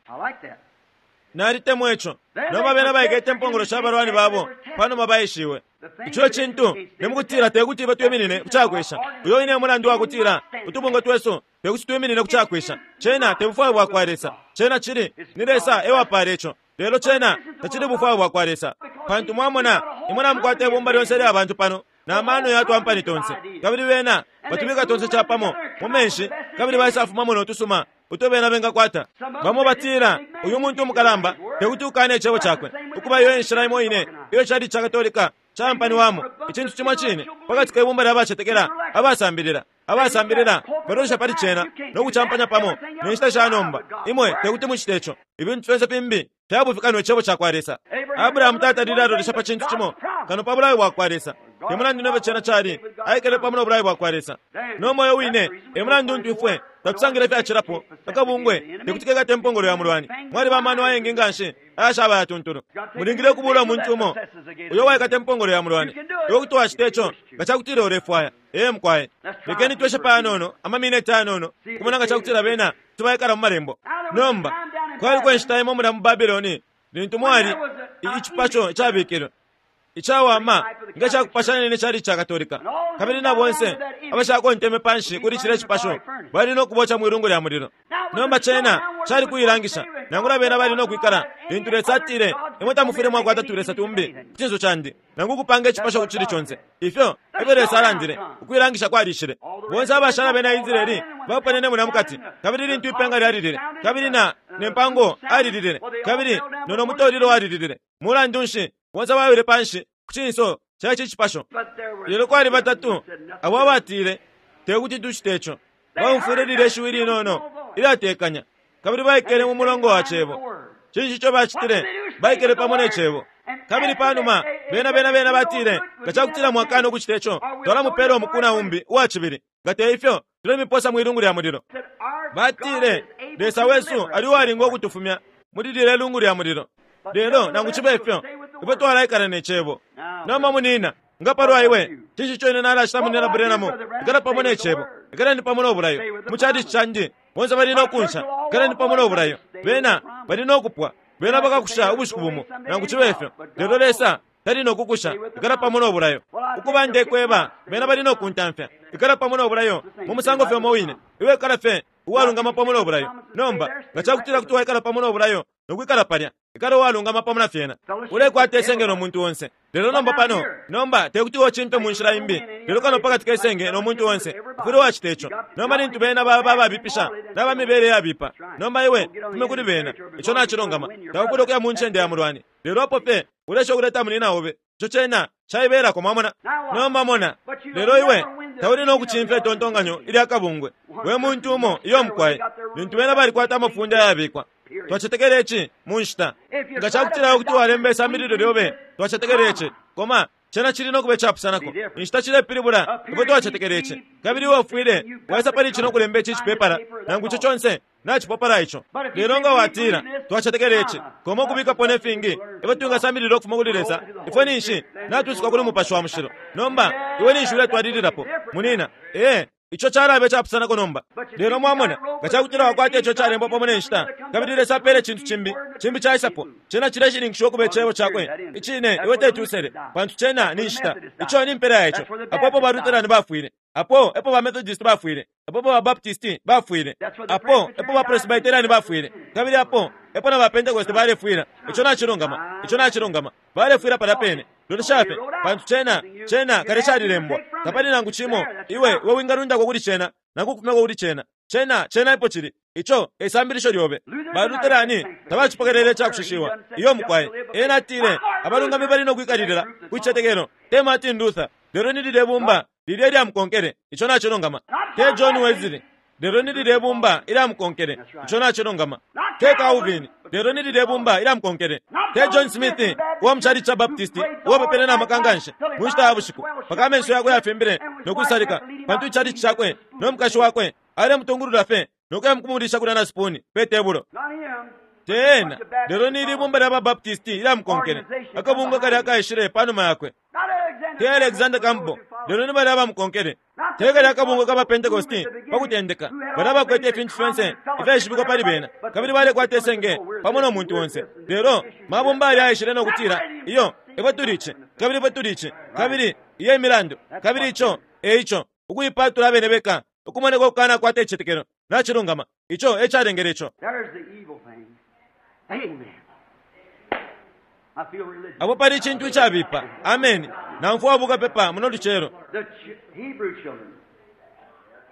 Nalitemwa ico. Nomba bena baikete impongolo sha balwani babo panuma baeshiwe. Ico cintu ni mukutila te kuti ifwe twiminine ku cakwesha. Uyo wine e mulandu wa kutila utubungwe twesu te kuti twiminine ku cakwesha. Cena te bufwayo bwa kwa Lesa. Cena cili ni Lesa e wapaala ico. Lelo cena tacili bufwayo bwa kwa Lesa. Pantu mwamona, imwe namukwata ibumba lyonse ilya bantu pano, na mano ya twampani tonse, kabili bena batubika tonse capamo mu menshi, kabili baisafumamo no tusuma uto bena bengakwata. Bamo batila, Uyu muntu umukalamba, te kuti ukane icebo cakwe. Ukuba iyo e nshila imo ine iyo icalici ca Katolika caampaniwamo, icintu cimo cine, pakati ke bumba lya bacetekela abasambilila. Abasambilila balolesha pali cena no kucampanya pamo ne nshita sha nomba. Imwe te kuti mucite ico. Ifintu fyonse fimbi fya bufi kano Icebo ca kwa Lesa. Abrahamu tatalile alolesha pa cintu cimo kano pa bulayo bwa kwa Lesa. Te mulandu ne fyo cena cali, aikele pamo no bulayo bwa kwa Lesa. No moyo wine e mulandu untu ifwe tatusangila ifyacilapo. Akabungwe te kuti kekate impongolo ya mulwani. Mwaliba amano ayengi nga nshi ayashaba ayatuntulu. Mulingile ukubuula umuntu umo uyo waikata impongolo ya mulwani. Iwe kuti wacita ico nga ca kutila ulefwaya. Ee, mukwai. Lekeni tweshe panono, amamineti ayanono, ukumona nga ca kutila bena kuti baikala mu Malembo. Nomba, kwaliko inshita imo mulya mu Babiloni lintu mwali i, icipasho icabikilwe. icawama nga cakupashanya ne chalichi ca Katolika. Kabili na bonse abashakonteme panshi kuli cilya cipasho bali no kuboca mwilungu lya mulilo. Nomba cena cali kuilangisha, nangula bena bali no kwikala lintu Lesa atile, Imwe tamufwile mwakwata tulesa tumbi ku cinso candi, nangu ukupanga icipasho ku cili conse. Ifyo efyo Lesa alandile. Ukuilangisha kwalishile. Bonse abashala bena Israeli baponene mulya mukati, kabili lintu ipenga lyalilile, kabili na ne mpango alililile, kabili no no mutolilo walililile. Mulandu nshi, bonse bawile panshi ku cinso ca ici cipasho. Lelo kwali batatu abo abatile, Te kuti tucite ico. Baumfwile lilye shiwi linono ilyatekanya, kabili baikele mu mulongo wa Cebo. Cinshi ico bacitile? Baikele pamo ne Cebo. Kabili panuma, bena, bena, bena batile, Nga cakutila mwakana ukucita ico, twalamupela umuku naumbi uwa cibili. Nga te ifyo, tulemiposa mwi lungu lya mulilo. Batile, Lesa wesu ali uwalinga ukutufumya muli lilye lungu lya mulilo. Lelo, nangu cibe fyo, ifwe twalaikala ne Cebo. Nomba, munina, nga palwa iwe, cinshi ico ine nalacita, Munina Branham? Ikala pamo ne Cebo. Ikaleni pamo no bulayo. Mu chalichi candi, bonse bali no kunsha. Ikaleni pamo no bulayo. Bena bali no kupwa. Bena bakakusha ubushiku bumo, nangu cibe fyo. Lelo Lesa tali no kukusha. Ikala pamo no bulayo. Ukuba ndekweba, bena bali no kuntamfya. Ikala pamo no bulayo, mu musango fye umo wine. Iwe ikala fye uwalungama pamo no bulayo. Nomba, nga cakutila kuti waikala pamo no bulayo no kwikala palya, ikala uwalungama pamo na fyena. Ulekwata isenge no muntu onse. Lelo nomba pano, nomba tekuti iwe ucimpe mu nshila imbi, lelo kano pakati ke senge no muntu onse. Ufwile wacita ico. Nomba lintu bena baba ababipisha naba mibele yabipa, nomba iwe fume kuli bena. Ico nacilungama. Taufwile ukuya mu ncende ya mulwani. Lelo apo fye uleesha ukuleta munina obe, ico cena caibelako, mwamona. Nomba mona, lelo iwe tauli no kucimfya itontonkanyo ilya kabungwe, we muntu umo. Iyo, mukwai. Lintu bena balikwata amafunde ayabikwa, Twacetekela ici mu nshita. Nga cakutila iwe kuti walemba isambililo lyobe, Twacetekela ici, koma, cena cili no kuba icapusanako. Inshita cilepilibula, ifwe twacetekela ici. Kabili iwe ufwile waisa pali ici no kulemba ici icipepala, nangu ico conse nacipwa pala ico. Lelo nga watila, Twacetekela ici, koma ukubikapo ne fingi ifyo twingasambilila ukufuma kuli Lesa, ifwe ninshi natwisuka kuli Mupashi wa Mushilo. Nomba, iwe ninshi uletwalililapo, munina. Ee. Ico calaba icapusanako nomba. Lelo mwamona, nga cakutila wakwata ico calembwa pamo ne nshita, kabili Lesa apele icintu cimbi, cimbi caisapo, cena cileshininkishiwa ukuba Icebo Cakwe Icine, iwe teti usele, pantu cena ni nshita. Ico ni mpela ya ico. Apo epo ba Lutherani bafwile. Apo epo ba Methodist bafwile. Apo epo ba Baptist bafwile. Apo epo ba Presbyterian bafwile. Kabili apo epo na ba Pentecost balefwila. Ico nacilungama. Ico nacilungama. Balefwila palya pene. Lolesha fye, pantu cena, cena kale calilembwa. Tapali nangu cimo iwe, iwe wingalundako kuli cena, nangu ukufumyako kuli cena. Cena, cena epo cili. Ico e sambilisho lyobe. Ba Lutherani tabacipokelele icakushishiwa. Iyo, mukwai. Ena atile, Abalungami bali no kwikalilila ku cicetekelo. Te Martin Luther, lelo ni lilye bumba lilya ilyamukonkele. Ico nacilungama. Te John Wesley, lelo ni lilye bumba ilyamukonkele. Ico nacilungama. Te Calvin, lelo ni lilye bumba ilyamukonkele. Te John Smith uwa mu chalichi ca Baptist uwapepele na maka nganshi mu nshita ya bushiku mpaka amenso yakwe yafimbile no kwisalika, pantu ichalichi cakwe no mukashi wakwe alemutungulula fye no kuya mukumulisha kulya na sipuni pe tebulo. Te ena, lelo ni ili bumba lya ba Baptist ilyamukonkele, akabungwe kalya kaishile pa numa yakwe. Te Alexander Campbell, lelo ni balya abamukonkele. Te kalya akabungwe ka ba Pentecosti pa kutendeka, balya abakwete ifintu fyonse ifyaishibikwa pali bena, kabili balekwata isenge pamo no muntu onse. Lelo mabumba yalya aishile no kutila, Iyo, ifwe tuli ici, kabili ifwe tuli ici, kabili iyo imilandu, kabili ico e ico, ukuipatula abene beka, ukumoneka ukukanakwata icitetekelo. Nacilungama. Ico e calengele ico. There's the evil thing. Amen. I feel religious. Apo pali icintu icabipa. Ameni. Naumfwa bukapepa muno lucelo. The Hebrew children.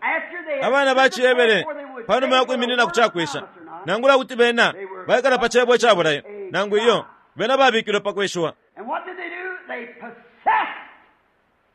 After they had Abana ba ciHebere, before they would pa numa ya take the kwiminina ku word ca kwesha, promise or not, nangula kuti bena baikala pa cebo ica bulayo, nangu iyo, bena babikilwe pa kweshiwa. And what did they do? They possessed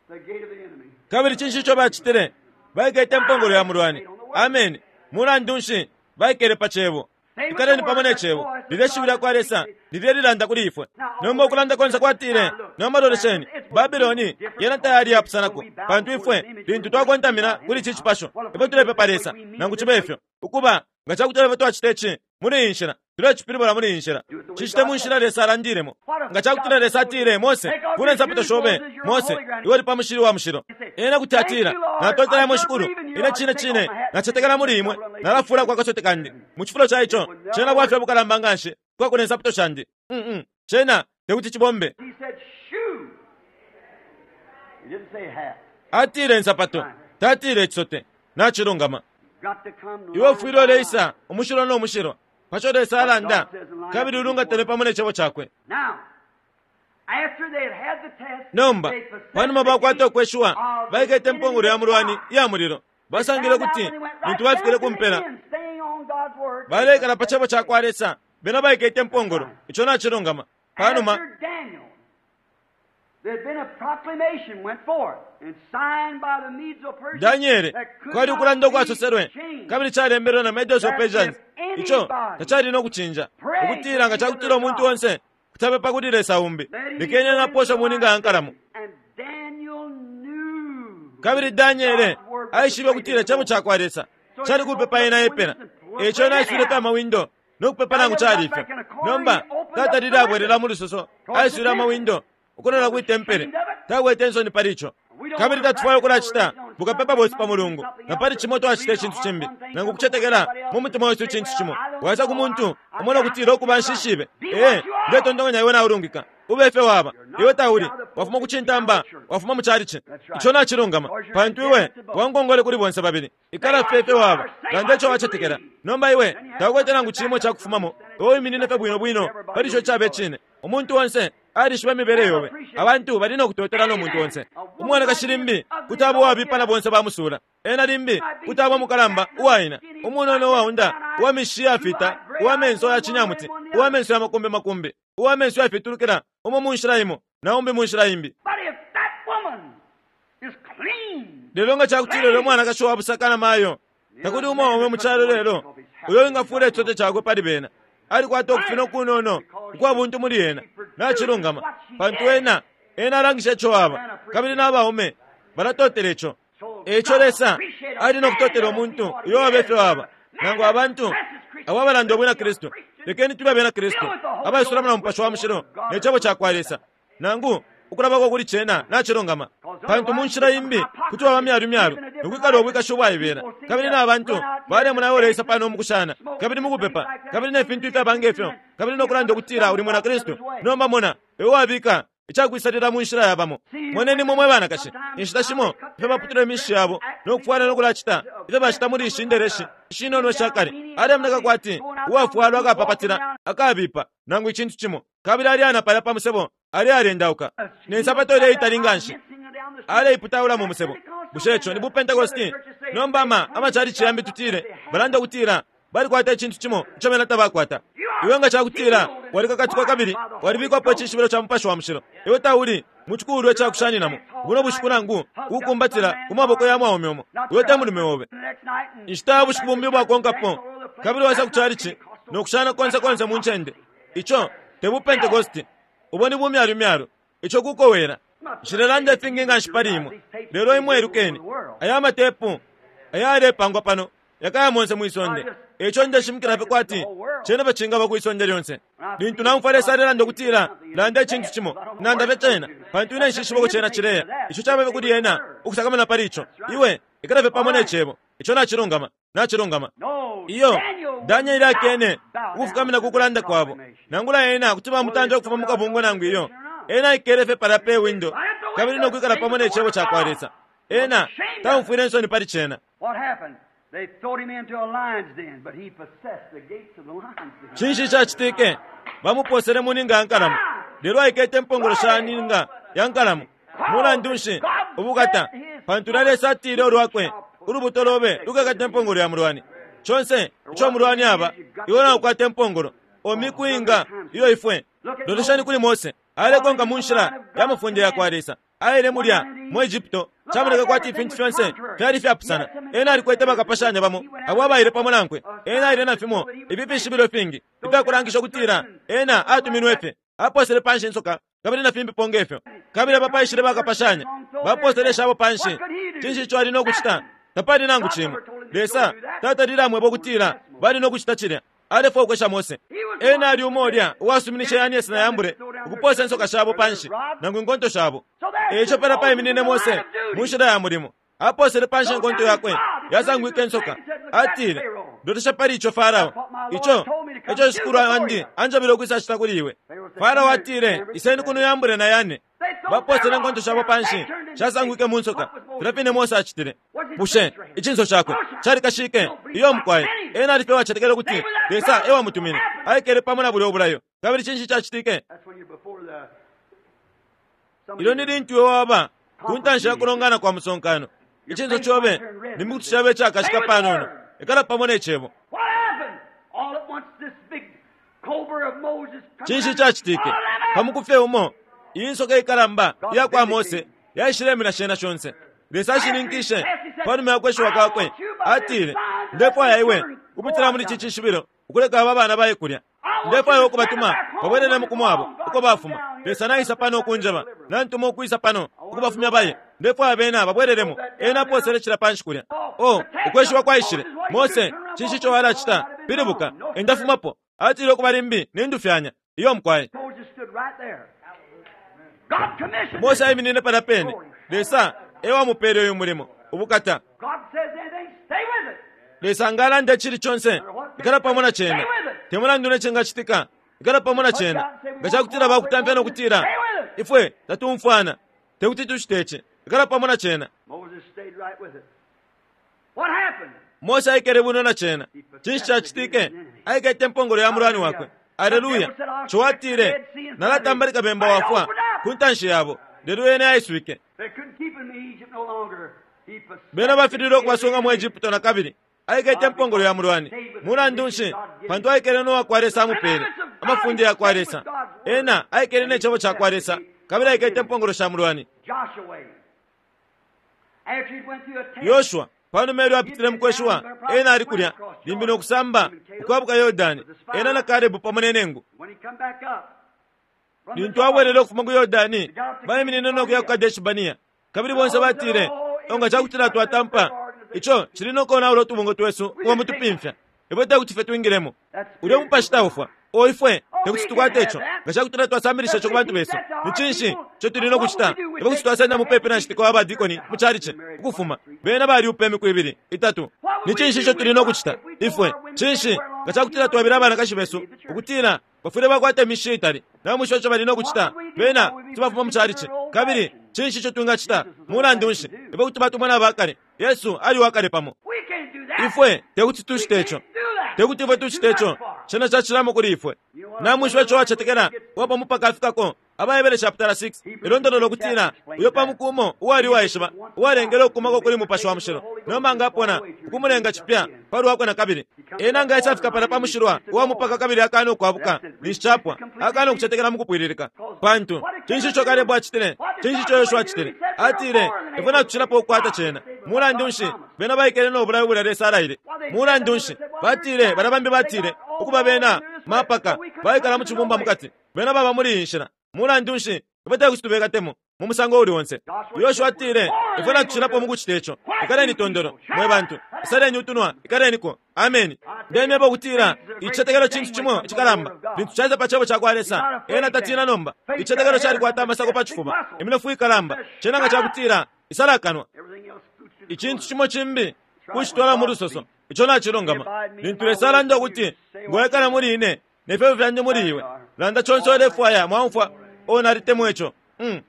the gate of the enemy. Kabili cinshi ico bacitile? Baikete impongolo ya mulwani. Ameni. Mulandu nshi? Baikele pa Cebo. Ikaleni pamo ne Cebo. Lilye shiwi lya kwa Lesa lilye lilanda kuli ifwe. Nomba ukulanda konse kwatile, Nomba lolesheni, Babiloni yena tayali iyapusanako, pantu ifwe lintu twakontamina kuli ici cipasho, ifwe tulepepa Lesa, nangu cibe ifyo. Ukuba, nga cakutila ifwe twacita ici muli iyi nshila, tulecipilibula muli iyi nshila. Cicite mu nshila Lesa alandilemo. Nga cakutila Lesa atile, Mose, fula insapato shobe, Mose, iwe uli pa mushili wa mushilo. Ena kuti atila, Natotela imwe Shikulu, ine cine cine nacetekela muli imwe, nalafulako akasote kandi. Mu cifulo ca ico, cena bwafya bukalamba nganshi ukukakula insapato shandi. Mm-mm, cena tekuti cibombe. He said, Shoe. Atile insapato, tatile icisote. Nacilungama. Iwe ufwile uleisa umushilwa no mushilwa paco Lesa alanda kabili ulungatane pamo ne Cebo Cakwe. Nomba, panuma bakwata ukweshiwa, baikete impongolo ya mulwani iya mulilo. Basangile ukuti lintu bafikile ku mpela, baleikala pa Cebo ca kwa Lesa, bena baikete impongolo. Ico nacilungama. Panuma Daniele, kwali ukulanda ukwasoselwe kabili calembelwe na Medos of Persians, ico tacali no kucinja, ukutila nga cakutila umuntu onse kuti apepa kuli Lesa umbi, lekeni ena apooswe mu ninga ya nkalamo. Kabili Daniele aishibe ukutila icebo ca kwa Lesa cali kupepa ena epela, e ico ena aiswile fye amawindo no kupepa nangu cali ifyo. Nomba tatalile abwelela mu lusoso, aiswile amawindo ukulola kwi tempele. Takwete insoni pali ico. Kabili tatufwaya ukulacita bukapepa bwesu pa Mulungu, na pali Cimo twacita icintu cimbi, nangu ukucetekela mu mutima wesu icintu cimo. Waisa ku muntu umo no kutila, Ukuba, nshishibe. Ee, ndetontonkanya iwe naulungika. Ube ifyo waba. Iwe tauli. Wafuma ku cintamba. Wafuma mu calici. Ico nacilungama, pantu iwe wankongole kuli bonse babili. Ikala fye ifyo waba. Landa ico wacetekela. Nomba iwe taukwete nangu cimo ica kufumamo. Iwe wiminine fye bwino bwino pali ico icaba icine. Umuntu onse alishiba imibele yobe. Abantu bali no kutotela no muntu onse. Umwanakashi limbi kuti aba uwabipa na bonse bamusuula. Ena limbi kuti aba umukalamba, uwaina, umunono uwaunda, uwa mishishi iyafita, uwa menso ya cinyamuti, uwa menso ya makumbi makumbi, uwa menso yafitulukila, umo mu nshila imo na umbi mu nshila imbi. Lelo nga ca kutila ulya mwanakashi wa busaka na mayo, takuli umwaume mu calo lelo uyo wingafuula icisote cakwe pali bena. Alikwata ukufina ukunono ukwa buntu muli ena. Nacilungama. Pantu ena, ena alangisha ico aba, kabili na baume balatotela ico. E ico Lesa ali no kutotela umuntu uyo waba ifyo aba, nangu abantu abo abalanda ubwina Kristu. Lekeni tube abena Kristu, abaisulamo na Mupashi wa Mushilo ne Cebo cakwa Lesa, nangu ukulabako kuli cena nacilungama. Pantu mu nshila imbi kuti waba myalu myalu no kwikala ubwikashi ubwaibela, kabili na bantu balemona iwe uleisa pano mukushana, kabili mukupepa, kabili ne fintu ifyaba nge fyo, kabili no kulanda ukutila uli mwina Kristu. Nomba mona, iwe wabika icakwisalila mu nshila yabamo. Moneni imwe mwe banakashi, inshita shimo ifyo baputula imishishi yabo no kufwala no kulacita ifyo bacita muli ishi ndeleshi ishinono isha kale. Alemoneka kwati uwafwalwa akapapatila akabipa nangu icintu cimo, kabili aleana palya pa musebo alealendauka ne nsapato ileitali nganshi, aleiputaula mu musebo. Bushe ico ni buPentecosti? Nomba ama amacalici yambi tutile balanda ukutila balikwata icintu cimo ico bena tabakwata. Iwe nga cakutila walikakatikwa kabili walibikwapo icishibilo ca Mupashi wa Mushilo, iwe tauli mu cikulwa ica kushaninamo buno bushiku nangu kukumbatila ku maboko ya mwaume umo. Uyo te mulume obe. Inshita ya bushiku bumbi ubwakonkapo, kabili waisa ku calici no kushana konse konse mu ncende. Ico te buPentecosti. Ubo ni bumyalumyalu. Ico kukowela. Nshilelanda ifingi nganshi pali imwe, lelo imwe ilukeni. Aya matepu ayalepangwa pano yakaya monse mwi sonde. E ico ndeshimikila fye kwati cena fye cingaba kwi sonde lyonse. Lintu naumfwa Lesa alelanda ukutila, Landa icintu cimo, nanda fye cena, pantu ine nshishiba uko cena cileya. Ico caba fye kuli Ena ukusakamana pali ico. Iwe ikala fye pamo ne Cebo. Ico nacilungama. Nacilungama. Iyo, Daniele akene ukufukamina ku kulanda kwabo. Nangula ena kuti bamutanja ukufuma mu kabungwe nangu iyo, ena aikele fye palya pe windo kabili no kwikala pamo ne Cebo cakwa Lesa. Ena taumfwile insoni pali cena. Cinshi icacitike? Bamupoosele mu ninga ya nkalamo, lelo aikete impongolo sha ninga ya nkalamo. Mulandu nshi? Ubukata! Pantu ulya Lesa atile ulwakwe, Ulubuto lobe lukekata impongolo ya mulwani. Conse ico umulwani aba, iwe naukwata impongolo. O miku inga iyo ifwe! Lolesheni kuli Mose, alekonka mu nshila ya mafunde ya kwa Lesa. Aile mulya mu Egypto, camoneke kwati ifintu fyonse fyali ifyapusana. Ena alikwete bakapashanya bamo abo abaile pamo nankwe. Ena aile na fimo ifi fishibilo ifingi ifyakulangisha ukutila ena atuminwe fye. Aposele panshi insoka kabili na fimbipo nge fyo. Kabili apa paishile bakapashanya, baposele ishabo panshi. Cinshi ico ali no kucita? Tapali nangu cimo. Lesa tatalile amweba ukutila bali no kucita cilya. Alefwaya ukwesha Mose. Ena ali umo ulya uwasuminishe Yanesi na Yambure ukupoosa insoka shabo panshi, nangu inkonto shabo. E ico palya paiminine Mose mu nshila ya mulimo. Apoosele panshi inkonto yakwe, yasangwike insoka. Atile, Lolesha pali ico, Farao. Ico eco shikulu wandi anjebele ukwisacita kuli iwe. Farao atile, Iseni kuno Yambure na Yane. Baposele inkonto shabo panshi, shasangwike mu nsoka, filya fine Mose acitile. Bushe icinso cakwe calikashike? Iyo mukwai. Ena ali fye uwacetekela ukuti Lesa e wamutumine. Aikele pamo na bulya ubulayo. Kabili cinshi cacitike? Ilyo ni lintu iwe waba ku ntanshi ya kulongana kwa musonkano, icinso cobe limbi kuti caba icakashika panono. Ikala pamo ne Cebo. Cinshi cacitike? Pa muku fye umo, iyi nsoka ikalamba iya kwa Mose yaishilemina shena shonse. Lesa ashininkishe pa numa ya kweshiwa kwakwe, atile, Ndefwaya iwe ukupitila muli ici cishibilo ukuleka aba bana baye kulya. Ndefwaya ukubatuma babwelelemo ku mwabo uko bafuma. Lesa naisa pano ukunjeba, nantuma ukwisa pano ukubafumya baye. Ndefwaya bena babwelelemo. Ena aposele cila panshi kulya. Oh, ukweshiwa kwaishile. Mose, cinshi ico walacita? Pilibuka, endafumapo. Atile ukuba limbi nindufyanya. Iyo mukwai. Mose aiminine palya pene. Lesa e wamupele uyu mulimo. Ubukata. Lesa nga alanda icili conse, ikala pamo na cena. Te mulandu ne cingacitika, ikala pamo na cena. Nga cakutila bakutamfya no kutila, Ifwe tatumfwana, te kuti tucite ici, ikala pamo na cena. Mose aikele bwino na cena. Cinshi cacitike? Aikete impongolo ya mulwani wakwe. Aleluya! Co atile, Nalatambalika bemba wafwa ku ntanshi yabo, lelo yene yaiswike. Bena bafililwe ukubasunga mu Egypto na kabili. Aikete impongolo ya mulwani. Mulandu nshi? Pantu aikele no wakwa Lesa amupele, amafunde ya kwa Lesa. Ena aikele ne cebo ca kwa Lesa, kabili aikete impongolo sha mulwani. Yoshua, panuma ilyo apitile mu kweshiwa, ena ali kulya, limbi no kusamba, ukwabuka Yordani, ena na Kalebu pamo ne nengu. Lintu abwelele ukufuma ku Yordani, baiminine no kuya ku Kadeshi-Barnea. Kabili bonse batile, O nga ca kutila twatampa, ico cili no konaula utubungwe twesu ukuba mutupimfya. Ifwe te kuti fye twingilemo. Ulyo mupashi taufwa. O ifwe te kuti tukwate ico nga ca kutila twasambilisha ico ku bantu besu. Ni cinshi ico tuli no kucita? Ifwe kuti twasenda mupepi na citika wa badikoni mu calici, ukufuma. Bena baliupa imiku ibili, itatu. Ni cinshi ico tuli no kucita? Ifwe, cinshi, nga ca kutila twaebele abanakashi besu ukutila bafwile bakwata imishishi itali, namwishiba ico bali no kucita? Bena kuti bafuma mu calici. Kabili cinshi ico twingacita? Mulandu nshi, ifwe kuti batumona abakale. Yesu ali uwakale pamo. Ifwe tekuti tucite ico. Tekuti ifwe tucite ico. Cena cacilamo kuli ifwe. Namwishiba ico uwacetekela uwa mupaka afikako. AbaHebere chaputala 6 ilondolola ukutila uyo pa muku umo uwali uwaishiba, uwalengele ukukumako kuli Mupashi wa Mushilo, nomba nga apona, ukumulenga cipya pa lwakwe na kabili. Ena nga aisafika palya pa mushilwa uwa mupaka kabili akana ukwabuka, ninshi capwa, akana ukucetekela mu kupwililika. Pantu, cinshi ico Kalebu acitile? Cinshi ico Yoshua acitile? Atile, Ifwe natucilapo ukukwata cena. Mulandu nshi, bena baikele no bulayo bulya Lesa alaile. Mulandu nshi, batile, balya bambi batile, ukuba bena mapaka, baikala mu cibumba mukati. Bena baba muli iyi nshila. Mulandu nshi, ifwe tekuti tubekatemo, mu musango uuli onse. Yoshua atile, Ifwe natucilapo mukucita ico. Ikaleni tondolo, mwe bantu. Isaleni utunwa, ikaleniko. Ameni. Ndemyeba ukutila, icicetekelo cintu cimo icikalamba. Lintu caisa pa Cebo cakwa Lesa, ena tatina nomba. Icicetekelo calikwata amasako pa cifuba, iminofu ikalamba. Cena nga cakutila, isala akanwa. Icintu cimo cimbi, kucitwala mu lusoso. Ico nacilungama. Lintu Lesa alanda ukuti, Ngo ekala muli ine, ne fyebo fyandi muli iwe, landa conse ulefwaya. Mwaumfwa? Oh, nalitemwa ico. Mm.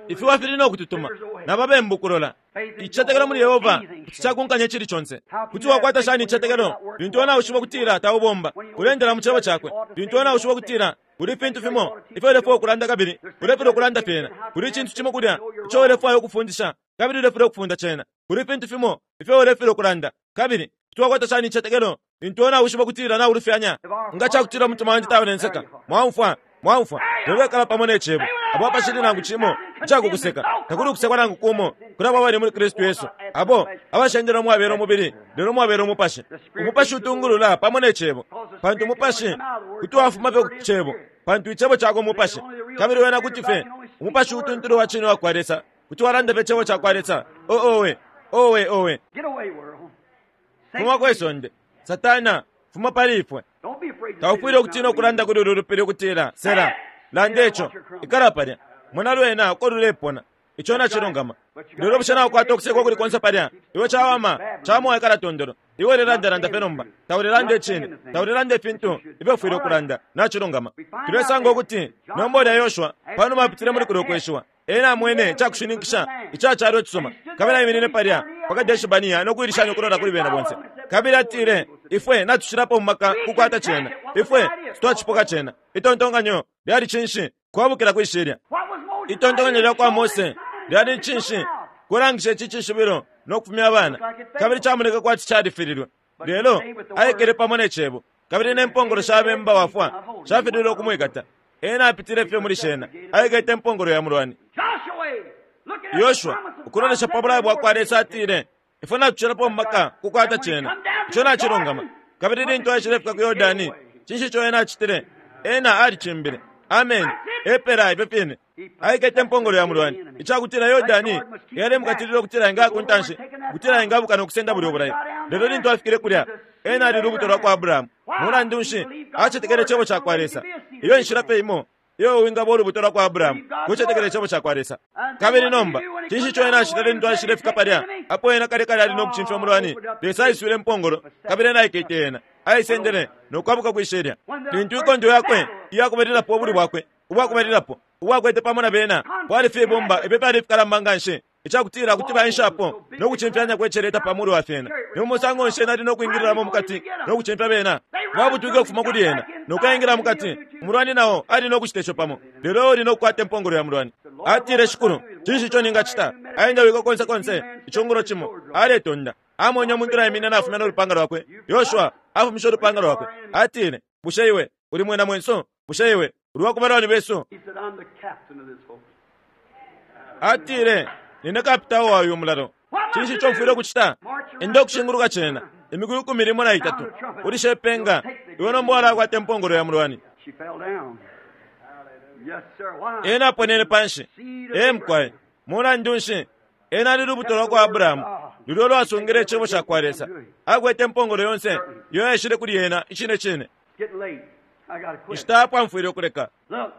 Ifiwa fili no kututuma, na babembu kulola. Icicetekelo muli Yehova kuti cakunkanya icili conse. Kuti wakwata shani icicetekelo lintu iwe nawishiba ukutila taubomba? Uleendela mu Cebo Cakwe. Lintu iwe nawishiba ukutila kuli ifintu fimo ifyo ulefwaya ukulanda kabili ulefilwa ukulanda fyena. Kuli icintu cimo kulya ico ulefwaya ukufundisha kabili ulefilwa ukufunda cena. Kuli ifintu fimo ifyo ulefilwa ukulanda kabili kuti wakwata shani icicetekelo lintu iwe nawishiba ukutila naulufyanya? Nga cakutila umutima wandi taulenseka, mwaumfwa, mwaumfwa, lelo ikala pamo ne Cebo. Apo apashili nangu cimo icakukuseka, takuli ukusekwa nangu kumo kuli abo abali muli Kristu Yesu, abo abashendela umwabela umubili, lelo umwabela umupashi. Umupashi utungulula pamo ne Cebo, pantu umupashi kuti wafuma fye ku Cebo, pantu Icebo cakwe Mupashi. Kabili wena kuti fye, umupashi utuntulu wa cine uwakwa Lesa, kuti walanda fye Icebo cakwa Lesa. Oh, owe! Owe, owe! Fuma kwe sonde, Satana, fuma pali ifwe. Taufwile ukutina ukulanda kuli ulu lupili ukutila, Sela, landa ico, ikala palya. Mona lwena uko lulepona. Ico nacilungama. Lelo bushe naukwata ukusekwa ukuli konse palya? Iwe cawama, cawama waikala tondolo. Iwe ulelandalanda fye nomba. Taulelanda icine. Taulelanda ifintu ifyo ufwile ukulanda. Nacilungama. Tulesanga ukuti, nomba ulya Yoshua, Panuma apitile muli kulyo kweshiwa, ena amwene icakushininkisha ica calo icisuma, kabili aiminine palya pa Kadeshi-Barnea no kuilishanya ukulola kuli bena bonse. Kabili atile, Ifwe natucilapo mu maka kukwata cena. Ifwe twacipoka cena. Itontonkanyo lyali cinshi? Kwabukila kwi shilya. Itontonkanyo lya kwa Mose lyali ni cinshi? Kulangisha ici cishibilo no kufumya abana. Kabili camoneke kwati califililwe. Lelo aikele pamo ne Cebo, kabili ne mpongolo sha bemba wafwa shafililwe ukumwikata. Ena apitile fye muli shena, aikete impongolo ya mulwani. Yoshua, ukulolesha pa bulayo bwa kwa Lesa, atile, Ifwe natucilapo mu maka kukwata cena. Ico nacilungama. Kabili lintu aishilefika ku Yordani, cinshi ico ena acitile? Ena alicimbile. Ameni. Epela ifyo fine. Aikete impongolo ya mulwani, icakutila Yordani yalemukatilila ukutila engaya ku ntanshi, ukutila engabuka no kusenda bulyo bulayo. Lelo lintu afikile kulya, ena ali lubuto lwa kwa Abrahamu. Mulandu nshi? Acetekele Icebo cakwa Lesa. Iyo inshila fye imo iyo wingaba ulubuto lwa kwa Abrahamu, kucetekela Icebo cakwa Lesa. Kabili nomba, cinshi ico ena acitile lintu aishile fika palya, apo ena kale kale ali no kucimfya umulwani? Lesa aiswile impongolo, kabili ena aikete yena, aisendele, no kwabuka kwi shilya. Lintu inkondo yakwe iya kubalilapo, ubulwi bwakwe ubwa kubalilapo ubwakwete pamo na bena, kwali fibumba ifyo fyali ifikalamba nganshi, icakutila kuti baenshapo no kucimfyanya kwe celeta pa mulu wa fyena. Ni mu musango nshi ena ali no kwingililamo mukati no kucimfya bena? Babutwike ukufuma kuli ena no kuyaingila mukati. Umulwani nao ali no kucite co pamo, lelo iwe uli no kukwata impongolo ya mulwani. Atile, Shikulu, cinshi ico ningacita? Aendawike konse konse icungulo cimo, aletonda. Amwene umuntu naiminina nafumya no lupanga lwakwe. Yoshua afumishe ulupanga lwakwe. Atile, Bushe iwe uli mwina mwenso? Bushe iwe uli wa ku balwani besu? He said, I'm the captain of this host. Atile, Nine kapitao wa uyu mulalo. Cinshi ico mfwile ukucita? Enda ukushinguluka cena imiku ikumi limo na itatu, ulishe ipenga, iwe nomba walakwata impongolo ya mulwani. She fell down. Yes, sir. Why? Ena aponene panshi. Ee mukwai, mulandu nshi? Ena ali lubuto lwa kwa Abrahamu, lulyo lwasungile Icebo ca kwa Lesa. Akwete impongolo yonse iyo yaishile kuli ena. Icine cine. It's getting late. I gotta quit. Inshita yapwa mfwile ukuleka. Look,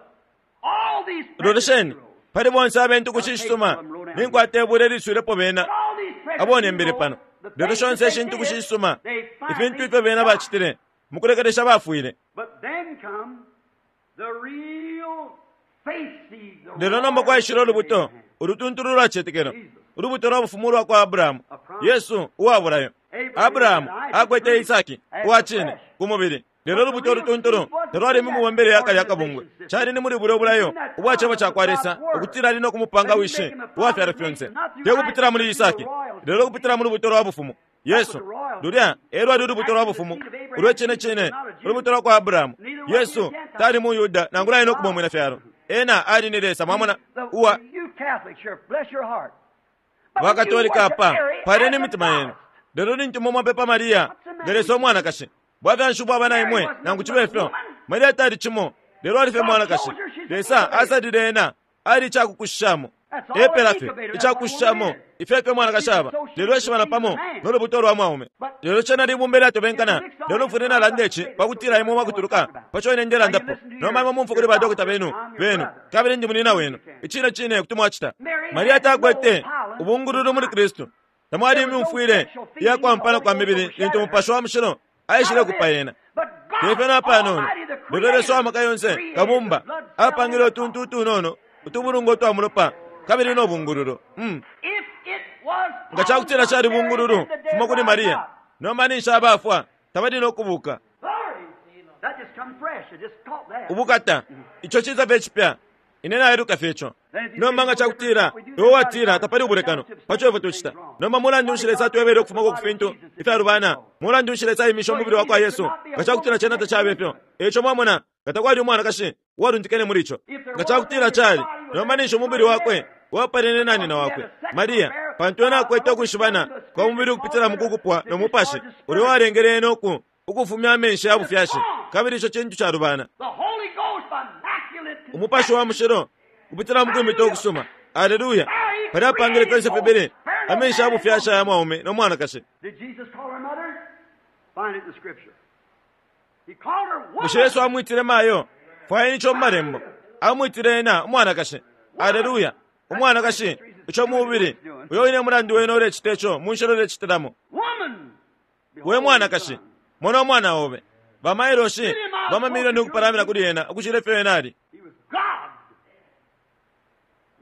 all these Lolesheni, precious pali bonse abentu ku cishisuma, ninkwata ibula iliswilepo bena all these precious abonembele people, pano. the Lelo things shonse that they ishintu ku did, cishisuma, they ifintu finally ifyo bena died. bacitile, mukulekelesha bafwile. But then come the real faith seed, the Lelo nomba royal kwaishile seed of ulubuto, Abraham. ulutuntulu ulwa citetekelo, ulubuto lwa bufumu ulwa kwa Abrahamu, Yesu uwa bulayo. Abrahamu akwete Isaki uwa cine ku mubili, lelo ulubuto ulutuntulu talwali mu mibombele ya kale akabungwe. Cali ni muli bulyo bulayo ubwa Cebo ca kwa Lesa ukutila ali no kumupanga wishi uwa fyalo fyonse, te kupitila muli Isaki, lelo kupitila mu lubuto lwa bufumu. Yesu, lulya e lwali ulubuto lwa bufumu ulwe cine cine, ulubuto lwa kwa Abrahamu. Yesu tali mu Yuda nangula ali no kuba umwina fyalo. Ena ali ni Lesa, mwamona, uwa You Catholics here, bless your heart. But when you Bakatolika worship apa, Mary paleni as a imitima yenu. goddess, Lelo lintu imwe mwapepa Maria, nga Lesa umwanakashi, bwafya nshi ubwaba na imwe, nangu cibe fyo? Maria tali cimo, lelo ali fye mwanakashi. Lesa asalile ena, ali icakukushishamo. Epela fye, icakukushishamo, ifyo efyo umwanakashi aba, lelo eshibana pamo no lubuto lwa mwaume. Lelo cena libumba ilyatobenkana, lelo mfwile nalanda ici pakutila imwe mwakutuluka paco ine ndelandapo. Nomba imwe mumfwe kuli badokota benu, benu, kabili ndi munina wenu. Icine cine kuti mwacita. Maria takwete ubungululu muli Kristu. Tamwali imyumfwile iya kwampana kwa mibili lintu Umupashi wa Mushilo aishile kupa yena. But God Tefyo napanono, Almighty, the lelo Lesa wa Creator, maka yonse, created Kabumba, the blood cell apangile in the utuntu utunono, utubulungu utwa mulopa, kabili no bungululu. If it was Nga cakutila cali bungululu, fuma kuli Maria. Nomba ninshi abafwa, tabali no kubuka. Glory. That just come fresh. I just caught that. Ubukata, ico ciza fye cipya. Ine nailuka fye ico. Nomba nga cakutila, iwe watila tapali ubulekano, paco ifwe tucita. Nomba mulandu nshi Lesa atwebele ukufumako ku fintu ifyalubana? Mulandu nshi Lesa aimishe umubili wa kwa Yesu? Nga cakutila cena tacabe fyo. Eico mwamona, nga takwali umwanakashi uwalundikene muli ico. Nga cakutila cali, nomba ninshi umubili wakwe wapalene na nyina wakwe, Maria, pantu ena akwete ukwishibana kwa mubili ukupitila mu kukupwa no mupashi, ulya uwalengele ena uku ukufumya amenshi ya bufyashi, kabili ico cintu calubana. The Holy Ghost by immaculate Umupashi wa mushilo kupitila mu kwimita ukusuma. Aleluya! Palya apangile fyonse fibili amenshi ya bufyashi aya mwaume no mwanakashi. Did Jesus call her mother? Find it in the scripture. He called her woman. Bushe Yesu amwitile mayo? Fwayeni ico mu malembo. Amwitile ena umwanakashi. Aleluya! Umwanakashi, ico mubili, uyo wine mulandu wene ulecita ico mu nshila ulecitilamo. Woman. We mwanakashi, mona umwana obe. Bamailoshi, bamamilioni ukupalamina kuli ena ukucila ifyo ena ali. He was God.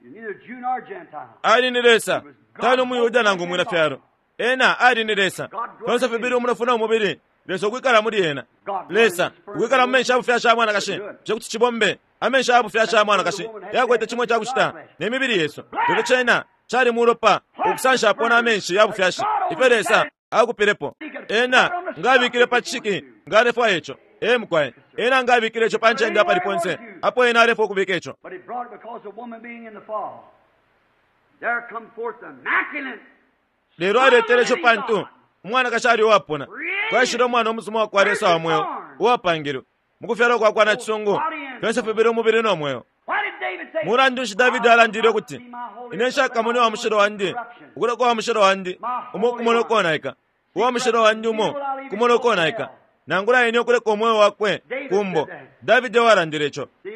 Neither Jew nor Gentile. Ali ni Lesa, tali umuyuda nangu umwina fyalo. Ena ali ni Lesa. Fyonse fibili umunofu no mubili, Lesa ukwikala muli ena. Lesa ukwikala mu menshi ya bufyashi ya mwanakashi, bushe kuti cibombe amenshi ya bufyashi ya mwanakashi yakwete cimo icakucita ne mibili yesu. Lelo cena cali mulopa ukusanshapo na menshi ya bufyashi ifyo Lesa akupilepo. Ena nga abikile pa cishiki nga alefwaya ico. Ee mukwai, ena nga abikile ico pa ncende apali ponse apo ena alefwaya ukubika ico. But he brought it because the woman being in the fall. There come forth the immaculate. Lelo aletele ico pantu umwanakashi ali uwapona. Kwaishile umwana umusuma wa kwa Lesa wa mweo uwapangilwe mukufyalwa kwa kwa nacisungu, fyonse fibili umubili no mweo. Why did David say, Mulandu nshi Davidi alandile ukuti, Ine nshakamone uwa mushilo wandi, ukuleka uwa mushilo wandi umo kumona ukonaika, uwa mushilo wandi umo kumona ukonaika, nangula ine ukuleka umweo wakwe kumbo. Davidi ewalandile ico. See,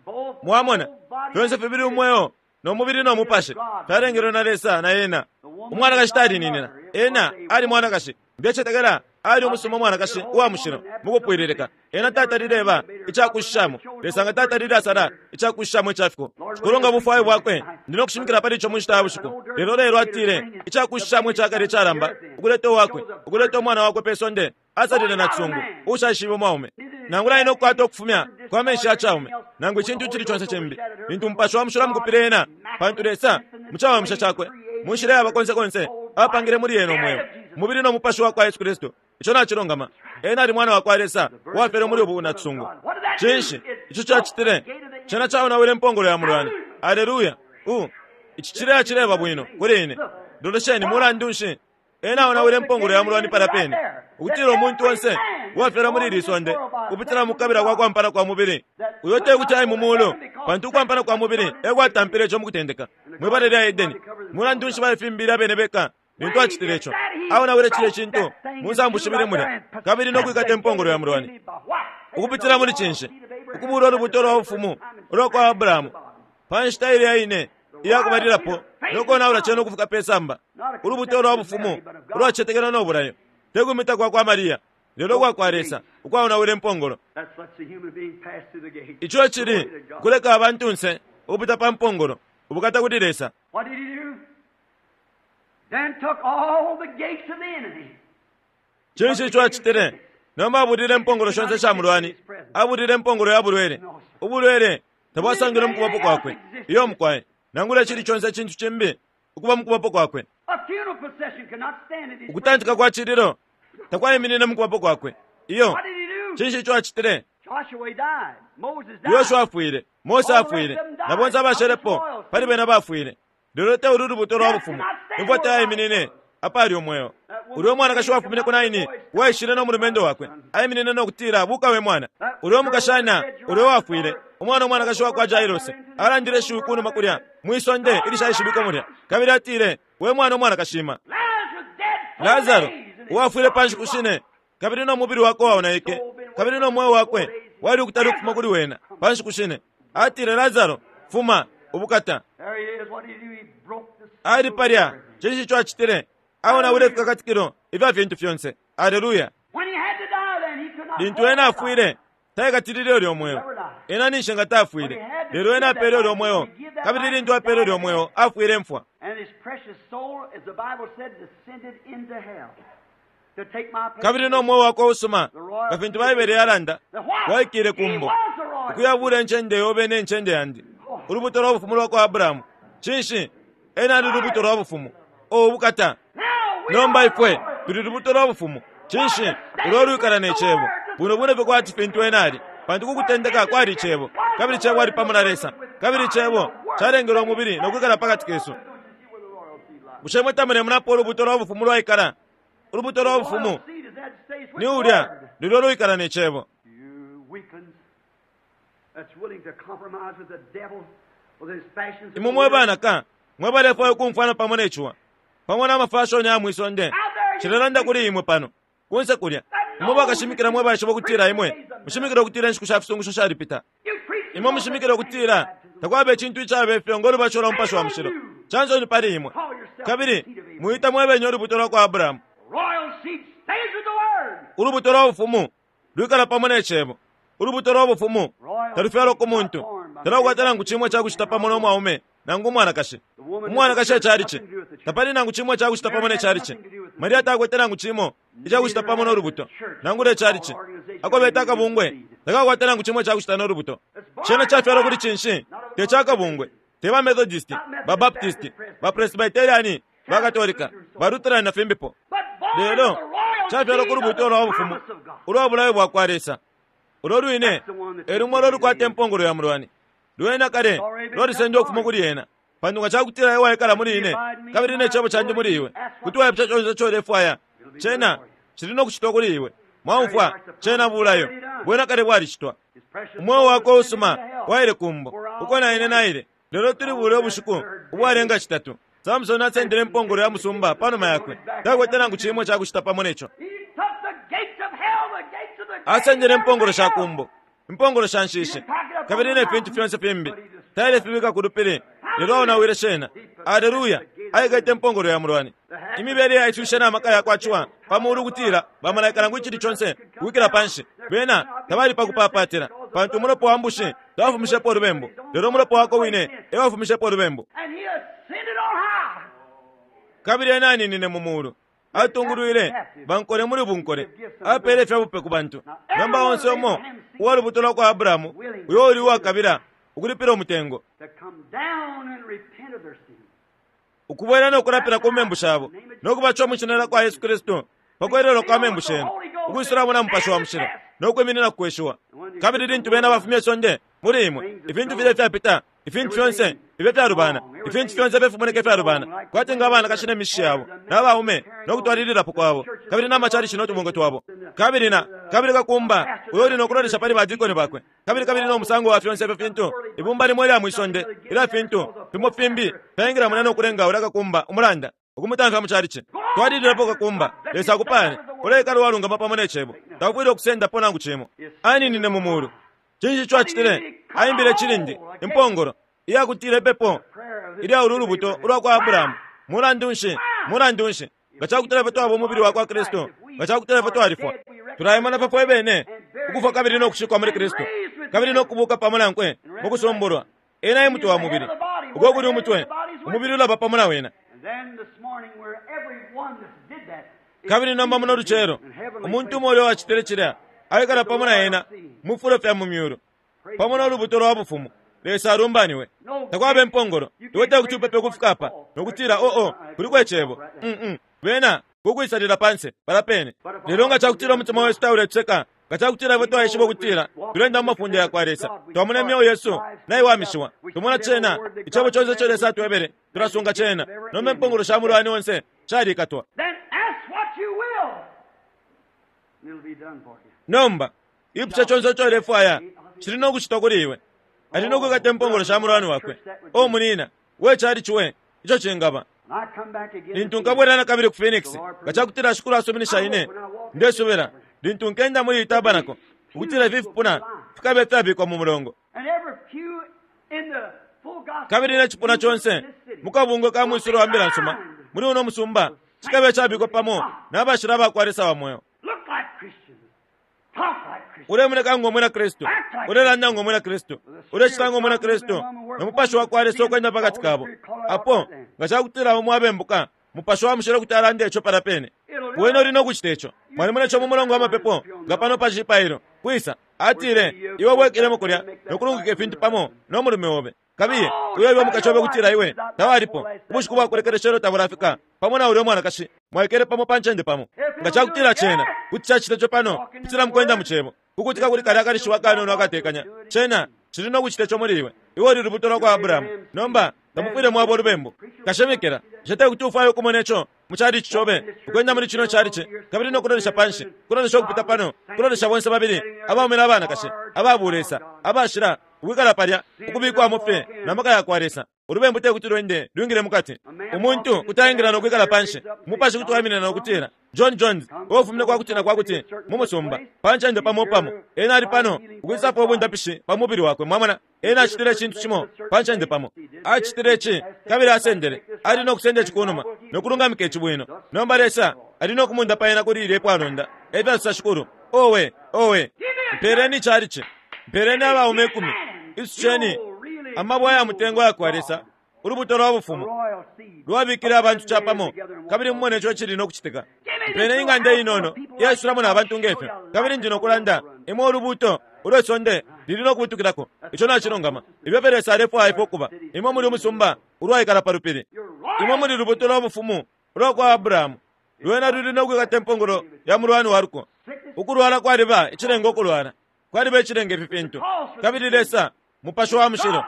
both Mwamona, body fyonse fibili umweo no mubili no mupashi fyalengelwe na Lesa na ena. Umwanakashi talininina, ena ali mwanakashi. Ndecetekela ali umusuma umwanakashi uwa mushilo mukupwililika. Ena tatalile icakushishamo, Lesa nga tatalile asala icakushishamo icafiko. Kulonga bufwayo bwakwe, ndi no kushimikila pali ico mu nshita ya bushiku. Lelo lelo atile icakushishamo icakale icalamba, ukuleta uwakwe, ukuleta umwana wakwe pe sonde, asalile na cisungu ushaishibe umwaume. Nangula ine ukukwata ukufumya kwa menshi ya caume, nangu icintu icili conse cimbi, lintu umupashi wa mushilo amukupile ena, pantu Lesa mucawamisha cakwe, mu nshila yaba konse konse, apangile muli ena umweo, umubili no mupashi wa kwa Yesu Kristu. Ico nacilungama. Ena ali mwana wa kwa Lesa, uwafyelwe muli ubu nacisungu. Cinshi ico cacitile? Cena caonawile impongolo ya mulwani. Aleluya! U ici cileya cileba bwino kuli ine. Lolesheni, mulandu nshi ena aonawile impongolo ya mulwani palya pene, ukutila umuntu onse uwafyalwa muli ili sonde kupitila mukukabila kwa kwampana kwa mubili, uyo te kuti aye mu mulu, pantu ukwampana kwa mubili e kwatampile ico mukutendeka mwibala lya Edeni. Mulandu nshi baifimbile abene beka lintu acitile ico? Aonawile cilya cintu mu nsambu shibili mulya, kabili no kwikata impongolo ya mulwani ukupitila muli cinshi? Ukubula ulubuto lwa bufumu ulwa kwa Abrahamu pa nshita ilya ine iyakubalilapo no konaula cena ukufika pe samba, ulubuto lwa bufumu ulwacetekelwa no bulayo, te kumita kwa kwa Mariya, lelo kwa kwa Lesa ukwaonawile impongolo. That's lets the human being pass through the gate. Ico cili kuleka abantunse ukupita pa mpongolo, ubukata kuli Lesa. What did he do? Then took all the gates of the enemy. Cinshi ico acitile? Nomba abulile impongolo shonse sha mulwani, abulile impongolo ya bulwele. Ubulwele tabwasangilwe mu kubapo kwakwe, iyo mukwai, nangula icili conse icintu cimbi ukuba mu kubapo kwakwe. A funeral procession cannot stand in his Ukutantika kwa cililo takwaiminine mu kubapo kwakwe. Iyo, What did he do? cinshi ico acitile? Joshua died. Moses died. Yoshua afwile, Mose afwile, na bonse abashelepo pali bena bafwile. Lelo te ulu lubuto lwa bufumu, imfwa tayaiminine apali umweo. Ulya umwanakashi wafumine ku Naini waishile no mulumendo wakwe, aiminine no kutila, buka we mwana. Ulya umukashana ulya wafwile, umwana umwanakashi wa kwa Jairos, alandile ishiwi kunuma kulya mwisonde ilishaishibikwa mulya, kabili atile, we mwana umwanakashi ima. Lazarus dead four Lazaro days, and his uwafwile pa body nshiku shine, kabili no mubili wakwe waonaike, kabili no mweo wakwe wali ukutali ukufuma kuli wena pa nshiku shine. Atile, Lazaro, fuma ubukata. There he is. What did he do? He broke the seal Ali palya, of everything. cinshi ico acitile? Aonawile ifikakatikilo ifya fintu fyonse. Aleluya! When he had to die, then he could not Lintu hold ena the afwile, taikatilile ulyo mweo. Ena ninshi nga tafwile, lelo ena apele ulyo mweo, kabili lintu apele ulyo mweo, afwile mfwa. And his precious soul, as the Bible said, descended into hell to take my place. Kabili no mweo wakwe usuma, nga fintu Baibele yalanda, The what? waikile He kumbo, was the royal. ukuyabula incende yobe ne ncende yandi, ulubuto lwa bufumu lwa kwa Abrahamu. Cinshi? Ena ali lubuto lwa bufumu. O ubukata! Now we Nomba are ifwe the royal. tuli lubuto lwa bufumu. Cinshi? Ulo lwikala ne cebo. Buno bune fye kwati fintu ena ali, pantu kukutendeka kwali icebo, kabili icebo ali pamo na Lesa, kabili icebo calengelwe umubili no kwikala pakati kesu. Bushe mwe tamune munapo ulubuto lwa bufumu lwaikala? Ulubuto lwa bufumu Royal seed is that stays with ni the ulya word. lulyo lwikala ne cebo. You weaklings that's willing to compromise with the devil with his fashions. of Imwe the mwe world. banaka, mwe balefwaya ukumfwana pamo ne ciwa, pamo n'amafashoni ya mwisonde, cilelanda kuli imwe pano, kunse kulya. Imwe bakashimikila mwe baishiba ukutila imwe, mushimikila ukutila inshiku sha fisungusho shalipita. You preach Imwe mushimikila ukutila takwaba icintu icaba ifyo ngo lubatisho lwa mupashi wa mushilo. Chansoni pali imwe. Kabili muita mwe benye ulubuto lwa kwa Abrahamu. Royal seed stays with the word. Ulubuto lwa bufumu lwikala pamo ne cebo. Ulubuto lwa bufumu talufyalwa ku muntu, talukwata nangu cimwe cakucita pamo no mwaume nangu umwanakashi. Umwanakashi ecalici. Tapali nangu cimo icakucita pamo ne calici. Maria takwete nangu cimo icakucita pamo no lubuto, nangula ecalici. Ako beta akabungwe takakwata nangu cimo icakucita no lubuto. Cena cafyalwa kuli cinshi? Te ca kabungwe, te ba Methodist, ba Baptist, ba Presbyterian, ba Katolika, ba Lutheran na fimbipo. Lelo cafyalwa ku lubuto lwa bufumu ulwa bulayo bwa kwa Lesa. Ulo lwine e lumo ulo lukwata impongolo ya mulwani. Lwena kale lwalisendwa ukufuma kuli ena. Pantu nga cakutila iwe waikala muli ine, kabili ne cebo candi muli iwe, kuti waipusha conse ico ulefwaya, cena cili no kucitwa kuli iwe. Mwaumfwa, cena bulayo. Bwena kale bwalicitwa. Umweo wakwe usuma waile kumbo, uko na ine naile. Lelo tuli bule ubushiku ubwalenga citatu. Samson asendele impongolo ya musumba panuma yakwe. Takwete nangu cimo icakucita pamo neco. Asendele impongolo sha kumbo, impongolo sha nshishi, kabili ne fintu fyonse fimbi. Taile fibika ku lupili, lelo aonawile shena. Aleluya! Aikete impongolo ya mulwani. Imibele yaiswishe na maka ya kwa ciwa pa mulu ukutila bamalaika nangu icili conse ukwikila panshi. Bena tabali pa kupapatila, pantu umulopa wa mbushi tawafumishepo ulubembu, lelo umulopa wakwe wine e wafumishepo ulubembu. Kabili ena aninine mu mulu, atungulwile bankole muli bunkole, apeele ifya bupe ku bantu. Nomba onse umo uwa lubuto lwa kwa Abrahamu uyo uli uwakabila ukulipila umutengo, ukubwela no kulapila ku membu shabo, no kubatishiwa mu shina lya kwa Yesu Kristu pa kwelelwa kwa membu shenu, ukwisulamo na Mupashi wa Mushilo, no kwiminina ku kweshiwa. Kabili lintu bena bafumya isonde muli imwe, ifintu filya ifyapita, ifintu fyonse ifyo fyalubana, ifintu fyonse ifyo fimoneka ifyalubana, kwati nga abanakashi ne mishishi yabo, na baume, no kutwalililapo kwabo, kabili na macalici no tubungwe twabo, kabili na, kabili kakumba uyo uli no kulolesha pali badikoni bakwe, kabili kabili no musango wa fyonse ifyo fintu, ibumba limo ilya mwi sonde ilya fintu fimo fimbi fyaingila mulya no kulenga ulya kakumba umulanda ukumutamfya mu calici. Twalililapo kakumba, Lesa akupale, uleikala uwalungama pamo ne Cebo, taufwile ukusendapo nangu cimo. Aninine mu mulu. Cinshi ico acitile? Aimbile icilindi, impongolo, iyakutila ipepo ilya ulu lubuto ulwa kwa Abrahamu. Mulandu nshi? Mulandu nshi? Nga cakutila ifwe twaba umubili wa kwa Kristu, nga cakutila ifwe twalifwa, tulaimona pa fwe bene ukufwa kabili no kushikwa muli Kristu, kabili no kubuka pamo nankwe mu kusumbulwa. Ena e mutwe wa mubili. Uko kuli umutwe, umubili ulaba pamo na wena. Kabili nomba muno lucelo, umuntu umo uyo wacitile cilya aikala pamo na ena mu fifulo fya mu myulu, pamo no lubuto lwa bufumu. Lesa alumbaniwe. Takwaba impongolo. Iwe tekuti upepe ukufika apa no kutila, Oh, oh, kuliko Icebo. Mm-mm. Bena kukwisalila panse palya pene. Lelo nga cakutila umutima wesu tauletuseka, nga cakutila ifwe twaishiba ukutila tulenda mu mafunde yakwa Lesa, twamona imyeo yesu naiwamishiwa, tumona cena, Icebo conse ico Lesa atwebele, tulasunga cena. Nomba impongolo sha mulwani onse shalikatwa. Nomba, ipusha conse ico ulefwaya, cili no kucitwa kuli iwe. Ali no kwikata impongolo sha mulwani wakwe. O munina, we calici we, ico cingaba. Lintu nkabwela na kabili ku Phoenix, nga cakutila Shikulu asuminisha ine, ndesubila, lintu nkenda muli iyi tabernacle, ukutila ifi fipuna fikabe ifyabikwa mu mulongo. Kabili ne cipuna conse mu kabungwe ka mwisulo wa Mbila nsuma muli uno musumba cikabe icabikwa pamo na bashila ba kwa Lesa wa mweo. Ulemoneka ngo mwina Kristu, ulelanda ngo mwina Kristu, ulecita ngo mwina Kristu, no Mupashi wa kwa Lesa ukwenda pakati kabo. Apo, nga cakutila umo abembuka, Mupashi wa Mushilo kuti alanda ico palya pene. Wene uli no kucita ico. Mwalimona ico mu mulongo wa mapepo, nga pano pa cipailo, kwisa, atile, Iwe bwekelemo kulya no kulungika ifintu pamo no mulume obe. Kabiye, uye ebe umukashi obe ukutila iwe tawalipo, ubushiku bwa kulekelesha ilyo tabulafika, pamo na ulya umwanakashi, mwaikele pamo pa ncende pamo. Nga cakutila cena kuti cacita ico pano, kupitila mukwenda mu Cebo, kukutika kuli kalya kalishiwi akanono akatekanya, cena cili no kucita ico muli iwe. Iwe uli lubuto lwakwa Abrahamu. Nomba, tamufwile mwaba ulubembu. Kashimikila, bushe tekuti ufwaye ukumona ico mu chalichi cobe, ukwenda muli cino chalichi, kabili no kulolesha panshi, kulolesha ukupita pano, kulolesha bonse babili abaume na banakashi, aba bulesa, abashila, ukwikala palya, ukubikwamo fye na maka yakwa Lesa. Ulubembu tekuti lwende lwingile mukati. Umuntu kuti aingila no kwikala panshi, umupashi kuti waiminina no kutila, John Jones, uwafumine kwa kuti na kwa kuti mu musumba, pa ncende pamo pamo. Ena ali pano, ukwisapo ubundapishi pa mubili wakwe, mwamona. Ena acitile icintu cimo pa ncende pamo. Acitile ici, kabili asendele. Ali no kusenda ici kunuma, no kulungamika ici bwino. Nomba Lesa ali no kumundapa ena kuli ilye pwalonda, efya sosa Shikulu. Owe, owe! Mpeleni icalici. Mpeleni abaume ikumi. Isusheni amabwe aya mutengo ayakwa Lesa. Ulubuto lwa The bufumu royal seed. lwabikile abantu capamo, kabili mumone ico cili no kucitika. Pene ing'anda inono iyaisulamo na bantu ngefyo, kabili ndi no kulanda imwe ulubuto ulwe sonde lili no kubutukilako. Ico nacilungama. Ifyo fye Lesa alefwaya ifwe ukuba. Imwe muli umusumba ulwaikala pa lupili. Imwe muli lubuto lwa bufumu ulwa kwa Abrahamu. Lwena luli no kwikata impongolo ya mulwani wa luko. Ukulwala kwaliba icilenga ukulwala, kwaliba icilenga ifi fintu. Kabili Lesa, Mupashi wa Mushilo,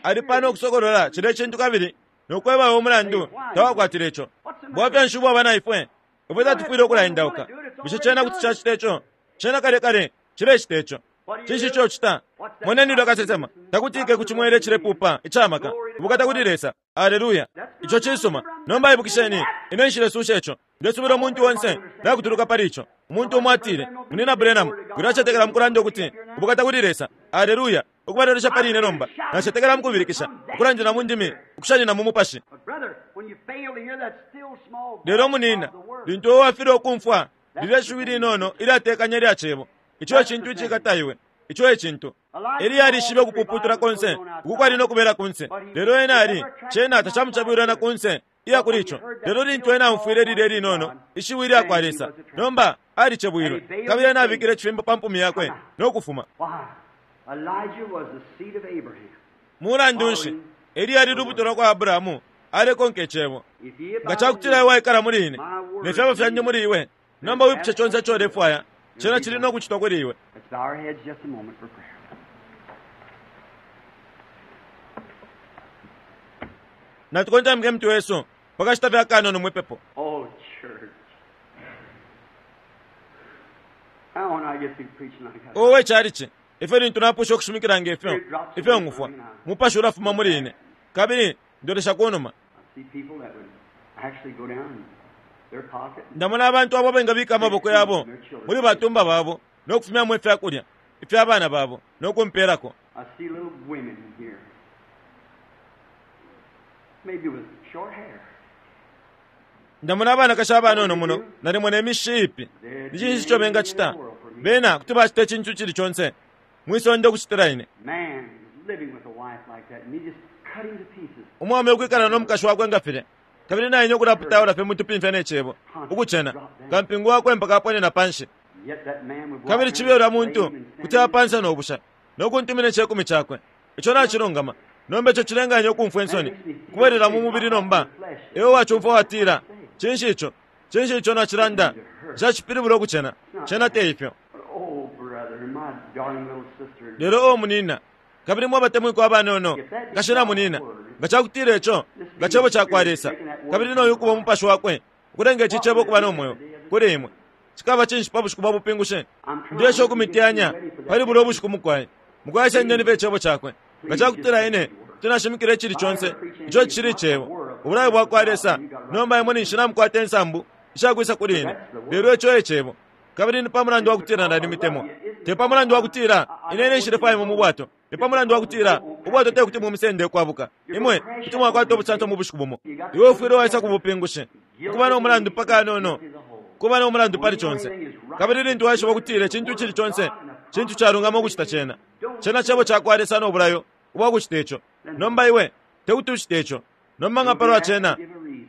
ali pano ukusokolola cilya cintu kabili nokwebawo umulandu tawakwatile ico. Bwafya nshi ubwaba na ifwe? Ifwe tatufwile ukulaendauka. Bushe cena kuti cacita ico? Cena kale kale cilecita ico. Cinshi ico ucita? Moneni ulya kasesema takutike ku cimwele icilepupa icamaka. Ubukata kuli Lesa. Aleluya! Ico cisuma. Nomba ibukisheni, ine nshilesusha ico. Ndesubila umuntu onse nakutuluka pali ico. Umuntu umo atile, Munina Branham, wilacetekela mukulanda ukuti ubukata kuli Lesa. Aleluya! Ukubalolesha pali ine nomba. Nacetekela mukubilikisha, ukulandila mu ndimi, ukushanina mu mupashi. But brother, when you fail to hear that still small voice Lelo munina, of the word, lintu uwe wafilwa ukumfwa lilya shiwi linono ilyatekanya ilya cebo, ico e cintu icikata iwe. Ico e cintu. Eliya alishibe ukupuputula konse uku kwali no kubela kunse, lelo ena ali cena tacamucabwilwa na kunse iya kuli ico. Lelo lintu ena aumfwile lilya linono ishiwi ilya kwa Lesa, nomba alicebwilwe, kabili ena abikile icifimbo pa mpumi yakwe no kufuma. why? Elijah was the seed of Abraham. Mulandu nshi Eliya ali lubuto lwa kwa Abrahamu, alekonka icebo. If ye Nga cakutila iwe waikala muli ine, ne fyebo fyandi muli iwe, nomba wipushe conse ico ulefwaya, cena cili no kucitwa kuli iwe. Let's bow our heads just a moment for prayer. Natukontamike mutwe wesu pakashita fye akanono mwipepo. Oh, church. How when I get through preaching like that? Owe calici, ifyo lintu napusha ukushimikila ngefyo, ifyo ngufwa, mupashi ulafuma muli ine, kabili ndolesha kunuma. I see people that would actually go down in their pocket and Ndamona abantu abo abengabika amaboko yabo muli batumba babo no kufumyamo ifyakulya ifya bana babo no kumpeelako. I see little women here. Maybe with short hair. Ndamona abanakashi abanono muno nalimo ne mishi ipi. Ni cinshi ico bengacita? Bena kuti bacita icintu icili conse mwisonde ukucitila ine. Man living with a wife like that and he just cut him to pieces. Umwaume ukwikala no mukashi wakwe nga filya, kabili naine ukulaputaula fye mutupimfya ne cebo, ukucena kampingu wakwe mpaka aponena panshi. And yet that man would walk Kabili around cibe ulya muntu lame and kuti standing. apansa no busha no kuntumina icekumi cakwe. Ico nacilungama. Nomba ico cilenganya ukumfwa insoni kubwelela mu mubili nomba. Iwe wacumfwa watila, cinshi ico? Cinshi ico nacilanda? Nshacipilibula ukucena. Cena te ifyo. But, oh, brother, my darling little sister. Lelo o munina, kabili mwabatemwikwa abanono, nkashi na munina, nga cakutila ico, nga cebo cakwa Lesa, kabili noyu ukuba umupashi wakwe, ukulenga ici cebo ukuba no mweo kuli imwe. Cikaba cinshi pa bushiku bwa bupingushi? Ndesha ukumiteyanya pali bulya ubushiku mukwai. Mukwai sendeni fye icebo cakwe. Nga cakutila ine tinashimikila icili conse, ico cili icebo, ubulayo bwakwa Lesa, nomba imwe ninshi namukwata insambu ishakwisa kuli ine. Lelo ico e cebo. Kabili ni pa mulandu wa kutila nalimitemwa. Te pa mulandu wa kutila ine ine nshilefwaya imwe mu bwato. Ni pa mulandu wa kutila ubwato te kuti mumisende ukwabuka. Imwe kuti mwakwata ubusanso mu bushiku bumo. Iwe ufwile waisa ku bupingushi. Ukuba no mulandu paka anono. Kuba no mulandu pali conse. Kabili lintu waishiba ukutila icintu icili conse, cintu calungama ukucita cena. Cena cebo cakwa Lesa no bulayo ubwa kucita ico. Nomba iwe te kuti ucite ico. Nomba nga palwa cena,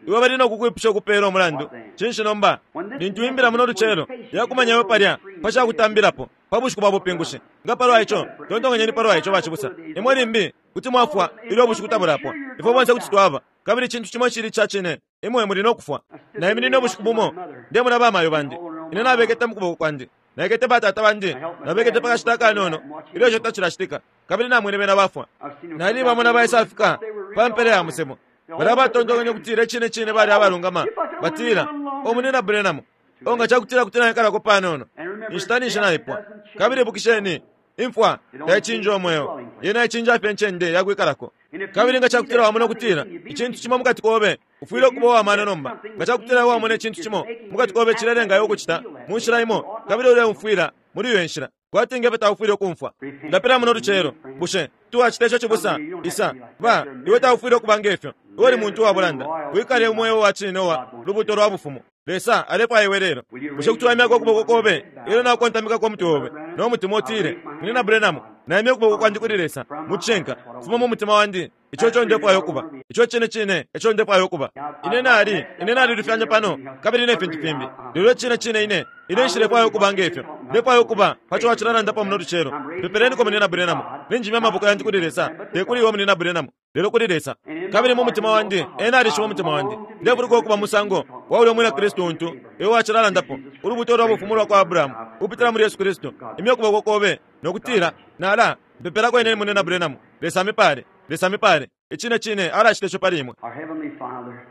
iwe bali no kukwipusha ukupeela umulandu. Cinshi nomba? Lintu imbila muno lucelo yakumanya iwe palya pa cakutambilapo pa bushiku bwa bupingushi. Nga palwa ico, tontonkanyeni palwa ico bacibusa. Imwe limbi kuti mwafwa ilyo ubushiku tabulapwa. Ifwe bonse kuti twaba. Kabili icintu cimo icili ica cine, imwe muli no kufwa. Naiminine ubushiku bumo, ndemona bamayo bandi. Ine nabekete mu kuboko kwandi. Naikete batata bandi, nabekete pa kashita akanono ilyo ico tacilacitika, kabili namwene bena bafwa. Nali bamona baisafika pa mpela ya musebo. Balya batontonkanya ukutila icine cine bali abalungama, batila, O munina Branham, o nga cakutila kuti naikalako panono, inshita ninshi naipwa. Kabili ibukisheni, imfwa taicinja umweo, yena icinja fye incende yakwikalako. Kabili nga cakutila wamona ukutila icintu cimo mukati kobe, ufwile ukuba uwamano nomba. Nga cakutila wamona icintu cimo mukati kobe cilelenga iwe ukucita mu nshila imo, kabili uleumfwila muli iyo nshila, kwati nge fyo taufwile ukumfwa. Ndapila muno lucelo, bushe tuwacita ico cibusa? Isa, ba, iwe taufwile ukuba ngefyo. Iwe uli muntu wa bulanda. Wikale umweo wa cine uwa lubuto lwa bufumu. Lesa alefwaya iwe lelo. Bushe kuti waimyako ukuboko kobe ilyo naukontamikako umutwe obe no mutima utile, Munyina Branham, naimya ukuboko kwandi kuli Lesa mu cishinka, kufuma mu mutima wandi. Ico eco ndefwaya ukuba. Ico cine cine eco ndefwaya ukuba. Ine nali, ine nalilufyanya pano, kabili ne fintu fimbi. Lelo icine cine ine, ine nshilefwaya ukuba nge fyo. Ndefwaya ukuba pa co wacilalandapo muno lucelo. Pepeleniko Munyina Branham. Ninjimya amaboko yandi kuli Lesa, te kuli iwe Munyina Branham, lelo kuli Lesa. Kabili mu mutima wandi, Ena alishiba umutima wandi. Ndefuluka ukuba musango wa ulya umwina Kristu untu iwe wacilalandapo, ulubuto lwa bufumu lwa kwa Abrahamu, ukupitila muli Yesu Kristu. Imya ukuboko kobe, no kutila, Nala mpepelako ine Munyina Branham. Lesa amipale. Lesa amipale. Icine cine alacita ico pali imwe. Our Heavenly Father,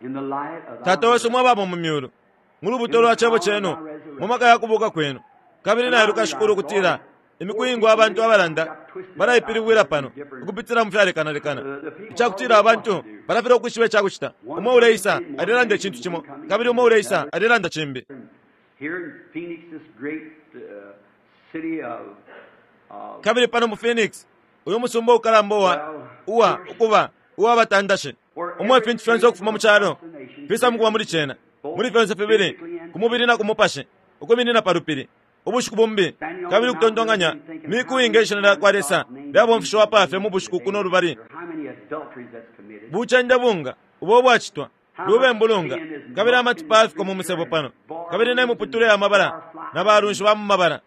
in the light of Tata wesu mwabamo mu myulu, mu lubuto lwa cebo cenu, mu maka ya kubuka kwenu. Kabili nailuka Shikulu ukutila imiku iingi abantu abalanda balaipilibwila pano ukupitila mu fyalekanalekana, icakutila abantu balafilwa ukwishiba icakucita. Umo uleisa alelanda icintu cimo, kabili umo uleisa alelanda cimbi. Here in Phoenix, this great city of Kabili pano mu Phoenix, uyu musumba ukalamba uwa, uwa, ukuba, uwa batandashi, umo ifintu fyonse ukufuma mu calo fisa mukuba muli cena, muli fyonse fibili, ku mubili na ku mupashi, ukwiminina pa lupili ubushiku bumbi, kabili ukutontonkanya miku inga ishina lya kwa Lesa lyabomfishiwa pa fye mu bushiku kuno lubali. How many adulteries that's committed. Bucende bunga ubo bwacitwa, lubembu lunga, kabili amatipa afiko mu musebo pano, kabili ne muputule ya mabala na balunshi ba mu mabala,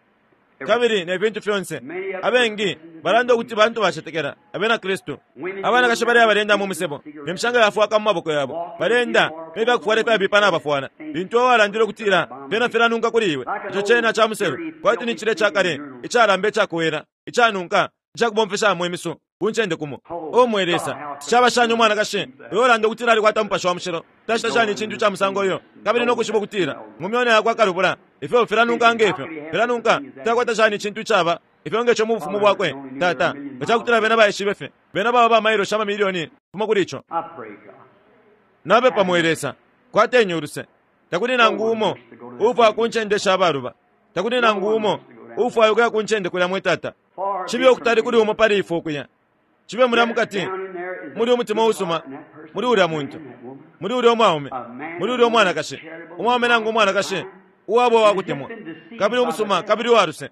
kabili ne fintu fyonse. Abengi balanda ukuti bantu bacetekela abena Kristu. Abanakashi bali abalenda mu musebo ne mishanga yafwaka mu maboko yabo, balenda ne fyakufwala ifyabipa nabafwala. Lintu iwe walandile ukutila fyena filanunka kuli iwe, ico cena ca muselu, kwati ni cilya icakale icalamba icakowela icanunka icakubomfeshamo imisu ku ncende kumo. O mwe Lesa, caba shani umwanakashi uyo ulanda ukutila alikwata Mupashi wa Mushilo tacita shani icintu ca musango uyo, kabili no kwishiba ukutila mu myona yakwe akalubula ifyo filanunka nge fyo filanunka, takwata shani icintu icaba ifyo nge co mu bufumu bwakwe? Tata, nga cakutila bena baishibe fye, bena baba ba mailoshi amamilioni kufuma kuli ico. I pray, God. Napepa mwe Lesa, kwateni uluse. Takuli nangu umo uufwaya ku ncende sha baluba. Takuli nangu umo uufwaya ukuya ku ncende kulya mwe Tata. Cibe ukutali kuli umo pali ifwe ukuya. Cibe mulya mukati, muli umutima uusuma, muli ulya muntu, muli ulya umwaume, muli ulya umwanakashi, umwaume nangu umwanakashi, uwaba uwakutemwa, kabili umusuma, kabili uwaluse,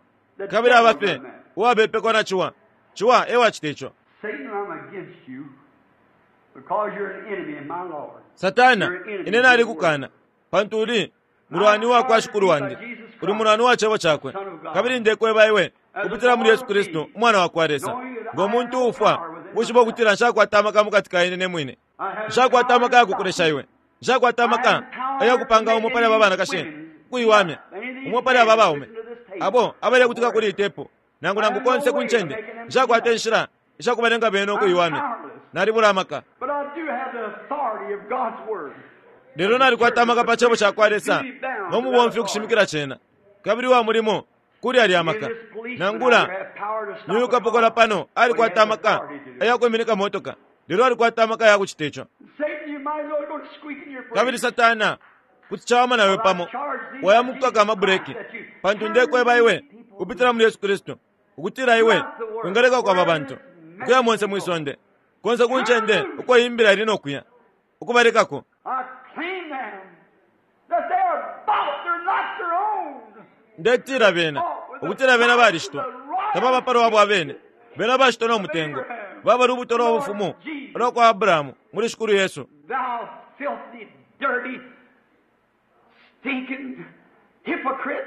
kabili aba fye uwabepekwa na ciwa. Ciwa e wacita ico. Satan, I'm against you because you're an enemy of my Lord. Satana, ine nalikukana, pantu uli mulwani wa kwa Shikulu wandi, uli mulwani wa cebo cakwe. Kabili ndekweba iwe kupitila muli Yesu Kristu, Umwana wa kwa Lesa, ngo muntu uufwa, ukwishiba ukutila nshakwata amaka mukati ka ine ne mwine. Nshakwata amaka ya kukulesha iwe. Nshakwata amaka ayakupanga umo pali aba banakashi ukuiwamya, umo pali aba baume abo abalekutika kuli itepo, nangu nangu konse ku ncende. Nshakwata inshila ishakubalenga bene ukuiwamya. Nalibula amaka. But I do have the authority of God's word. Lelo nalikwata amaka pa cebo ca kwa Lesa no mubomfi ukushimikila cena, kabili wa mulimo kuli alya amaka. Nangula ni kapokola pano alikwata amaka ayakwiminika motoka, lelo alikwata amaka ya kucita ico. Satan, you might as well go squeaking your Kabili Satana, kuti cawama nawe pamo waya mukukaka amabureki, pantu ndekweba iwe kupitila muli Yesu Kristu ukutila iwe wingaleka kwaba bantu ukuya monse mwi sonde konse ku ncende uko imbila ili nokuya ukubalekako. I claim them that they are bought, they're not their own. Ndetila bena ukutila bena balishitwa, tababa palwabo abene, bena bashitwa no mutengo, baba lubuto lwa bufumu lwa kwa Abrahamu muli Shikulu Yesu. Thou filthy, dirty, stinking hypocrite.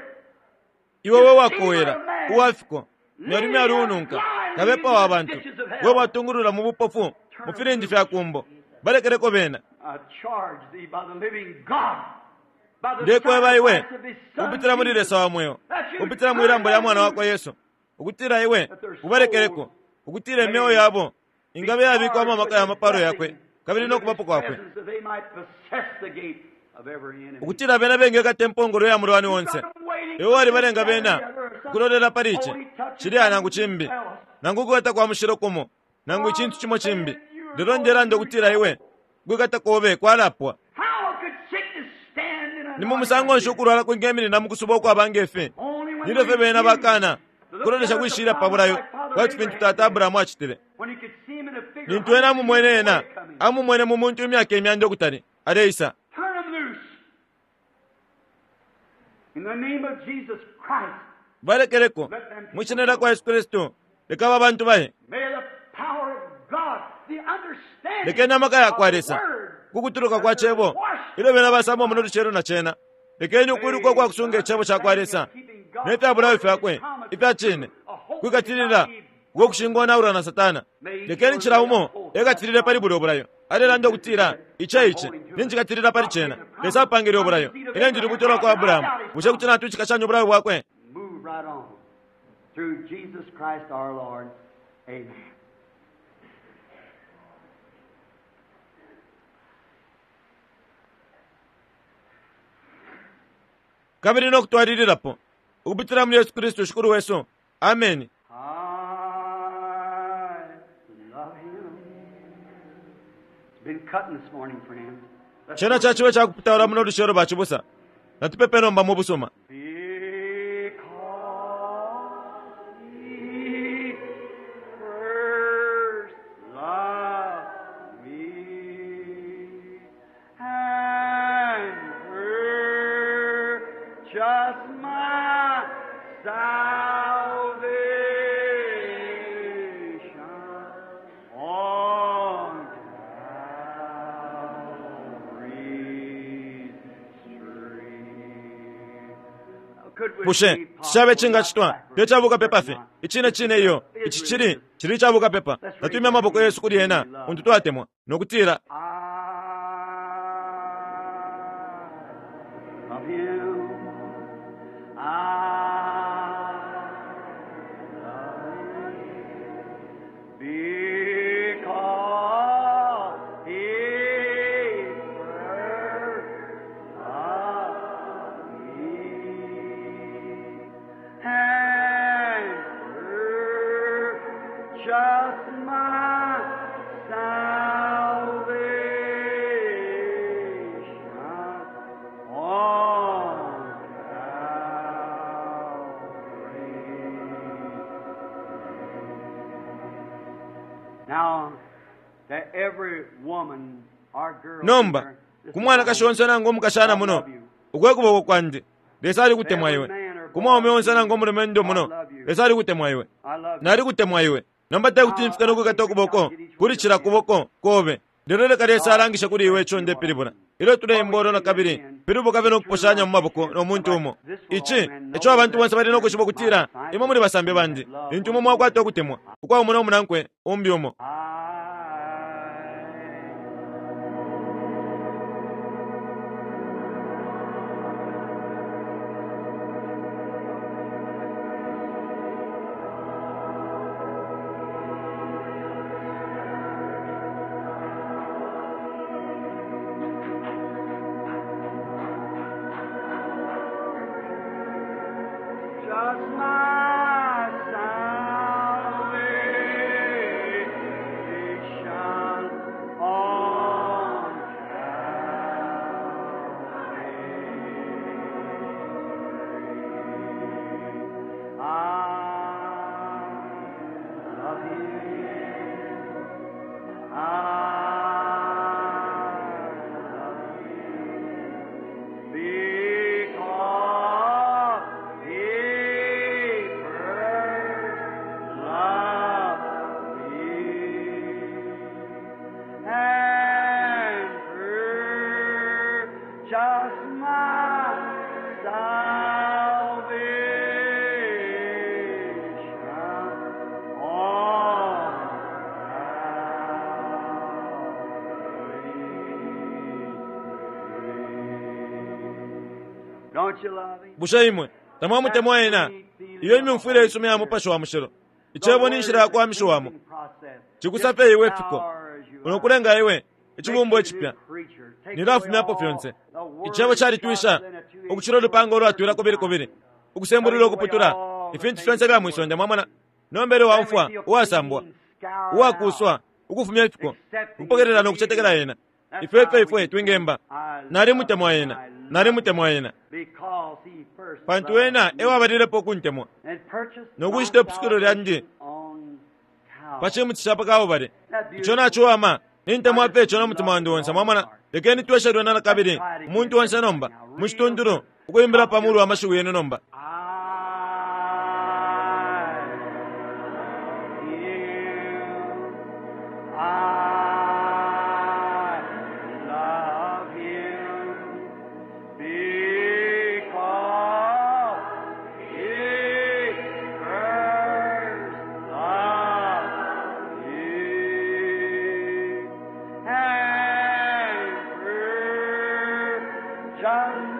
Iwe we wakowela uwafiko myali myali ununka kabepa wa bantu, we watungulula mu bupofu mu filindi fya kumbo, balekeleko bena. I charge thee by the living God, by the Ndekweba iwe sacrifice of his son kupitila muli Jesus, Lesa wa mweo, kupitila mwilambo lya mwana wakwa Yesu, ukutila iwe ubalekeleko, ukutila imyeo yabo ingabe yabikwamo amaka ya mapalo yakwe kabili no kubapo kwakwe, that they might possess the gate of every enemy. ukutila bena bengekata impongolo ya mulwani onse. Iwe walibalenga bena ukulolela pali ici cilya nangu cimbi, nangu ukwikata kwa mushilo kumo, nangu icintu cimo cimbi. Lelo ndelanda ukutila iwe ukwikata kobe kwalapwa. How could sickness stand in an Ni mu musango nshi ukulwala kwingeminina mu kusuba ukwaba ngefi? Only when Nilyo fye we bena bakana refuse to look kulolesha down at kwishilya the pa bulayo promise like Father kwati fintu Abraham Tata Abrahamu acitile. when he could see him in a figure. Lintu ena amumwene ena, amumwene mu muntu imyaka imyanda ukutali, aleisa. Turn them loose. In the name of Jesus Christ, Balekeleko, mwishina lya kwa Yesu Kristu, leka aba bantu baye. may the power of God, the understanding Lekeni amaka ya kwa of the Lesa, Word, kukutuluka kwa cebo, ilyo bena basamba muno lucelo na cena. Lekeni ukwiluka kwa kusunga icebo ca kwa Lesa, ne fya bulayo fyakwe, ifya cine, kwikatilila uko kushingonaulwa na Satana. Lekeni cila umo ekatilile pali bulyo bulayo. Alelanda ukutila, ice ice, ninjikatilila pali cena. Lesa apangile ubulayo. Ine ndi lubuto lwa kwa Abrahamu. Bushe kuti natwishikashanya ubulayo bwakwe? move right on through Jesus Christ our Lord. Amen. Kabili no kutwalililapo, ukupitila muli Yesu Kristu Shikulu wesu. Ameni. I love him. It's been cutting this morning, friends. Let's Cena cacibe cakupitaula muno lucelo bacibusa. Natupepe nomba mu busuma. Because he first loved me and purchased my salvation on Calvary's tree. Could we Bushe be cishabe possible cingacitwa not te cabukapepa fye icine cine iyo ici cili cili cabukapepa natwimya amaboko yesu kuli ena untu twatemwa nokutila I love him. I love him because he first loved me and purchased my salvation on Calvary. Now, to every woman or girl nomba here, this ku mwanakashi onse nangu omukashana muno ukwe kuboko kwandi Lesa alikutemwa iwe. Ku mwaume onse nangu omulumendo muno Lesa alikutemwa iwe. I love you. Nalikutemwa iwe. Nomba tekuti mfika nokwikata ukuboko kuli cila kuboko kobe. Lelo leka Lesa alangishe kuli iwe ico ndepilibula. Ilyo tuleimba olo nakabili, pilibuka fye nokuposhanya mu maboko no muntu umo. Ici, eco abantu bonse bali nokwishiba ukutila, imwe muli basambi bandi. Lintu imwe mwakwata ukutemwa, ukwa umo no munankwe, umbi umo. I Just my salvation on Calvary. I love Him. I love Him. Because he first loved me and purchased my salvation on Calvary. Don't you love him? Bushe imwe, tamwamutemwa ena, iyo imyumfwile isuma ya mupashi wa mushilo. Icebo ni nshila ya kuwamishiwamo. Cikusafe iwe fiko. Unokulenga iwe, icibumbo icipya. Nilafumyapo fyonse. Icebo calitwisha, ukucila ulupanga ulwatwila kubili kubili, ukusembulula ukuputula, ifintu fyonse bya mwisonde mwamona. Nomba ilyo waumfwa, uwasambwa, uwakuswa, ukufumya ifiko, ukupokelela nokucetekela ena. Ifwe ifwe ifwe twingemba. Nalimutemwa ena, nalimutemwa ena. Pantu ena ewabalilepo ukuntemwa. No Nokushita ipusukilo lyandi pa cimuti ca pa Kalbale. Ico naciwama. Nintemwa fye ico no mutima wandi onse. Mwamona? Lekeni tweshe lwena nakabili, umuntu onse nomba, mucituntulu, ukuimbila pa mulu amashiwi yenu nomba. I love him because he first loved me and purchased